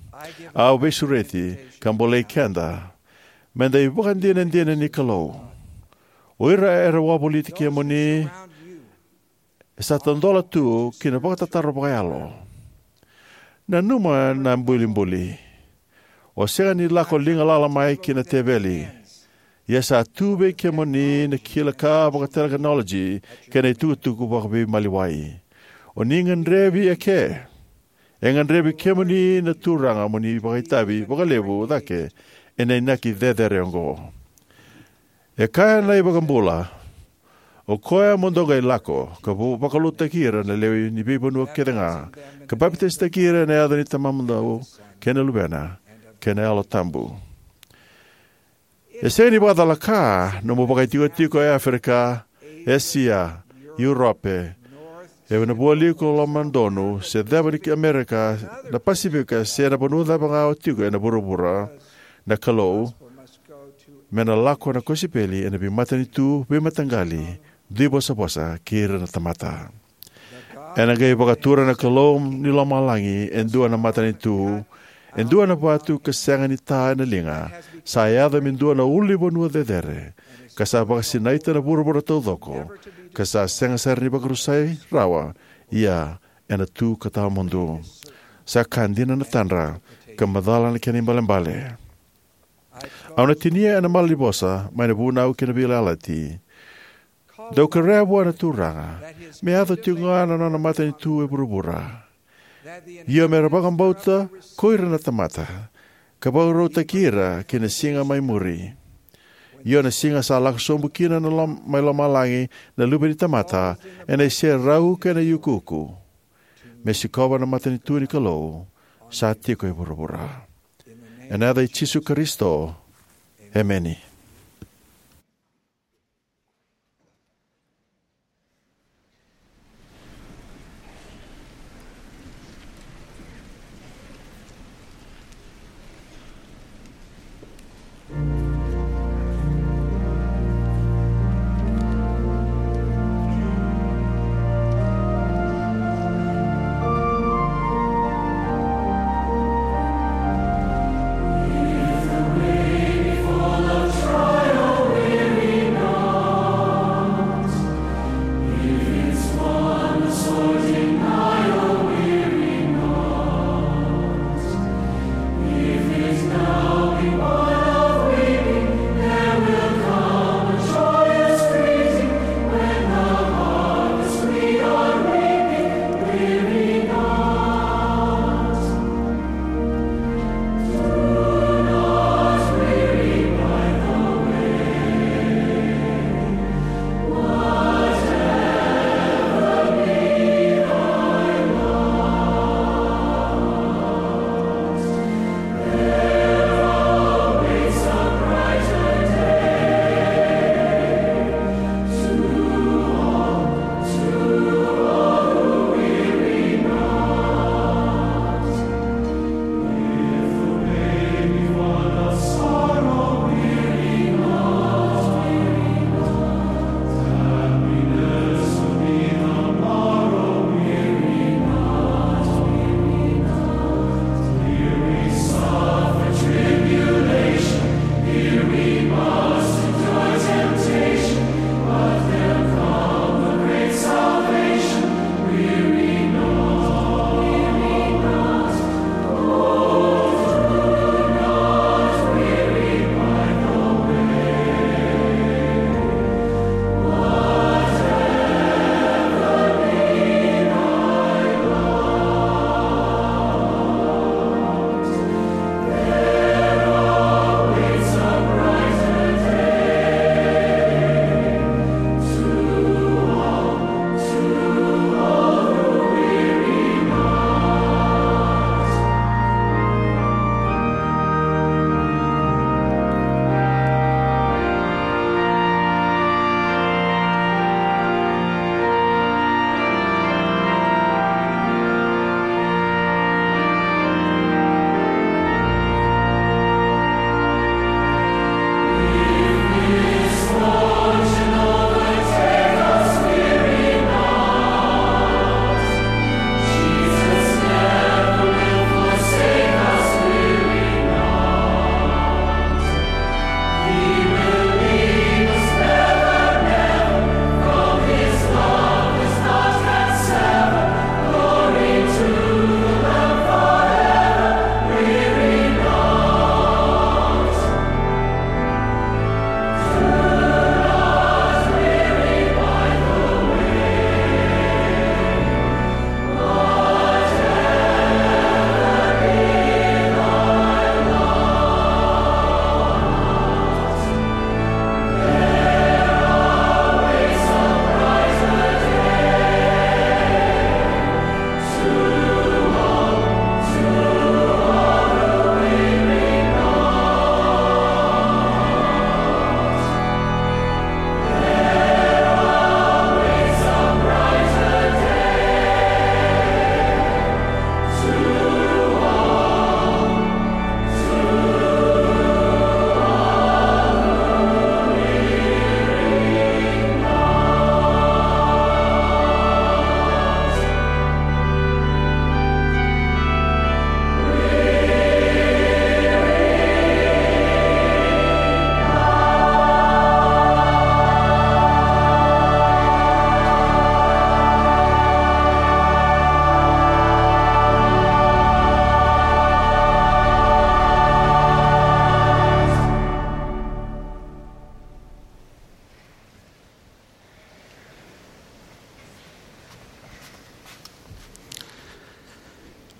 au veisureti ka bolei keda meda ivakadinadina ni Kalou. O ira era wavoliti kemuni e sa tadola tu ki na vakatataro vakayalo. Nanuma na bulibuli. O sega ni lako liga lala mai ki na teveli. Ia sa tu vei kemuni na kila ka vakatekinoloji kei na itukutuku vakaveimaliwai. O ni gadrevi eke. E gadrevi kemuni na Turaga mo ni vakaitavi vakalevu cake ena inaki cecere oqo. E kaya na iVakabula, O koya mo dou qai lako, ka vo-, vakalotutaki ira na lewe ni veivanua kece ga, ka papitaisotaki ira ena yaca ni Tamamudou, kei na Luvena, kei na Yalo Tabu. E sega ni vakacalaka nomu vakaitikotiko e Aferika, Esia, Iurope, e na vualiku lomadonu, se ceva ni Amerika, na Pasifika, se na vanua cava ga o tiko ena vuravura, na Kalou, me na lako na kosipeli ena veimatanitu, veimataqali, duivosavosa, kei ira na tamata. Ena qai vakatura na Kalou ni lomalagi e dua na matanitu, e dua na vatu ka sega ni ta ena liga, sa yaco me dua na ulunivanua cecere, ka sa vakasinaita na vuravura taucoko, ka sa sega sara ni vakarusai rawa, ia ena tu ka tawamudu. Sa ka dina na tadra, ka macala na kena ibalebale. Au na tinia ena malanivosa mai na Vunau kei na Veiyalayalati. Dou kerea vua na Turaga me yaco tiko ga na nona matanitu e vuravura, io me ra vakabauta ko ira na tamata, ka vakarautaki ira ki na siga mai muri. Io na siga sa lako sobu kina na lom-, mai lomalagi na Luve ni tamata, ena iserau kei na iukuuku, me sikova na matanitu ni Kalou sa tiko e vuravura. Ena yaca i Jisu Karisito. Emeni.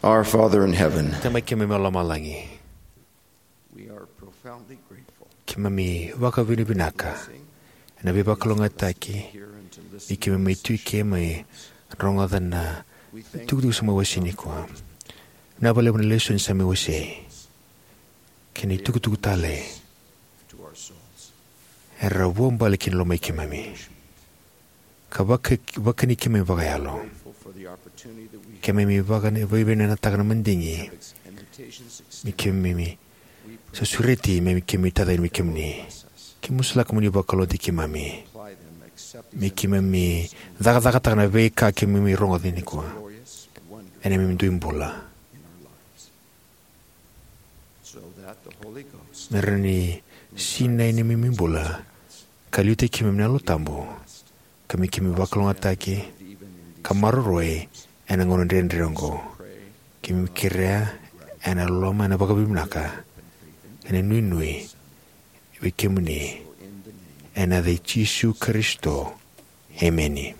Our Father in heaven, Tamai keimami mai lomalagi, we are profoundly grateful. Keimami vakavinavinaka ena veivakalougatataki ni keimami tu eke me rogoca na itukutuku sa mai wasei nikua. Vinaka vakalevu na lesoni sa mai wasei kei na itukutuku talei era vuabale ki na lomai keimami ka vaka, vakani keimami vakayalo. Keimami vakani, vakavinavinakataka na madigi me keimami sa sureti me keimami tacani me kemuni. Keimami masulaka mo ni vakalougatataki keimami me keimami cakacakataka na veika keimami rogoca nikua ena neimami dui bula. Me rawa ni sinai neimami bula ka liutaki keimami na Yalo Tabu, ka me keimami vakalougatataki ka maroroi ena gauna dredre oqo. Keimami kerea ena loloma, ena vakavinavinaka, ena nuinui vei kemuni, ena yaca i Jisu Karisito. Emeni.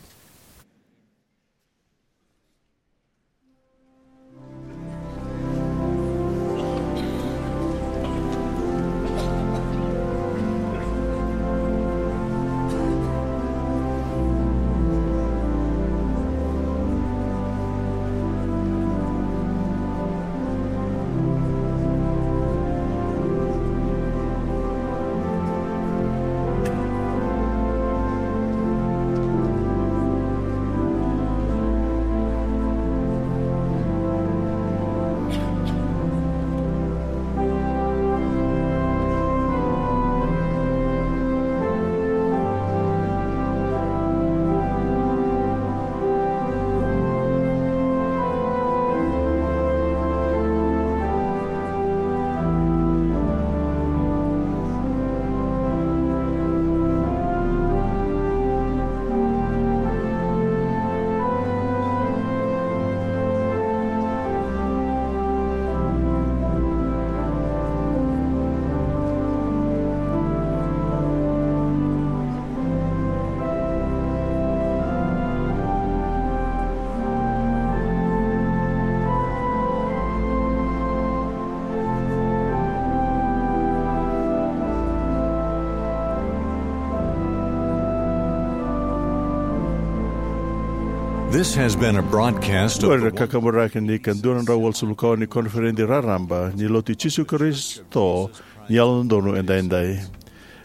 This has been a broadcast of Qori na kakaburaki ni ka dua na drau walusagavulu ka ono ni koniferedi raraba ni Lotu i Jisu Karisito ni Yalododonu Edaidai.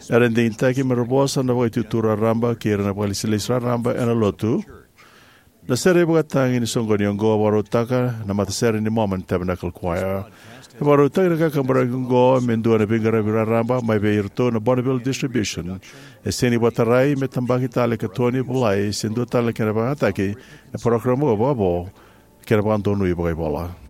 Era digitaki me ra vosa na Vakaitutu Raraba kei ira na vakailesilesi raraba ena Lotu. Na sere ivakatagi ni soqoni oqo e vakarautaka na matasere ni Mormon Tabernacle Choir. E vakarautaki na kakaburaki oqo me dua na veiqaravi raraba mai vei iratou na Bonneville Distribution. E sega ni vakatarai me tabaki tale ka tokoni volai se dua tale na kena vakayagataki ena parokaramu vakavo kei na vakadonui vakaivola.